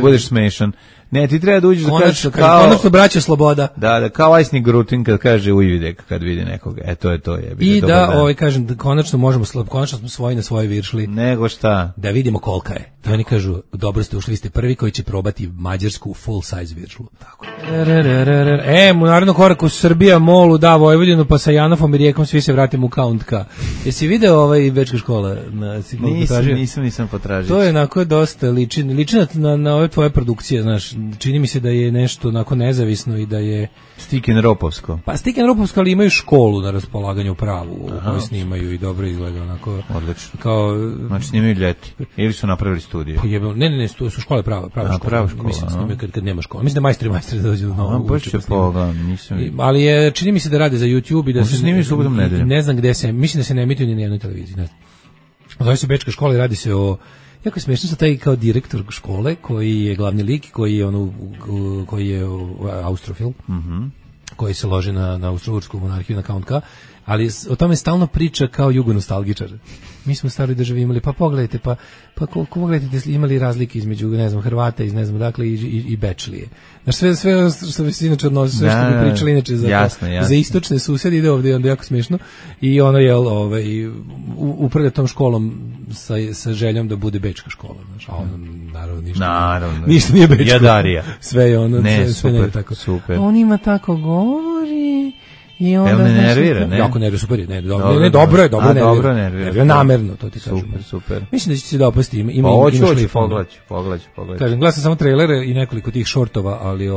budeš smešan. Ne, ti treba da uđeš da kažeš kao... Konačno braća sloboda. Da, kao Ajsni Grutin kad kaže Ujvidek, kad vidi nekoga. To je to. I da, kažem, konačno smo svoji na svojoj viršli. Nego šta? Da vidimo kolika je. I oni kažu, dobro ste ušli, vi ste prvi koji će probati mađarsku full size viršlu. Tako. U narednom koraku Srbija, Molu, da, Vojvodinu, pa sa Janofom i Rijekom svi se vratimo u Count-K. Jesi video Bečka škola? Nisam potražio. To je onako dosta liči na ove tvoje produkcije, znaš, čini mi se da je nešto onako nezavisno i da je Stiken Ropovsko. Pa Stiken Ropovsko, ali imaju školu na raspolaganju pravu u kojoj snimaju i dobro izgleda onako. Odlično. Kao, znači snimaju ljeti. Ili su napravili studiju? Pa ne, to su škole prava škola. Mislim, snimaju kad nema škola. Mislim da majstori da dođu do novog. Baš će pogledam, nisam. Ali je, čini mi se da rade za YouTube i da se snimaju subotom nedeljom. Ne znam gde se, mislim da se ne emituju ni na jednoj televiziji, ne znam. Zove se Bečka škola i radi se o, jako je smiješno sa taj kao direktor škole koji je glavni lik, koji je austrofil, koji se loži na austrougarsku monarhiju, na Count K, ali o tome stalno priča kao jugonostalgičar. Mi smo u staroj državi imali, pa pogledajte, pa pogledajte, imali razlike između, ne znam, Hrvata iz ne znam dakle i Bečlije. Znaš, sve što bi se inače odnosi, sve što bi pričali inače za istočne susjede, ide ovdje, onda jako smiješno. I ono je upravlja tom školom sa željom da bude bečka škola, znaš, a ono naravno ništa nije bečko. Jadarija. Sve je ono, ne, sve super, ne tako. Super. On ima tako govori. I onda ne nervira, ne? Jako nervira, super je, dobro je, namerno, to ti kažem. Super. Mislim da će se dopasti, ima pogledaj. Kažem, gledam samo trailere i nekoliko tih šortova, ali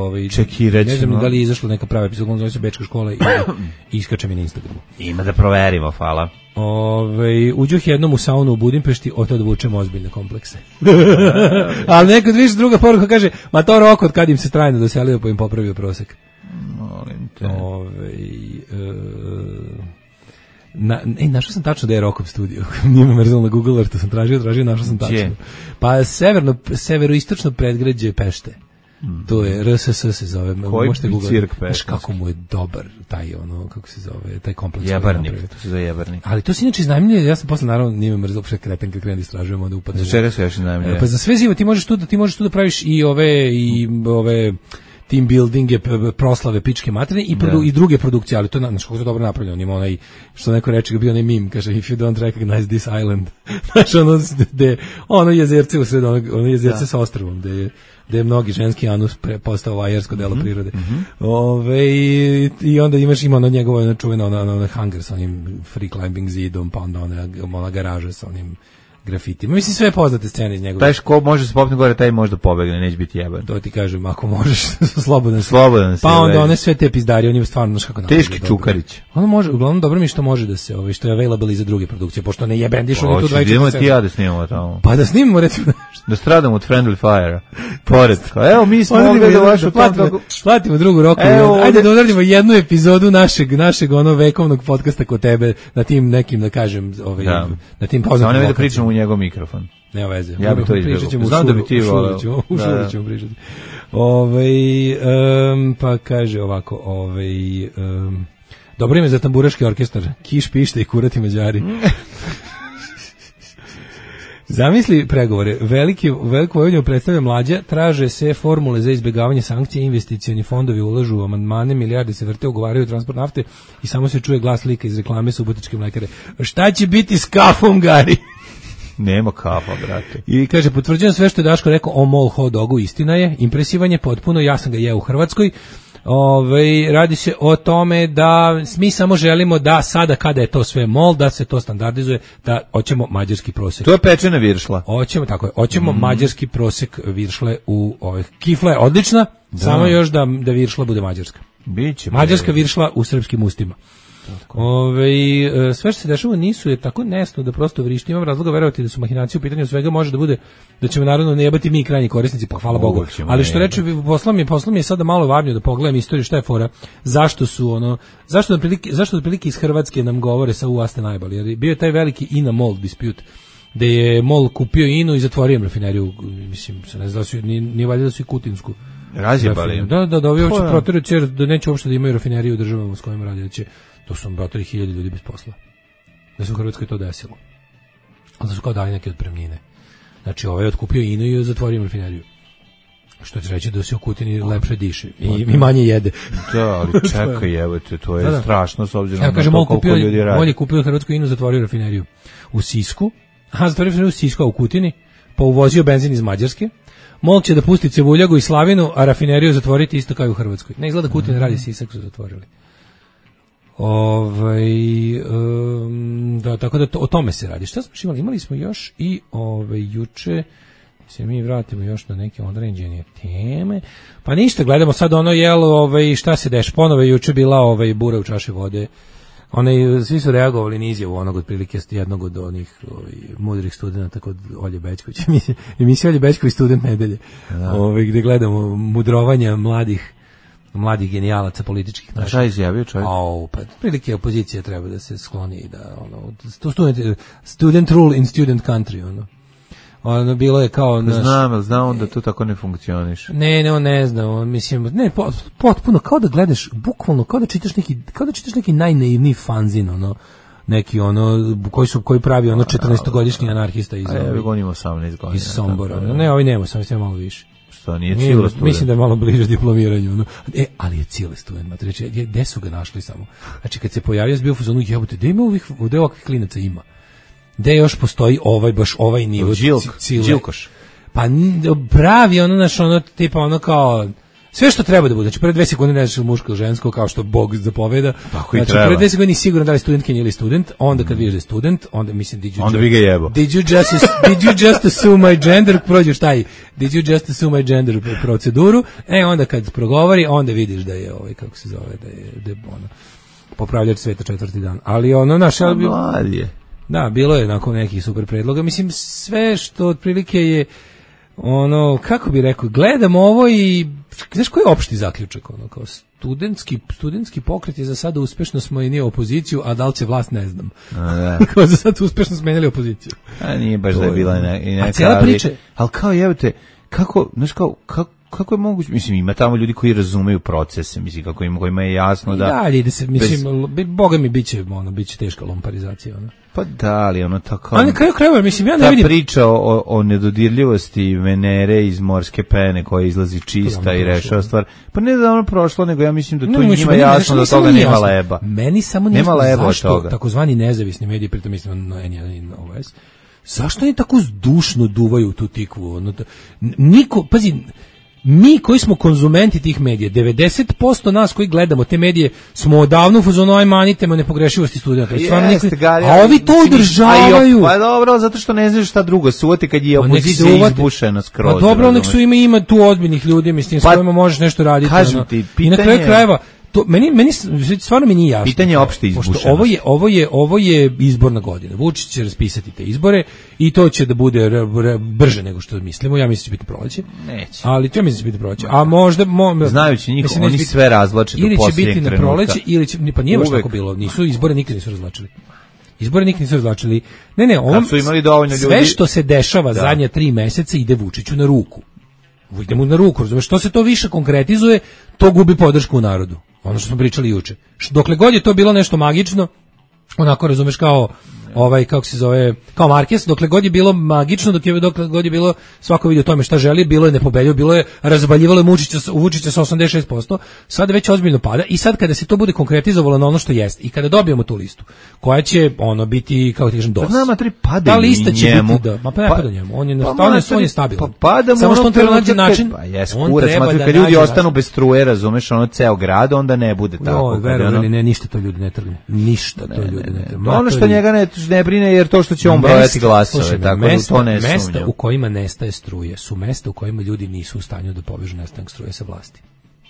ne znam da li je izašla neka prava epizoda, zove se Bečka škola i iskače mi na Instagramu. Ima da proverimo, hvala. Uđuh jednom u saunu u Budimpešti, od tada vučem ozbiljne komplekse. Ali nekad više druga poruka kaže, ma to Roko od kad im se trajno doselio pa im popravio prosek. Molim te. Našao sam tačno da je Rokov studio. Nije me mrzalo na Google Earthu, sam tražio, našao sam tačno. Pa severoistočno predgrađe Pešte. To je RSS se zove. Koji cirk Pešte? Znaš kako mu je dobar taj kako se zove, taj kompleks. Jebarnik, to se zove Jebarnik. Ali to se inače iznajmljuje, ja sam posle naravno nije me mrzalo, pre kreten kad krenem da istražujem, onda upadne. Za čega se još iznajmljuje? Pa za sve živo, ti možeš tu da praviš i ove team buildinge, proslave pičke materine i druge produkcije, ali to je kako je dobro napravljeno. Ima onaj, što neko reče, bio onaj meme, kaže, if you don't recognize this island. Znaš, ono jezerce u sred, ono jezerce sa ostrvom, gde je mnogi ženski anus postao vajarsko delo prirode. I onda ima ono njegovo čuveno ona hangar sa onim free climbing zidom, pa onda ona garaža sa onim grafitima. Mislim, sve poznate scene iz njegove. Taj ko može se popne gore, taj može da pobegne, neće biti jeban. To ti kažem, ako možeš, slobodan si. Pa onda one sve te pizdari, on ima stvarno, znaš kako napravljaju. Teški Čukarić. Ono može, uglavnom dobro mi što može da se, što je available i za druge produkcije, pošto ne jebendiš oni tu 24/7. Idemo ti ja da snimamo tamo. Pa da snimamo, recimo nešto. Da stradamo od Friendly Fire. Pored. Evo, mi smo ovdje da vašu platimo drugu Roku. Ajde da odradimo jednu epizodu našeg vekovnog podcasta kod tebe, na tim nekim, da kažem, na tim poznatim da pričamo u njegov mikrofon. Nema veze. Ja bi to izbjegao. Znam da bi ti voleo. U šuru ćemo pričati. Pa kaže ovako, dobro ime za tamburaški orkestar. Kiš, pište i kurati Mađari. Zamisli pregovore. Veliku Vojvodinu predstavlja Mlađa, traže se formule za izbjegavanje sankcije, investicioni fondovi ulažu u amandmane, milijarde se vrte, ugovaraju transport nafte i samo se čuje glas lika iz reklame Subotičke mlekare. Šta će biti s kafom, Gari? Nema kafa, brate. I kaže, potvrđujem sve što je Daško rekao o mol hot dogu, istina je, impresivan je potpuno, ja sam ga jeo u Hrvatskoj. Radi se o tome da mi samo želimo da sada kada je to sve mol, da se to standardizuje, da hoćemo mađarski prosek. To je pečena viršla. Hoćemo mađarski prosek viršle u kifla je odlična, samo još da viršla bude mađarska. Biće. Mađarska viršla u srpskim ustima. Sve što se dešava nisu je tako nesno da prosto vrišti. Imam razloga verovati da su mahinacije u pitanju, svega može da bude da ćemo naravno ne jebati mi krajnji korisnici, pa hvala Bogu. Ali što reče, poslom je sada malo varnio da pogledam istoriju šta je fora, zašto otprilike iz Hrvatske nam govore sa u ste najbolji, jer bio je taj veliki INA MOL dispute, gde je MOL kupio INU i zatvorio rafineriju, mislim, ne znam, nije valjda da su i kutinsku razjebali. Da ovi uopće protiraju cijel, da neće uopšte da imaju rafineriju u državama s kojima radi, da će to su brotari 1000 ljudi bez posla. Da se u Hrvatskoj to desilo. Ali da su kao dali neke otpremnine. Znači, ovaj je otkupio INU i zatvorio rafineriju. Što će reći da se u Kutini lepše diše i manje jede. Da, ali čekaj, evo te, to je strašno s obzirom na to koliko ljudi radi. Mol je kupio Hrvatsku INU, zatvorio rafineriju u Sisku. Zatvorio rafineriju u Sisku, a u Kutini, pa uvozio benzin iz Mađarske. Mol će da pusti Cevuljagu i Slavinu, a rafineriju zatvoriti isto kao i u Hrvatskoj. Ne izgleda Kutin radi, Sisak su zatvorili. Da, tako da o tome se radi. Šta smo imali? Imali smo još i juče se mi vratimo još na neke određene teme. Pa ništa, gledamo sad ono šta se deš, ponovo je juče bila bura u čaši vode. Svi su reagovali na izjavu onog otprilike jednog od onih mudrih studenta kod Olje Bećković. Emisija Olje Bećković student nedelje. Gde gledamo mudrovanja mladih genijalaca političkih. A šta je izjavio čovjek? Pa prilike opozicija treba da se skloni i da student rule in student country, bilo je kao Znam da to tako ne funkcioniše. Ne znam, mislim, potpuno kao da gledaš, bukvalno kao da čitaš neki najnaivniji fanzin, koji pravi 14-godišnji anarhista iz gonimo 18 godina. Iz Sombora. Ne, ovi nema, sam malo više. Što nije Cile student? Mislim da je malo bliže diplomiranju. Ali je Cile student, matreće, gde su ga našli samo? Znači, kad se pojavio s bio u fazonu, jebote, gde ovakvih klinaca ima? Gde još postoji baš ovaj nivo Đilkoš. Pa pravi tipa kao sve što treba da bude. Znači, prve 2 sekunde ne znaš muško ili žensko, kao što Bog zapoveda. Tako znači, prve 2 sekunde nisi siguran da li studentkinja ili student, onda kad vidiš da je student, onda mislim, onda bi ga jebo. Did you just assume my gender, prođeš taj, did you just assume my gender proceduru, onda kad progovori, onda vidiš da je kako se zove, da je popravljač sveta 4. dan. Ali mlad je. Da, bilo je nakon nekih super predloga. Mislim, sve što otprilike je kako bi rekao, gledam ovo i znaš koji je opšti zaključak? Kao studentski pokret je za sada uspešno smenio opoziciju, a da li će vlast ne znam. Kao za sada uspešno smenili opoziciju. A nije baš da je bila i neka, cijela priča. Ali kao jebate, kako je moguće, mislim, ima tamo ljudi koji razumeju procese, mislim, kojima je jasno da... Da, ide se, mislim, boga mi biće teška lomparizacija, Pa da, ali tako... Ali na kraju krajeva, mislim, ja ne vidim... Ta priča o nedodirljivosti Venere iz morske pene koja izlazi čista i rešava stvar, pa ne da ono prošlo, nego ja mislim da to njima jasno da toga nema leba. Meni samo nije zašto takozvani nezavisni mediji, pritom mislim na N1 i OS, zašto oni tako zdušno duvaju tu tikvu? Niko, pazi... Mi koji smo konzumenti tih medija, 90% nas koji gledamo te medije smo odavno u fazonu manitema nepogrešivosti studenta. A ovi to održavaju. Pa dobro, zato što ne znaš šta drugo se uvati kad je opozicija izbušena skroz. Pa dobro, nek su ima tu ozbiljnih ljudi, mislim, s kojima možeš nešto raditi. Kažem ti, i na kraju krajeva, to meni stvarno mi nije jasno. Pitanje je opšte izbušenosti. Ovo je izborna godina. Vučić će raspisati te izbore i to će da bude brže nego što mislimo. Ja mislim da će biti proleće. Neće. Ali to mislim da će biti proleće. A možda znajući njih, oni sve razvlače do posljednjeg trenutka. Ili će biti na proleće, ili će, pa nije baš tako bilo. Izbore nikad nisu razvlačili. Ne, su imali dovoljno ljudi. Sve što se dešava zadnje 3 meseca ide Vučiću na ruku. Ide mu na ruku, razumeš, što se to više konkretizuje, to gubi podršku u narodu. Ono što smo pričali juče. Dokle god je to bilo nešto magično, onako, razumeš, kao kako se zove, kao Marquez, dokle god je bilo magično, dokle god je bilo svako vidio o tome šta želi, bilo je nepobedljivo, bilo je razvaljivalo Vučića sa 86%, sada već ozbiljno pada i sad kada se to bude konkretizovalo na ono što jeste i kada dobijemo tu listu, koja će biti, kako ti kažem, dosta. Nama tri pada ta lista će njemu. Biti ne pada njemu, on je stabilan. Pada samo što on treba naći način, on treba da kad ljudi ostanu bez struje, razumeš, ceo grad, onda ne bude tako. Verovali ne, ništa to ljudi ne trgne. Ništa to ljudi ne trgne. Ono što njega ne brine jer to što će on brojati glasove, tako da to ne sumnjam. Mesta u kojima nestaje struje su mesta u kojima ljudi nisu u stanju da povežu nestanak struje sa vlasti.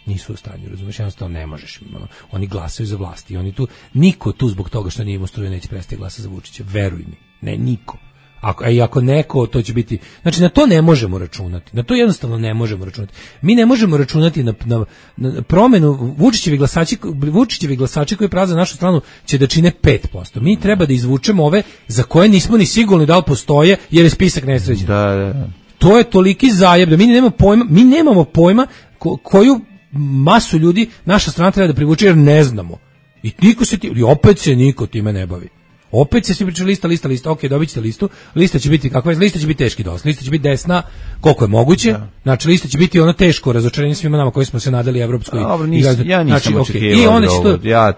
Nisu u stanju, razumiješ, jednostavno ne možeš. Oni glasaju za vlasti i oni tu, niko tu zbog toga što nije imao struje neće prestati glasati za Vučića, veruj mi, ne, niko. Ako neko, to će biti, znači na to ne možemo računati, na to jednostavno ne možemo računati. Mi ne možemo računati na promenu. Vučićevi glasači koji prave za našu stranu će da čine 5%. Mi treba da izvučemo ove za koje nismo ni sigurni da li postoje jer je spisak nesređen. Da. To je toliki zajeb da mi nemamo pojma koju masu ljudi naša strana treba da privuče jer ne znamo. I opet se niko time ne bavi. Opet se svi pričali lista, ok, dobit ćete listu, lista će biti kakva je, lista će biti teški dosta, lista će biti desna, koliko je moguće, znači lista će biti ono teško razočarenje svima nama koji smo se nadali evropskoj. Ja nisam očekivao,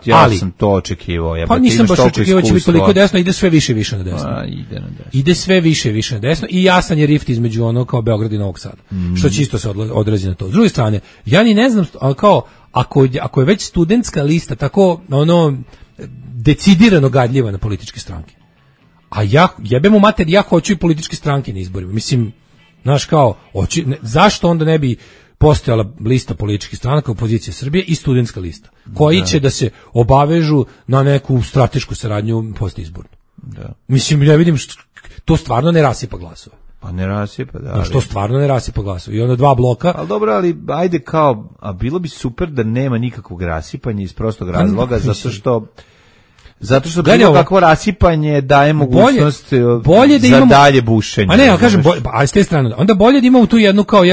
ja sam to očekivao. Pa nisam baš očekivao će biti toliko desno, ide sve više i više na desno. Ide sve više i više na desno i jasan je rift između ono kao Beograd i Novog Sada, što će isto se odrazi na to. S druge strane, ja ni ne znam, kao, ako je već studentska lista tako, ono, decidirano gadljiva na političke stranke. A jebemo mater, ja hoću i političke stranke na izborima. Mislim, Znaš, kao, zašto onda ne bi postojala lista političkih stranaka opozicije Srbije i studentska lista, koji će da se obavežu na neku stratešku saradnju postizbornu. Da. Mislim, ja vidim, to stvarno ne rasipa glasove. Pa ne rasipa, da. Što stvarno ne rasipa glasove. I onda 2 bloka. Ali dobro, ali ajde kao, a bilo bi super da nema nikakvog rasipanja iz prostog razloga, zato što bilo kakvo rasipanje daje mogućnost bolje da za imamo, dalje bušenje. A ne, ja kažem, ali s te strane, onda bolje da imamo tu jednu kao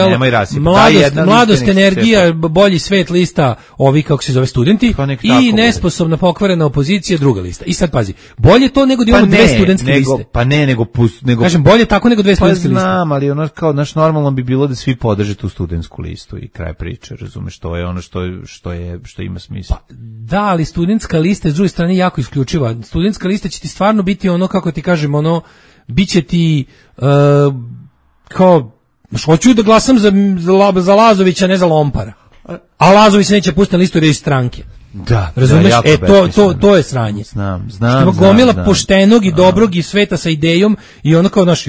mladost, energija, bolji svet lista, ovi kako se zove studenti, i nesposobna pokvarena opozicija druga lista. I sad pazi, bolje to nego da imamo dve studentske liste. Pa ne, nego kažem, bolje tako nego dve studentske liste. Pa znam, ali ono kao naš normalno bi bilo da svi podrže tu studentsku listu i kraj priče, razumeš, to je ono što ima smisla. Pa, da, ali studentska lista s druge strane jako isključiva. Studentska lista će ti stvarno biti ono, kako ti kažem, ono, bit će ti kao, hoću da glasam za Lazovića, ne za Lompara. A Lazović se neće pustiti na listu jer je iz stranke. Da, razumeš? To je sranje. Znam. Gomila poštenog i dobrog i sveta sa idejom i ono kao, znaš,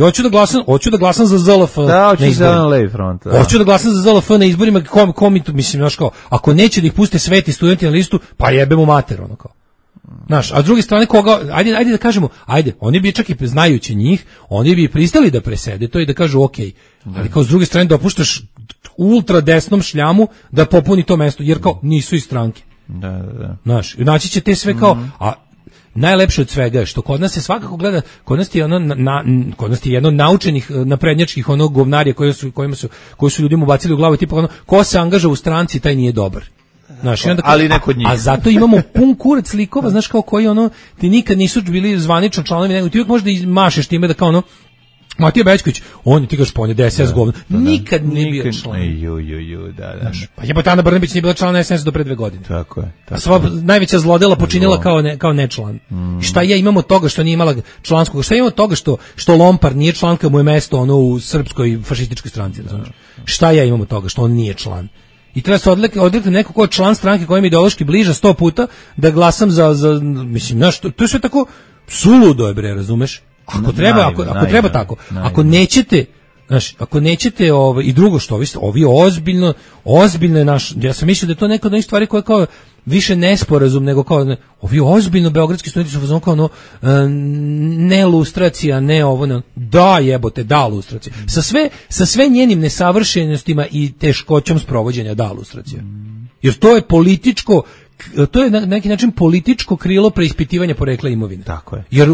hoću da glasam za ZLF na izborima. Hoću da glasam za ZLF na izborima, komi tu, mislim, znaš, kao, ako neće da ih puste sveti studenti na listu, pa jebemo mater, ono kao. Znaš, a s druge strane koga, ajde da kažemo, oni bi čak i znajući njih, oni bi pristali da presede to i da kažu okej, ali kao s druge strane dopuštaš ultra desnom šljamu da popuni to mesto, jer kao nisu iz stranke. Da. Znaš, naći će te sve kao, a najlepše od svega je što kod nas se svakako gleda, kod nas je jedno naučenih naprednjačkih onog govnarija koji su ljudima ubacili u glavu, tipa ono, ko se angaža u stranci, taj nije dobar. Znaš, onda, ali neko od njih. A zato imamo pun kurac likova, znaš, kao koji ono, ti nikad nisu bili zvanično članovi, nego ti uvijek možda i mašeš time da kao ono, Matija Bećković, ti kažeš pa on je DSS govno, nikad nije bio član. Da. Pa jebote, Ana Brnabić nije bila član SNS do pre 2 godine. Tako je. Sva najveća zlodela počinila kao nečlan. Šta imamo toga što nije imala članskog, šta imamo toga što Lompar nije član, kad mu je mesto ono u srpskoj fašističkoj stranci, znaš. Šta imamo toga što on nije član? I treba se odrekti neko ko je član stranke koja mi ideološki bliža 100 puta da glasam za mislim, znaš, to je sve tako suludo je, bre, razumeš? Ako treba tako. Ako nećete, znaš, i drugo što ovi ozbiljno je naš, ja sam mislio da je to neka od onih stvari koje kao više nesporazum nego kao ovi ozbiljno beogradski studenti su fazon kao ono ne lustracija, ne ovo, ne, da jebote, da lustracija. Sa sve njenim nesavršenostima i teškoćom sprovođenja da lustracija. Jer to je političko, to je na neki način političko krilo preispitivanja porekla imovine. Tako je. Jer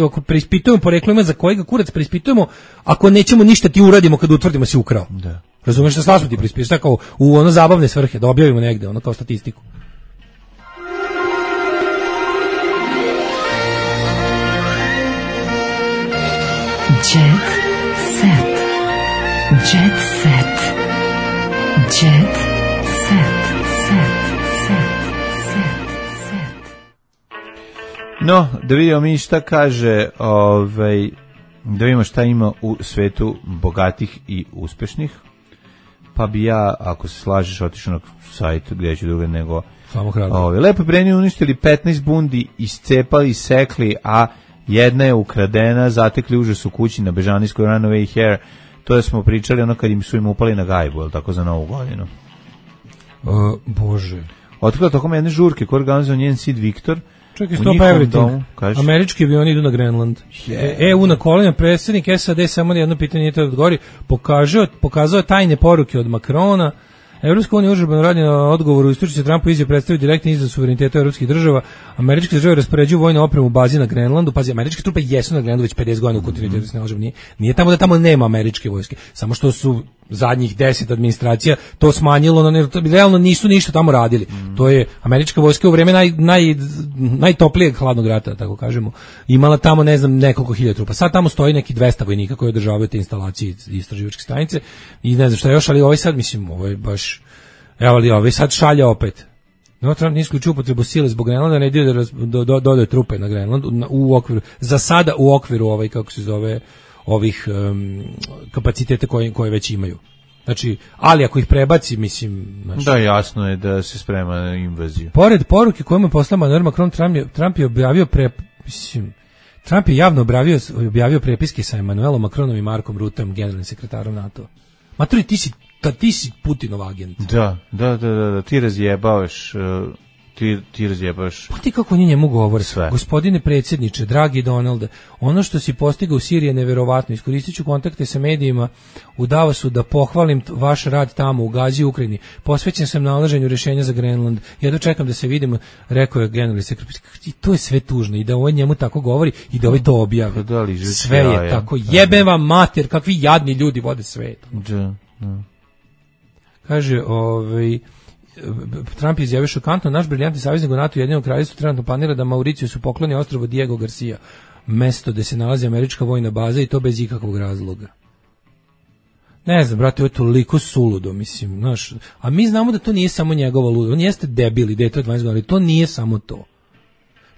ako preispitujemo poreklo imovine, za kojega kurac preispitujemo, ako nećemo ništa ti uradimo kad utvrdimo si ukrao. Da. Razumeš, šta smo ti preispitujemo, šta kao u ono zabavne svrhe, da objavimo negde, ono kao statistiku. Jet set. Jet set. Jet set. No, da vidimo mi šta kaže, da vidimo šta ima u svetu bogatih i uspešnih. Pa bi ja, ako se slažeš, otišao na sajt gdje ću druge nego... Lepo Breni uništili 15 bundi, iscepali, sekli, a jedna je ukradena, zatekli užas u kući na Bežanijskoj Runaway Hair. To je smo pričali ono kad su im upali na gajbu, ali tako za Novu godinu. Bože. Otkrila tokom jedne žurke koja organizuje njen sid Viktor. Čekaj, stop everything. Američki avioni idu na Grenland. EU na kolenja, predsjednik SAD samo jedno pitanje nije to odgovori. Pokazao tajne poruke od Makrona. Evropska unija užurbano radi na odgovoru istočice Trumpu izjave predstavio direktni izraz suvereniteta evropskih država. Američke države raspoređuju vojnu opremu u bazi na Grenlandu. Pazi, američke trupe jesu na Grenlandu već 50 godina u kontinuitetu se nalažu. Nije tamo da tamo nema američke vojske. Samo što su zadnjih 10 administracija to smanjilo, realno nisu ništa tamo radili. To je američka vojska u vrijeme najtoplijeg hladnog rata, tako kažemo, imala tamo, ne znam, nekoliko hiljada trupa. Sad tamo stoji neki 200 vojnika koji održavaju te instalacije i istraživačke stanice i ne znam šta još, ali ovaj sad, mislim, ovaj baš, evo li ovaj sad šalja opet. No, Trump nije isključio upotrebu sile zbog Grenlanda, ne ide da dodaje trupe na Grenlandu u okviru, za sada u okviru kako se zove, ovih kapacitete koje već imaju. Znači, ali ako ih prebaci, mislim... Znači, da, jasno je da se sprema na invaziju. Pored poruke kojemu je poslao Emmanuel Macron, Trump je objavio Trump je javno objavio prepiske sa Emmanuelom Macronom i Markom Rutom, generalnim sekretarom NATO. Maturi, ti si Putinov agent. Da, ti razjebavaš... Ti razjebaš. Pa ti kako oni njemu govore sve. Gospodine predsjedniče, dragi Donalde, ono što si postigao u Siriji je neverovatno. Iskoristit ću kontakte sa medijima u Davosu da pohvalim vaš rad tamo u Gazi i Ukrajini. Posvećen sam nalaženju rješenja za Grenland. Jedno čekam da se vidimo, rekao je generalni sekretar. I to je sve tužno i da ovaj njemu tako govori i da ovaj to objavi. Sve je tako. Jebe vam mater, kakvi jadni ljudi vode svet. Kaže, Trump je izjavio šokantno, naš briljantni saveznik u NATO i Ujedinjenom Kraljevstvu trenutno planira da Mauricijusu pokloni ostrvo Diego Garcia, mesto gde se nalazi američka vojna baza i to bez ikakvog razloga. Ne znam, brate, ovo je toliko suludo, mislim, znaš, a mi znamo da to nije samo njegova ludo, on jeste debil i dete od 20 godina, ali to nije samo to.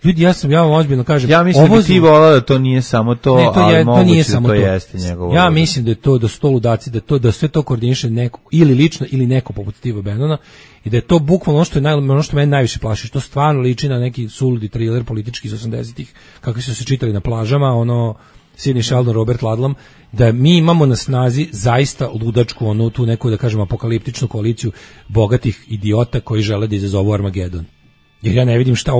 Ljudi, ja vam ozbiljno kažem, ja mislim da ti volao da to nije samo to, ne, ali moguće da to jeste njegovo. Ja mislim da je to da sto ludaci, da sve to koordiniše neko, ili lično, ili neko poput Steva Bannona, i da je to bukvalno ono što mene najviše plaši, što stvarno liči na neki suludi thriller politički iz 80-ih, kakvi su se čitali na plažama, Sidney Sheldon, Robert Ludlum, da mi imamo na snazi zaista ludačku, tu neku, da kažem, apokaliptičnu koaliciju bogatih idiota koji žele da izazovu Armagedon. Jer ja ne vidim šta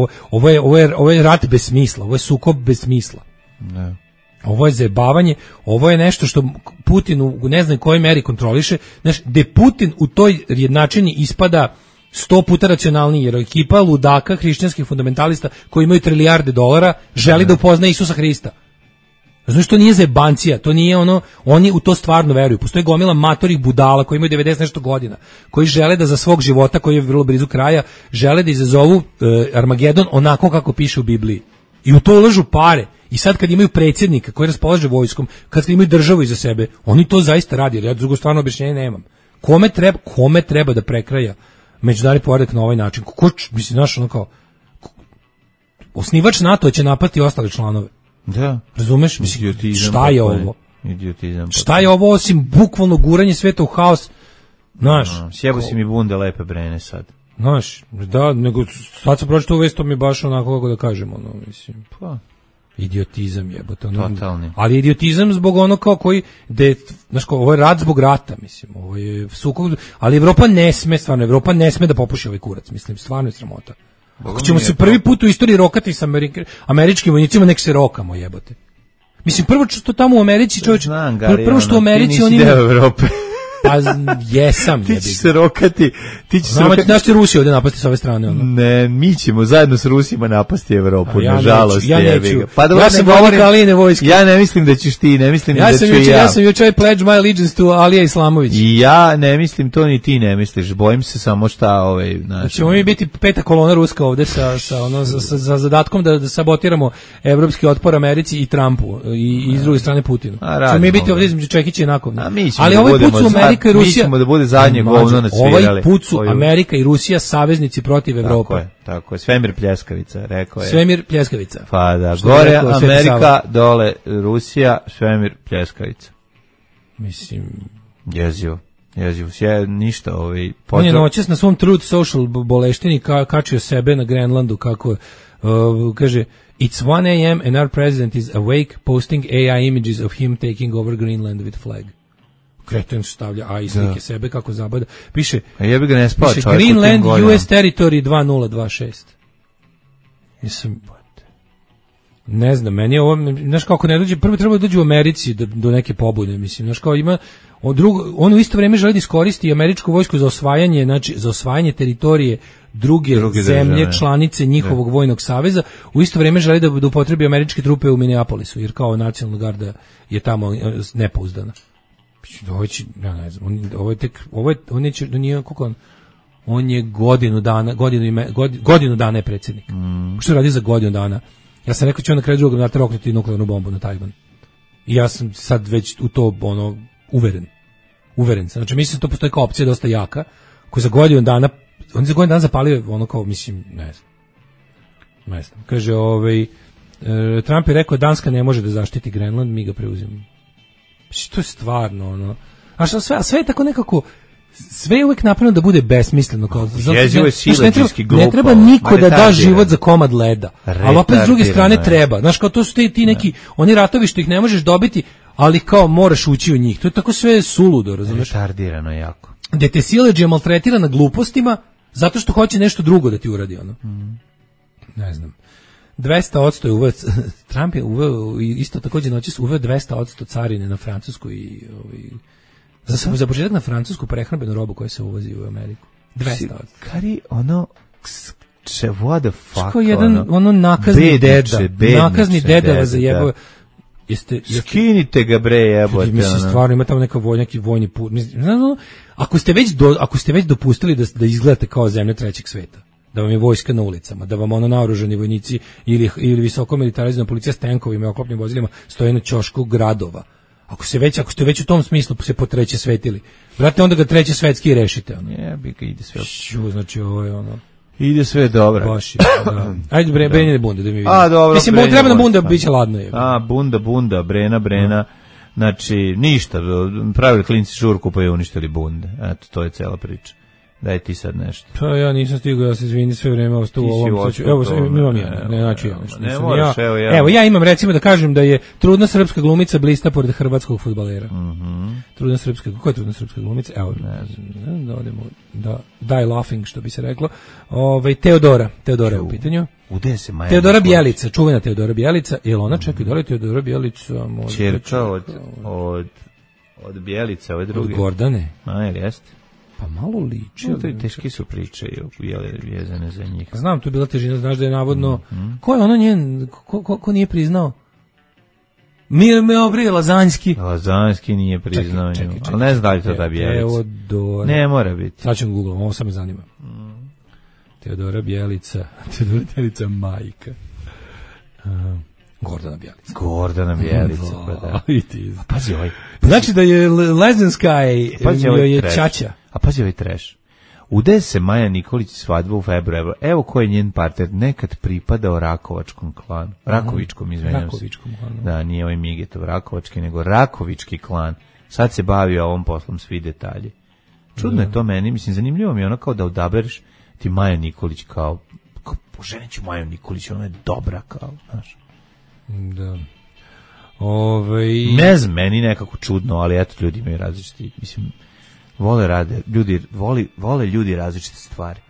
ovo je rat bez smisla, ovo je sukob bez smisla. Ne. Ovo je zajebavanje, ovo je nešto što Putin u ne znam kojoj meri kontroliše, znaš, gde Putin u toj jednačini ispada 100 puta racionalniji, jer ekipa ludaka, hrišćanskih fundamentalista koji imaju trilijarde dolara želi da upozna Isusa Hrista. Znaš, to nije zebancija, to nije oni u to stvarno veruju. Postoji gomila matorih budala koji imaju 90 nešto godina, koji žele da za svog života, koji je vrlo blizu kraja, žele da izazovu Armagedon onako kako piše u Bibliji. I u to ulažu pare. I sad kad imaju predsjednika koji raspolaže vojskom, kad imaju državu iza sebe, oni to zaista radi, jer ja drugo stvarno objašnjenje nemam. Kome treba da prekraja međunarodni poredak na ovaj način? Mislim, znaš, osnivač NATO će napasti ostale članove. Da. Razumeš? Mislim, šta je ovo? Idiotizam. Šta je ovo osim bukvalno guranje sveta u haos? Znaš. Sjebo si mi bunde lepe brene sad. Znaš, da, nego sad sam pročitao uvijek, to mi je baš onako kako da kažem, mislim. Pa. Idiotizam jebote. Totalni. Ali idiotizam zbog kao koji, znaš, ovo je rat zbog rata, mislim, ovo je sukob, ali Evropa ne sme da popuši ovaj kurac, mislim, stvarno je sramota. Ako ćemo se prvi put u istoriji rokati sa američkim vojnicima, nek se rokamo, jebote. Mislim, prvo što tamo u Americi, čovječ, prvo što u Americi oni... Ti nisi deo Evrope. Pa jesam. Ti ćeš se rokati. Znaš ti Rusiju ovdje napasti s ove strane? Ne, mi ćemo zajedno s Rusima napasti Evropu, nažalost. Ja neću. Pa ja sam vojnik Alijine vojske. Ja ne mislim da ćeš ti, ne mislim da ću ja. Ja sam jučer pledge my allegiance to Alija Islamović. I ja ne mislim to, ni ti ne misliš. Bojim se samo šta ćemo mi biti peta kolona ruska ovdje sa zadatkom da sabotiramo evropski otpor Americi i Trumpu i s druge strane Putinu. Ćemo mi biti ovdje između Čekića i Nakovna. Ali ovaj put su Amerika i Rusija, mi ćemo da bude zadnje govno nasvirali. Ovaj put su Amerika i Rusija saveznici protiv Evrope. Tako je. Svemir pljeskavica, rekao je. Svemir pljeskavica. Pa da, gore Amerika, dole Rusija, svemir pljeskavica. Mislim, jezivo. Ništa on je noćas na svom Truth Social boleštini kačio sebe na Grenlandu kako kaže It's 1 a.m. and our president is awake posting AI images of him taking over Greenland with flag. Kreten stavlja i slike sebe kako zabada. Piše, jebi ga ne spava čovjek Greenland US territory 2026. Mislim, ne znam, meni je ovo, znaš kako ne dođe, prvo treba da dođe u Americi do neke pobune, mislim, znaš kao ima, on u isto vrijeme želi da iskoristi američku vojsku za osvajanje, znači za osvajanje teritorije druge zemlje, članice njihovog vojnog saveza, u isto vrijeme želi da upotrebi američke trupe u Minneapolisu, jer kao nacionalna garda je tamo nepouzdana. Ja ne znam, on je godinu dana je predsjednik. Što radi za godinu dana? Ja sam rekao će on na kraju drugog mandata roknuti nuklearnu bombu na Tajvan. I ja sam sad već u to uveren sam. Znači mislim da to postoji kao opcija dosta jaka, koji za godinu dana, on je za godinu dana zapalio kao, mislim, ne znam. Kaže, Trump je rekao Danska ne može da zaštiti Grenland, mi ga preuzimamo. To je stvarno, a sve je tako nekako, sve je uvek napravljeno da bude besmisleno. Kao, jezivo je siledžijski glupo. Ne treba niko da da život za komad leda, ali opet s druge strane treba. Znaš, kao to su ti neki, oni ratovi što ih ne možeš dobiti, ali kao moraš ući u njih. To je tako sve suludo, razumeš? Retardirano jako. Gde te siledžija maltretira na glupostima, zato što hoće nešto drugo da ti uradi, ono. Ne znam. 200% je uveo, Trump je uveo, isto takođe noćas uveo 200% carine na Francusku i za početak na francusku prehrambenu robu koja se uvozi u Ameriku. 200%. Kari, ono, what the fuck, što jedan, ono nakazni nakazni deda vas zajebao. Skinite ga bre, jebote. Mislim, stvarno ima tamo neki vojni put. Ako ste već dopustili da izgledate kao zemlja trećeg sveta, da vam je vojska na ulicama, da vam ono naoružani vojnici ili visoko militarizovana policija s tenkovima i oklopnim vozilima stoje na ćošku gradova. Ako ste već u tom smislu se po treće svetili, brate, onda ga treće svetski rešite. Ono. Jebi ga, ide sve. Znači, ovo je ono... Ide sve dobro. Baš je, da. Ajde, Brenje bunda, da mi vidim. Dobro. Mislim, treba na bunda, bit će ladno. Je. Bunda, Brena. Znači, ništa, pravili klinci žurku pa je uništili bunde. Eto, to je cela priča. Daj ti sad nešto. Pa ja nisam stigao, ja se izvini sve vreme ostao u ovom. Evo, imam ja, znači ja nešto. Ne moraš, evo, ja imam recimo da kažem da je trudna srpska glumica blista pored hrvatskog fudbalera. Trudna srpska, kako je trudna srpska glumica? Evo, da odemo, die laughing, što bi se reklo. Teodora je u pitanju. Ude se Maja Teodora Bjelica, čuvena Teodora Bjelica, jel ona čeka da li Teodora Bjelica ćerka od Bjelice, ove druge. Od Gordane. Jel jeste? Pa malo liči. To je teški su priče vezane za njih. Znam, tu je bila težina, znaš da je navodno... Ko je ono njen... Ko nije priznao? Lazanjski. Lazanjski nije priznao nju. Ali ne znam da li to da Bjelica. Teodora. Ne mora biti. Sad ću googlom, ovo sad me zanima. Teodora Bjelica. Teodora Bjelica majka. Gordana Bjelica. Pa da. A pazi ovaj. Znači da je Lezenska je čača. A pazi ovaj treš. Ude se Maja Nikolić svadbu u februaru. Evo ko je njen partner, nekad pripadao Rakovačkom klanu. Rakovičkom, izvinjam se. Da, nije ovaj Migetov Rakovački, nego Rakovički klan. Sad se bavi ovom poslom, svi detalji. Čudno je to meni, mislim, zanimljivo mi je ono kao da odabereš ti Maja Nikolić kao poženiću Maju Nikolić, ona je dobra kao, znaš. Da. Ne znam, meni nekako čudno, ali eto, ljudi imaju različiti, mislim, vole ljudi različite stvari.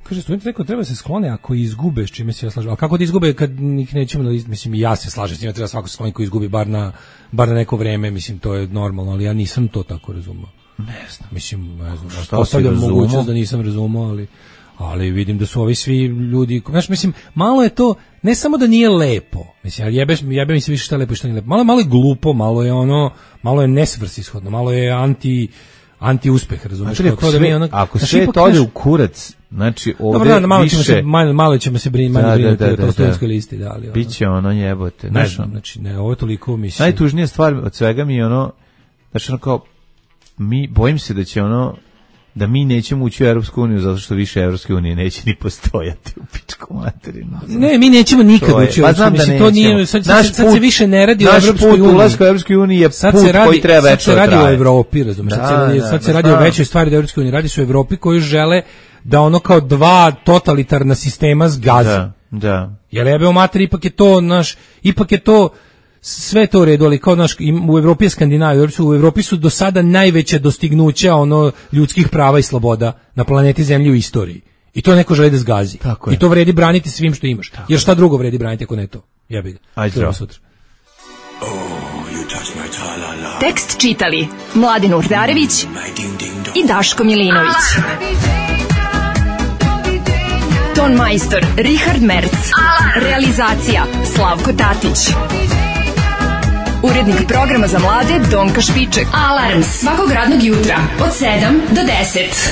Kaže, student rekao, treba se sklone ako izgube, s čime se ja slažem. A kako da izgube kad ih nećemo, mislim, ja se slažem s njima, treba svako se skloni ko izgubi bar na neko vreme, mislim, to je normalno, ali ja nisam to tako razumao. Ne znam. Mislim, ne znam, postavljam mogućnost da nisam razumao, ali vidim da su ovi svi ljudi, znaš, mislim, malo je to, ne samo da nije lepo, mislim, ali jebe mi se više šta je lepo i šta nije lepo, malo je glupo, malo je nesvrsishodno, malo je anti-uspeh, razumiješ? Ako sve to ode u kurac, znači ovdje malo ćemo se brinuti o tolstojanskoj listi, da, ali biće ono jebote, ne znam, znači, ne, ovo je toliko, mislim. Najtužnija stvar od svega mi je ono, znači ono kao, bojim se da će ono, da mi nećemo ući u Europsku uniju zato što više Europske unije neće ni postojati u pičku materinu. Ne, mi nećemo nikad ući u Europsku uniju. To nije, sad se više ne radi o Europskoj uniji. Naš put ulaska u Europskoj uniji je put koji treba večno traje. Sad se radi o Evropi, razumiješ? Sad se radi o većoj stvari da Europskoj uniji. Radi se o Evropi koju žele da ono kao dva totalitarna sistema zgazi. Da. Jer jebe u materi, ipak je to sve to u redu, ali kao u Evropi je Skandinavija, u Evropi su do sada najveće dostignuća ljudskih prava i sloboda na planeti Zemlji u istoriji. I to neko želi da zgazi. I to vredi braniti svim što imaš. Jer šta drugo vredi braniti ako ne to? Jebi ga. Ajde, zdravo. Sutra. Tekst čitali Mladin Urdarević i Daško Milinović. Ton majstor Richard Merc. Realizacija Slavko Tatić. Urednik programa za mlade Donka Špiček. Alarms svakog radnog jutra od 7 do 10.